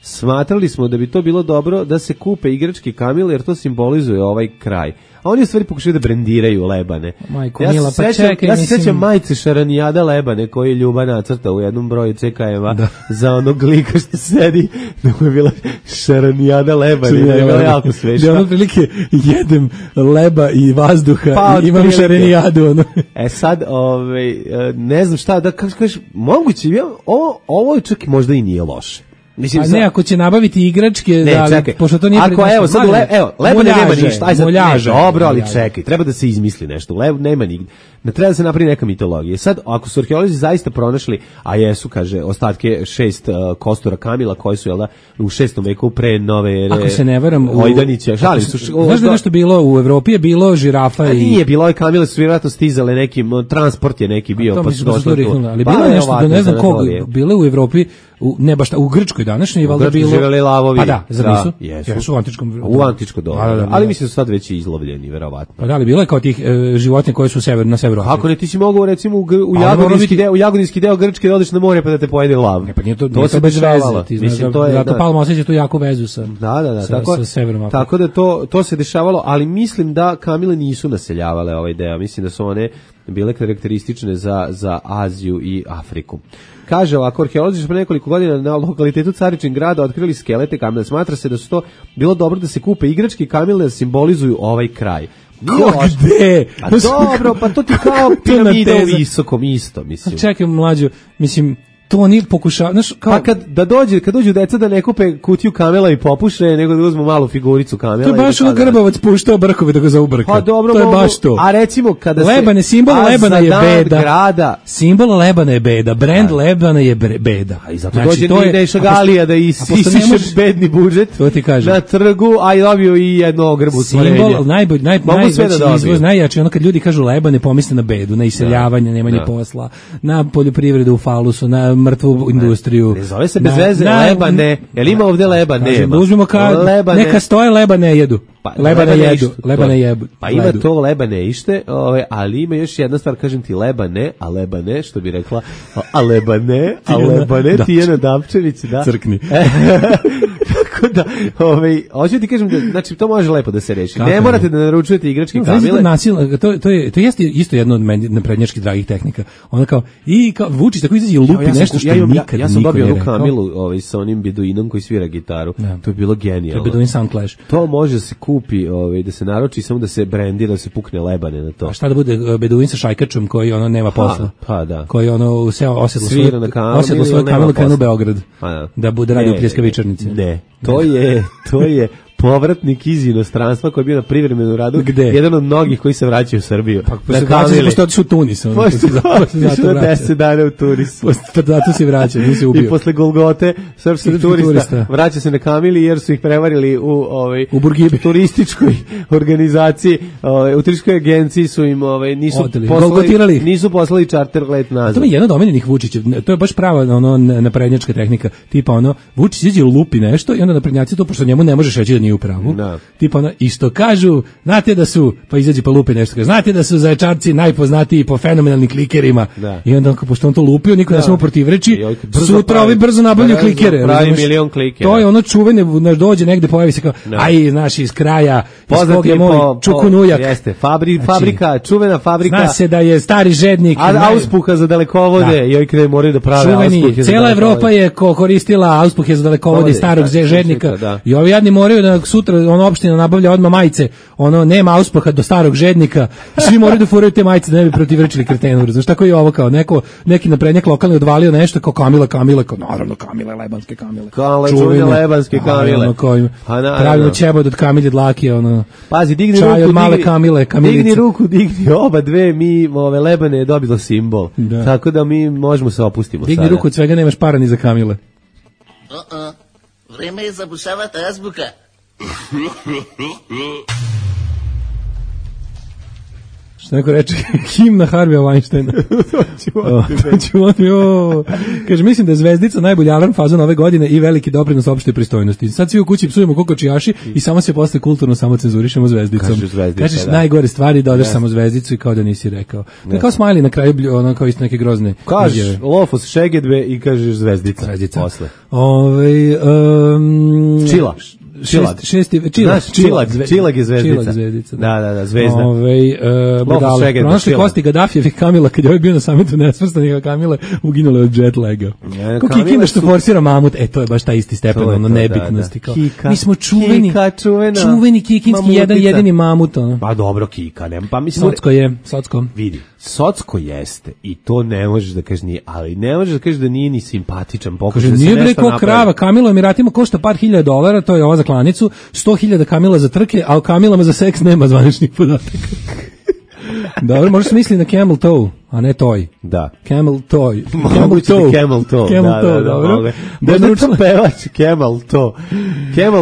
Smatrali smo da bi to bilo dobro da se kupe igračke Kamile jer to simbolizuje ovaj kraj. A oni u stvari pokušaju da brendiraju Lebane. Majko, mila, pa čekaj, ja se sjećam majice Šaranijada Lebane koji je Ljuba nacrta u jednom broju CKM-a za onog lika što sedi, da mu je bila Šaranijada Lebane, da je bila jako svešna. Da ono prilike jedem leba i vazduha pa, i imam Šaranijadu. Sad, ne znam šta, da kažeš, moguće, ovo čak možda i nije loše. Mislim, ne, ako će nabaviti igračke, ne, da, čekaj, pošto to nije ako sad Lebane nema ništa, aj sad, dobro, ali čekaj, treba da se izmisli nešto, nema nigde. Ne treba da se napravi neka mitologija. Sad, ako su arheolozi zaista pronašli, a jesu, kaže, ostatke 6 kostura Kamila koji su, u 6. veku pre nove ere. Ako se ne varam, Ojdanića, znaš da nešto bilo u Evropi, je bilo žirafa i... Nije bilo, ove Kamile su vjerojatno stizale nekim, transport je neki bio, pa su došli tu. Ali bilo je nešto, da ne znam koga, bilo u Evropi, ne baš u Grčkoj današnjoj, valjda bilo... živjeli lavovi. Pa da, zar nisu? Jesu u antičkom... U antičko doba, ali mislim su sad već izlovljeni, verovatno. Pa da, ali bilo je kao tih životinja koje su na severu Evropi. Ako ne, ti si mogao recimo u Jagodinski deo Grčke da odeš na more pa da te pojede lav. Pa nije to se bez veze. Ti znaš, zato Palma osjeća tu jaku vezu sa severom. Tako da to se dešavalo, ali mislim da kamile nisu naseljavale ovaj deo. Mislim da su one bile karakteristične za Aziju i Afriku. Kaže ovako, arheolozi pre nekoliko godina na lokalitetu Caričin grada otkrili skelete kamile. Smatra se da su to bilo dobro da se kupe igračke kamile da simbolizuju ovaj kraj. Gde? Pa dobro, pa to ti kao piramida u visokom isto, mislim. Čekaj, mlađo, mislim, to oni pokušavaju, znaš, kao... Pa kad dođu deca da ne kupe kutiju kamela i popuše, nego da uzmu malu figuricu kamela. To je baš ono Grbavac puštao brkove da ga zaubrka. Pa dobro, to je baš to. A recimo kada Lebane, simbol Lebana je beda. Grada. Simbol Lebana je beda, brand Lebana je beda. A i zato dođe Neša Galija da isiše bedni budžet na trgu, a i dobio i jedno ogrbu stvorenje. Simbol, najveći izvoz, najjači, ono kad ljudi kažu Lebane, pomisle na bedu, na iseljavanje, nemanje posla, na poljoprivredu u falusu, na mrtvu industriju. Ne zove se bez veze Lebane. Jel ima ovde Lebane? Uzmimo neka stoje Lebane jedu. Lebane jedu. Pa ima to Lebane ište, ali ima još jedna stvar, kažem ti Lebane, što bi rekla, a Lebane, Tijana Dapčević, da. Crkni. Tako da, hoću ti kažem da, znači, to može lepo da se reši. Ne morate da naručujete igračke kamile. To jeste isto jedno od naprednjačkih dragih tehnika. Ona kao Vučić tako izađe i lupi nešto što nikad niko ne rekao. Ja sam dobio onu kamilu sa onim beduinom koji svira gitaru. To je bilo genijalno. To je Beduin Sound Clash. To može se kupi, da se naruči, samo da se brendira, da se pukne Lebane na to. A šta da bude Beduin sa šajkačom koji ono nema posla? Pa da. Koji ono osedlo svoj kamilu krenu u Beograd. Da bude radio pljeskavičarnice. Ne. To je povratnik iz inostranstva koji je bio na privremenom radu. Gde? Jedan od mnogih koji se vraćaju u Srbiju. Pošto otišu u Tunis. Pošto 10 dana u Tunis. Zato se vraća, nisi ubio. I posle Golgote srpskih turista vraća se na kamili jer su ih prevarili u Burgibi. Turističkoj organizaciji, u turističkoj agenciji su im nisu poslali čarter let nazad. To je jedan od omiljenih Vučića. To je baš prava naprednjačka tehnika. Tipa Vučić iđe lupi nešto i onda naprednjaci to, pošto njemu ne možeš reći da nije u pravu. Tipa isto kažu, znate da su, pa izađe pa lupi nešto, kaže, znate da su Zaječarci najpoznatiji po fenomenalnim klikerima. I onda pošto on to lupio, niko ne samo protivreči, sutra ovi brzo nabavljaju klikere. Pravi milion klikera. To je ono čuvene, dođe negde, pojavi se kao, naš iz kraja, poznati je po Čukunujak. Jeste, fabrika, čuvena fabrika. Zna se da je stari žednik. Auspuha za dalekovode, joj kada moraju da prave auspuhe. Cijela Evropa je koristila auspuhe za dalekovode starog žednika. I ovi jadni moraju da sutra opština nabavlja odmah majice, nema auspuha do starog žednika, svi moraju da furaju te majice da ne bi protivrečili kretenu. Znaš, tako je ovo kao neki naprednjak lokalni odvalio nešto kao Kamila, kao naravno Kamile, lebanske Kamile. Čuvene lebanske Kamile. Pravimo ćebod od Kamilje dlake, pazi, digni ruku, digni oba dve, mi Lebane je dobilo simbol. Tako da mi možemo se opustimo. Digni ruku, od svega nemaš para ni za Kamile. Vreme je zabušavati azbuka. Što neko reče, himna Harvija Weinsteina. Kaže, mislim da je Zvezdica najbolji alarm fazon ove godine i veliki doprinos opštoj pristojnosti. Sad svi u kući psujemo kokočijaši i samo se posle kulturno samo cenzurišemo Zvezdicom. Kažeš najgore stvari, dodaš samo Zvezdicu i kao da nisi rekao. To je kao smajli na kraju, kao isto neke grozne. Kažeš Lofos, Šegedbe i kažeš Zvezdica. Posle. Čila. Čilag je Zvezdica. Da, Zvezda. Pronašli kosti Gaddafijevih Kamila, kad je ovaj bio na samitu nesvrstanih Kamile, uginule od jet laga. Ko Kikina što forsira mamut, to je baš taj isti stepen nebitnosti. Mi smo čuveni kikinski jedini mamut. Pa dobro, Kika, nema, pa mislim... Socko. Vidi, Socko jeste i to ne možeš da kažeš nije, ali ne možeš da kažeš da nije ni simpatičan. Kaže, nije bre ko krava, Kamilo Emiratima košta par $1000, to je ova za klanicu, 100.000 Kamila za trke, a o Kamilama za seks nema zvaničnih podataka. Dobro, možeš misli na camel toe, a ne toj. Da. Camel toe. Camel toe. Dobro. Da je naručila pevač Camel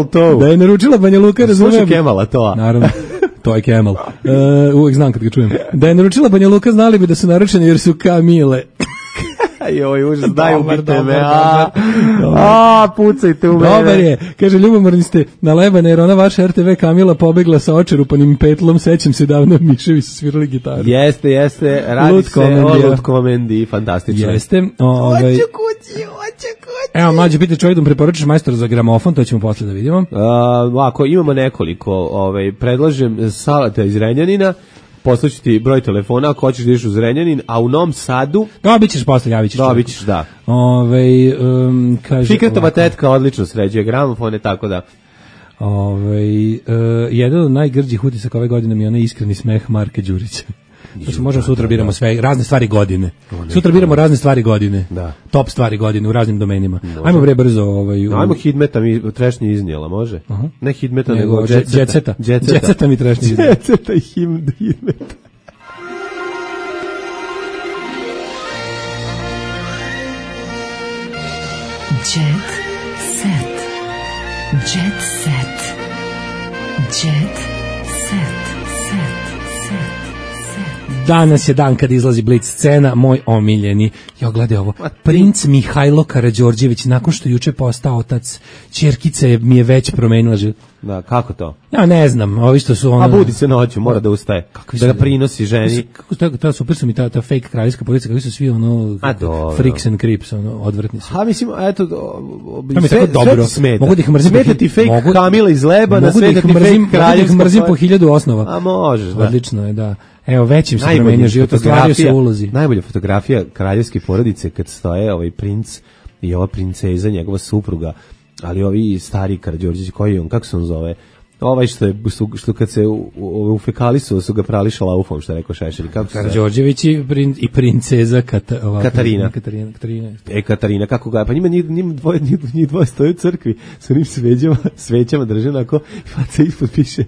toe. Da je naručila Banja Luka, razumijem. Slušaj Camela toa. Naravno. To je Camel. Uvijek znam kad ga čujem. Da je naručila Banja Luka, znali bi da su naručeni jer su Kamile. Joj, užas, daj ubite me. Pucajte u mene. Dobar je. Kaže, ljubomorni ste na Lebane, jer ona vaša RTV Kamila pobegla sa očerupanim petlom, sećam se davno Miševi su svirali gitaru. Jeste. Radi se o Lutkomendi, fantastično. Jeste. Hoću kući. Evo, mlađe, pita čovjek da mu preporučiš majstora za gramofon, to ćemo posle da vidimo. Ako imamo nekoliko, predlažem Salata iz Renjanina, poslaću ti broj telefona ako hoćeš da ideš u Zrenjanin, a u Novom Sadu... Dobit ćeš posle, javit ćeš. Dobit ćeš, da. Kaže... Fikretova tetka odlično sređuje gramofone, tako da... Jedan od najgrđih utisaka ove godine mi je onaj iskreni smeh Marka Đurića. Znači, možemo sutra biramo sve, razne stvari godine. Sutra biramo razne stvari godine. Da. Top stvari godine u raznim domenima. Ajmo bre brzo. Ajmo Hidmeta mi trešnje iznijela, može? Ne Hidmeta, nego Džetseta. Džetseta mi trešnje iznijela. Džetseta i Hidmeta. Jet set. Jet set. Jet set. Danas je dan kad izlazi Blic scena, moj omiljeni. Jo, gledaj ovo. Princ Mihajlo Karađorđević, nakon što juče postao otac, ćerkice mi je već promenila život. Da, kako to? Ja ne znam, ovi što su ono... A budi se noću, mora da ustaje. Da ga prinosi ženi. Kako super su mi ta fake kraljevska policija, kako su svi ono freaks and creeps, ono, odvrtni su. A mislim, eto, sve dobro. Mogu da ih mrzim. Smeta ti fake Kamila iz Lebana, smeta ti fake kraljevska. Mogu da ih mrzim po 1000 osnova. A možeš, da. Odlično je, da. Evo, većim se promenio život, ostvario se ulozi. Najbolja fotografija kraljevske porodice kad stoje ovaj princ i ova princeza, njegova supruga, ali ovi stari Karađorđević, koji on, kako se on zove? Ovaj što kad se u fekalisu su ga prali šalaufom, što je rekao Šešelj. Karađorđević i princeza Katarina. Katarina, kako ga, pa njima dvoje stoje u crkvi, sa onim svećama drže onako, faca ispod piše,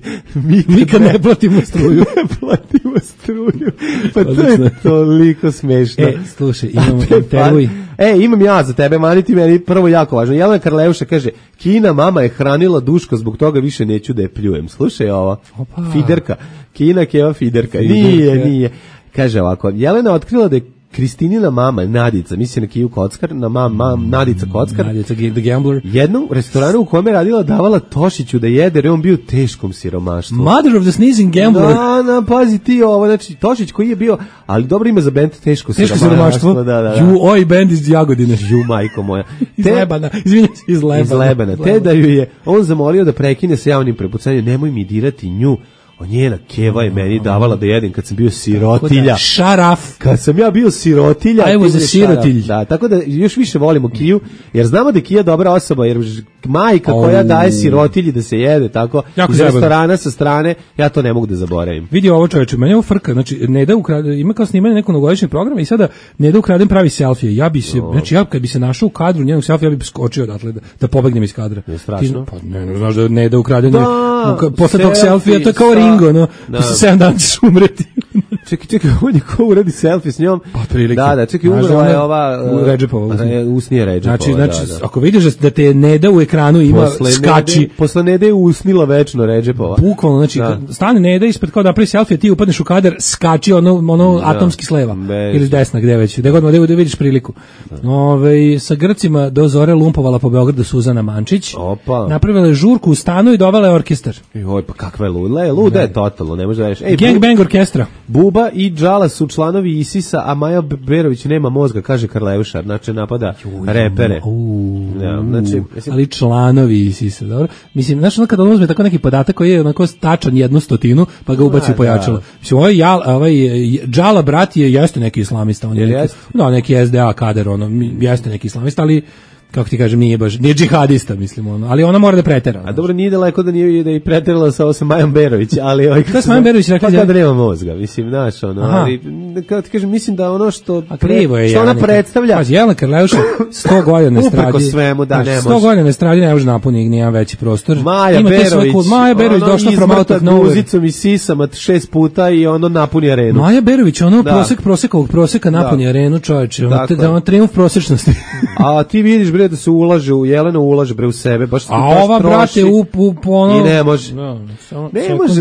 nikad ne platimo struju. Ne platimo struju. Pa to je toliko smešno. Slušaj, imamo intervjuj. Imam ja za tebe, maniti meni prvo jako važno. Jelena Karleuša kaže, Kina mama je hranila Duško, zbog toga više neću da je pljujem. Slušaj ovo, Fiderka. Kina keva Fiderka. Nije. Kaže ovako, Jelena otkrila da je Kristinina mama, Nadica, misli na Kiju Kockar, na Nadica Kockar. Nadica the Gambler. Jednom restoranu u kome je radila davala Tošiću da jede, jer je on bio u teškom siromaštvu. Mother of the Sneezing Gambler. Pazi ti ovo, znači Tošić koji je bio, ali dobro ima za bend teško siromaštvo. Da. Oj bend iz Jagodine. Majko moja. Iz Lebana, izvinjam se, iz Lebana. Te da ju je on zamolio da prekine sa javnim prepucanjem, nemoj mi dirati nju. Njena keva je meni davala da jedem kad sam bio sirotilja. Šaraf. Kad sam ja bio sirotilja. Evo za sirotilj. Da, tako da još više volimo Kiju, jer znamo da je Kija dobra osoba, jer majka koja daje sirotilji da se jede, tako, iz restorana sa strane, ja to ne mogu da zaboravim. Vidi ovo čoveče, meni je ovo frka, znači, Neda ima kao snimanje nekog novogodišnjeg programa i sada Neda ukradem pravi selfije. Ja bi se, znači, kad bi se našao u kadru njenog selfija, ja bi skočio odatle da pobegnem iz kadra. Je strašno. Pa ne, znaš da Neda ukradem posle tog selfija, to je kao Ringo, no, posle 7 dana ćeš umreti. Čekaj, on je ko uradi selfie s njom? Pa prilike. Da, čekaj, umrla je ova... Redžepova. Usnije Redžepova, znači, ako vidiš da te Neda u ekranu ima, skači. Posle Nede je usnila večno Redžepova. Bukvalno, znači, stane Neda ispred kao da napravi selfie, ti upadneš u kadar, skači ono atomski sleva. Ili desna, gde već. Gde god da vidiš priliku. Sa Grcima do zore lumpovala po Beogradu Suzana Mančić. Napravila je žurku u stanu i dovela je orkestar. Joj, pa kakva je luda je totalno, ne može da reći. Gangbang orkestra. Buba i Džala su članovi ISIS-a, a Maja Berović nema mozga, kaže Karleuša, znači napada repere. Ali članovi ISIS-a, dobro? Mislim, znači kad on uzme tako neki podatak koji je onako tačan 100, pa ga ubaci u pojačalo. Mislim, ovaj Džala brat jeste neki islamista, on je neki SDA kader, jeste neki islamista, ali kako ti kažem, nije džihadista, mislim, ali ona mora da pretera. A dobro, nije daleko da je preterala sa Majom Berović, ali... Šta s Majom Berović rekla? Pa da nema mozga, mislim, znaš, ali, kako ti kažem, mislim da ono što ona predstavlja... Pazi, Jelena Karleuša, 100 godina estradi... Upreko svemu, da, ne može. 100 godina estradi ne može napuniti nijedan veći prostor. Maja Berović došla from out of nowhere. Guzicom i sisama 6 puta i ono napuni arenu. Maja Berović, ono proseka napuni arenu, čoveče, da on triumf prosečnosti. A ti vidiš, bre, da se ulaže u Jelena, ulaže bre u sebe, baš a ova brate i ne može.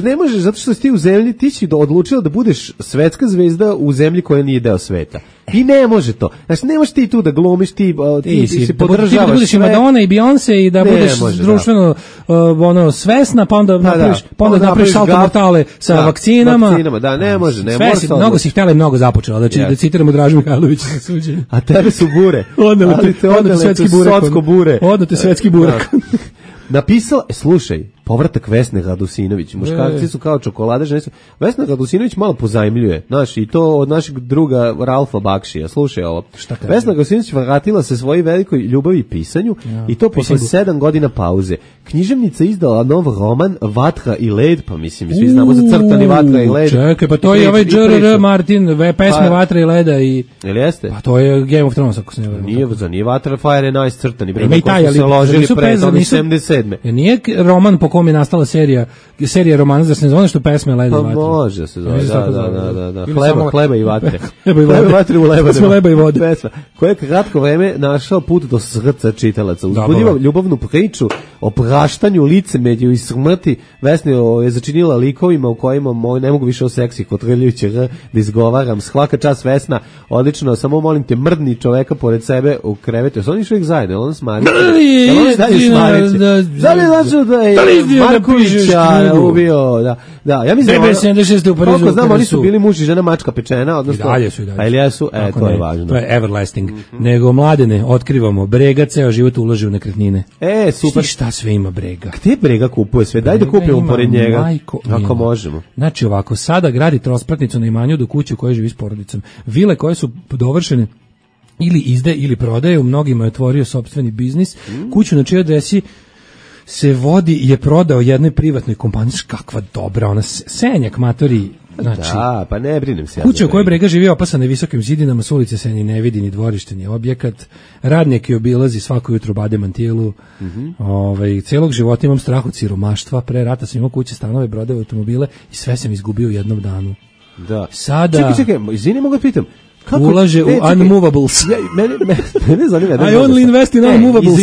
Ne može, zato što si ti u zemlji, ti si odlučila da budeš svetska zvezda u zemlji koja nije deo sveta. I ne može to. Znači, ne možeš ti tu da glumiš, ti se podržavaš sve. Da budeš i Madonna i Beyoncé i da budeš društveno svesna, pa onda napraviš salto mortale sa vakcinama. Da, ne može. Mnogo si htjela i mnogo započela. Znači, da citiramo Dražu Mihajlovića na suđenju. A tebe su bure. Odneli svetski burek. Odnete svetski burek. Napisala, slušaj, povratak Vesne Radosinović. Muškarci su kao čokolade, žene su. Vesna Radosinović malo pozajmljuje, znaš, i to od našeg druga Ralfa Bakšija. Slušaj ovo. Vesna Radosinović vratila se svojoj velikoj ljubavi i pisanju i to posle 7 godina pauze. Književnica izdala nov roman Vatra i led, pa mislim, svi znamo za crtani Vatra i led. Čekaj, pa to je ovaj J.R.R. Martin, pesme Vatra i leda i... Jel jeste? Pa to je Game of Thrones, ako se ne varam. Nije Vatra, Fire je nice crtani. Ima i taj, ali... Nije roman po kom je nastala serija romana, da se ne zove što pesme Leda i Vatre. Pa može da se zove, da. Hleba i vatre. Hleba i vatre u lebanima. Leba i vode. Pesma, koja je kratko vreme našao put do srca čitalaca. Uzbudiva ljubavnu priču o praštanju, licemerju i smrti. Vesna je začinila likovima u kojima ne mogu više o seksi kotrljujući da izgovaram. Svaka čast Vesna, odlično, samo molim te, mrdni čoveka pored sebe u krevetu. Oni su uvijek zajedno, on smari. Da li Markovića ubio, da. Ja mislim koliko znam, oni su bili muž i žena mačka pečena, odnosno... I dalje su. A ili jesu? To je važno. To je everlasting. Nego, mladene, otkrivamo, Brega ceo život ulaže u nekretnine. Super. Šta sve ima Brega? Gde Brega kupuje sve? Daj da kupimo pored njega. Ako možemo. Znači ovako, sada gradi trospratnicu na imanju do kuće u kojoj živi s porodicom. Vile koje su dovršene ili izde ili prodaje, u mnogima je otvorio sopstveni biznis. Kuću na čijoj adresi se vodi je prodao jednoj privatnoj kompaniji. Kakva dobra, ona Senjak matori. Znači, da, pa ne brinem se. Kuća u kojoj Brega živi opasana visokim zidinama, s ulice se ni ne vidi, ni dvorište, ni objekat. Radnik je obilazi svako jutro bade mantilu. Celog života imam strah od siromaštva. Pre rata sam imao kuće, stanove, brodove, automobile i sve sam izgubio u jednom danu. Da. Sada... Čekaj, izvini, mogu da pitam. Ulaže u unmovables. Mene zanima. I only invest in unmovables.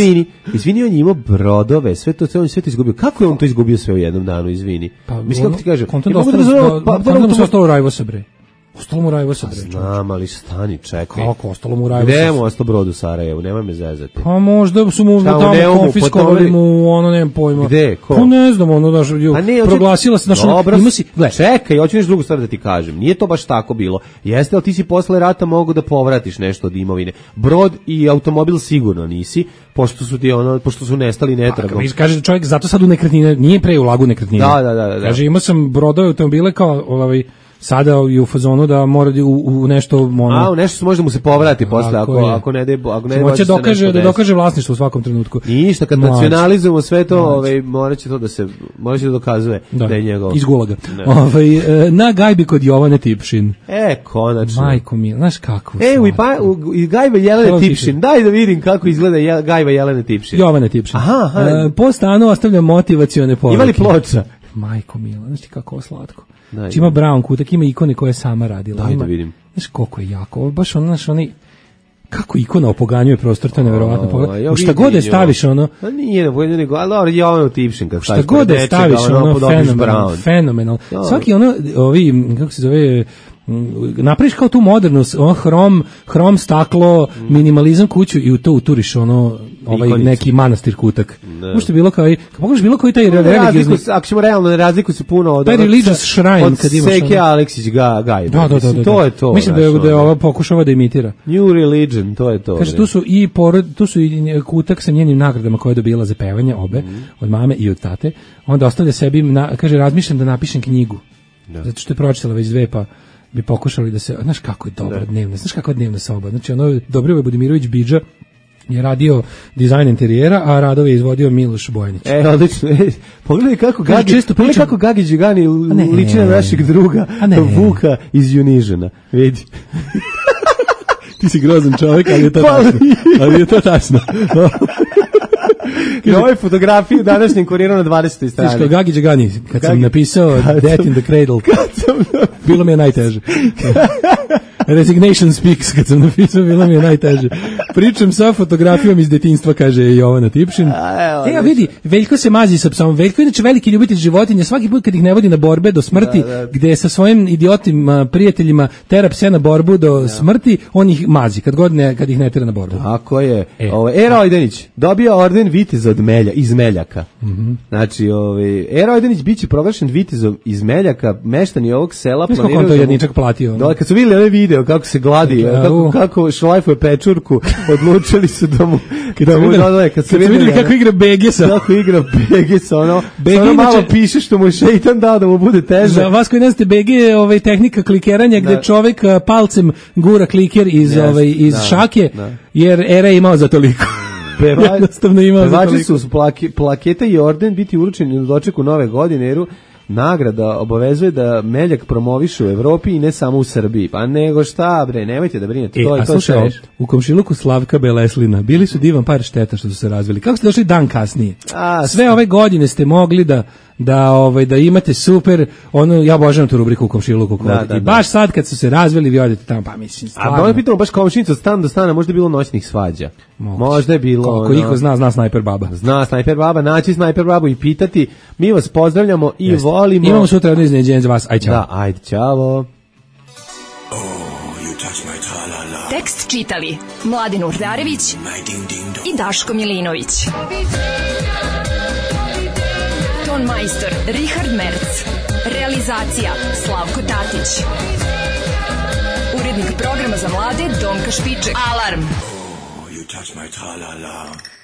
Izvini, on je imao brodove, sve to izgubio. Kako je on to izgubio sve u jednom danu, izvini? Mislim, kako ti kažem? Kontent mu se ostalo Rajvosa, bre. Ostalo mu Rajvosa, bre. Znam, ali stani, čekaj. Kako, ostalo mu Rajvosa? Gde mu ostalo brod u Sarajevu, nema me zezati. Pa možda su mu tamo konfiskovali mu, ono, nemam pojma. Gde, ko? Pa ne znam, ono, daš, proglasila se, znaš, ima si... Čekaj, hoću nešto drugu stvar da ti kažem. Nije to baš tako bilo. Jeste, ali ti si posle rata mogu da povratiš nešto od imovine. Brod i automobil sigurno nisi, pošto su nestali netragom. Kaže čovjek, zato sad u nekretnine, nije pre ulagu nekretnine. Da. Kaže, imao sam brodove automobile kao, sada je u fazonu da mora u nešto u nešto može mu se povrati posle ako ne hoće da dokaže vlasništvo u svakom trenutku. Ništa, kad nacionalizujemo sve to, moraće da dokazuje da je njegovo. Iz gulaga. Na gajbi kod Jovane Tipšin. Konačno. Majko mi, znaš kako. I gajba Jelene Tipšin. Daj da vidim kako izgleda gajba Jelene Tipšin. Jovane Tipšin. Po stanu ostavlja motivacione poruke. Ima li ploča? Majko mila, znaš ti kako slatko. Znači ima brown kutak, ima ikone koje je sama radila. Daj da vidim. Znaš koliko je jako, ovo baš oni kako ikona opoganjuje prostor, to je nevjerovatno pogled. Šta god je staviš ono... Nije, ali je ono Tipšin kad staviš. Šta god je staviš ono fenomenal. Svaki ono, kako se zove... napraviš kao tu modernu hrom staklo, minimalizam kuću i u to uturiš neki manastir kutak. Možete bilo kao pogledaš bilo koji taj religiozni, ako ćemo realno, ne razlikuju se puno od religious shrine kad imaš Seke Aleksić Gaj. To je to. Mislim da je ova pokušava da imitira. New religion, to je to. Kaže, tu su i kutak sa njenim nagradama koje je dobila za pevanje, obe, od mame i od tate. Onda ostavlja sebi, kaže, razmišljam da napišem knjigu. Zato što je pročitala već 2, pa bi pokušali da se, znaš kako je dobra dnevna, znaš kako je dnevna soba. Znači, Dobrivoje Budimirović Bidža je dizajn interijera, a radove je izvodio Miloš Bojanić. Odlično. Pogledaj kako Gagi Đigani liči na našeg druga Vuka iz Junižena. Vidi. Ti si grozan čovjek, ali je to tačno. I ovoj fotografiji današnjem kuriru na 20. strani. Tiško, Gagi Đigani, kad sam napisao Death in the Cradle, bilo mi je najteže. Resignation speaks, kad sam napisao, bilo mi je najteže. Pričam sa fotografijom iz detinjstva, kaže Jovana Tipšin. Ja vidi, Veljko se mazi sa psom. Veljko je inače veliki ljubitelj životinja, svaki put kad ih ne vodi na borbe do smrti, gde sa svojim idiotim prijateljima tera pse na borbu do smrti, on ih mazi, kad ih ne tera na borbu. Tako je. Era Ojdenić dobio orden viteza iz Meljaka. Znači, Era Ojdenić biće proglašen vitezom iz Meljaka, meštani ovog sela planiraju. Kako on to jedničak platio? Kad su vidjeli ovaj video kako se gladi, kako šlajfuje pečurku, odlučili su da mu kad su vidjeli kako igra Begesa. Kako igra Begesa, ono malo piše što mu je šeitan dao da mu bude teže. Za vas koji ne znate, BG je tehnika klikeranja gde čovjek palcem gura kliker iz šake, jer Era je imao za toliko. Pevači su plaketa i orden biti uručeni u dočeku nove godine, jer nagrada obavezuje da Meljak promoviše u Evropi i ne samo u Srbiji. Pa nego šta bre, nemojte da brinete. U komšiluku Slavka Beleslina bili su divan par, šteta što su se razveli. Kako ste došli dan kasnije? Sve ove godine ste mogli da imate super, ja obožavam tu rubriku u komšiluku. I baš sad kad su se razveli, vi odete tamo, pa mislim, stvarno. A pitamo baš komšinica od stana do stana, možda je bilo noćnih svađa. Možda je bilo... Koliko ih zna Snajper Baba. Zna Snajper Baba, naći Snajper Babu i pitati. Mi vas pozdravljamo i volimo. Imamo sutra jedno iznenađenje za vas. Ajde, čao. Da, ajde, čao. Tekst čitali Mladin Urdarević i Daško Milinović. Ton majstor Richard Merc. Realizacija Slavko Tatić. Urednik programa za mlade Donka Špiček. Alarm! You touch my tra-la-la.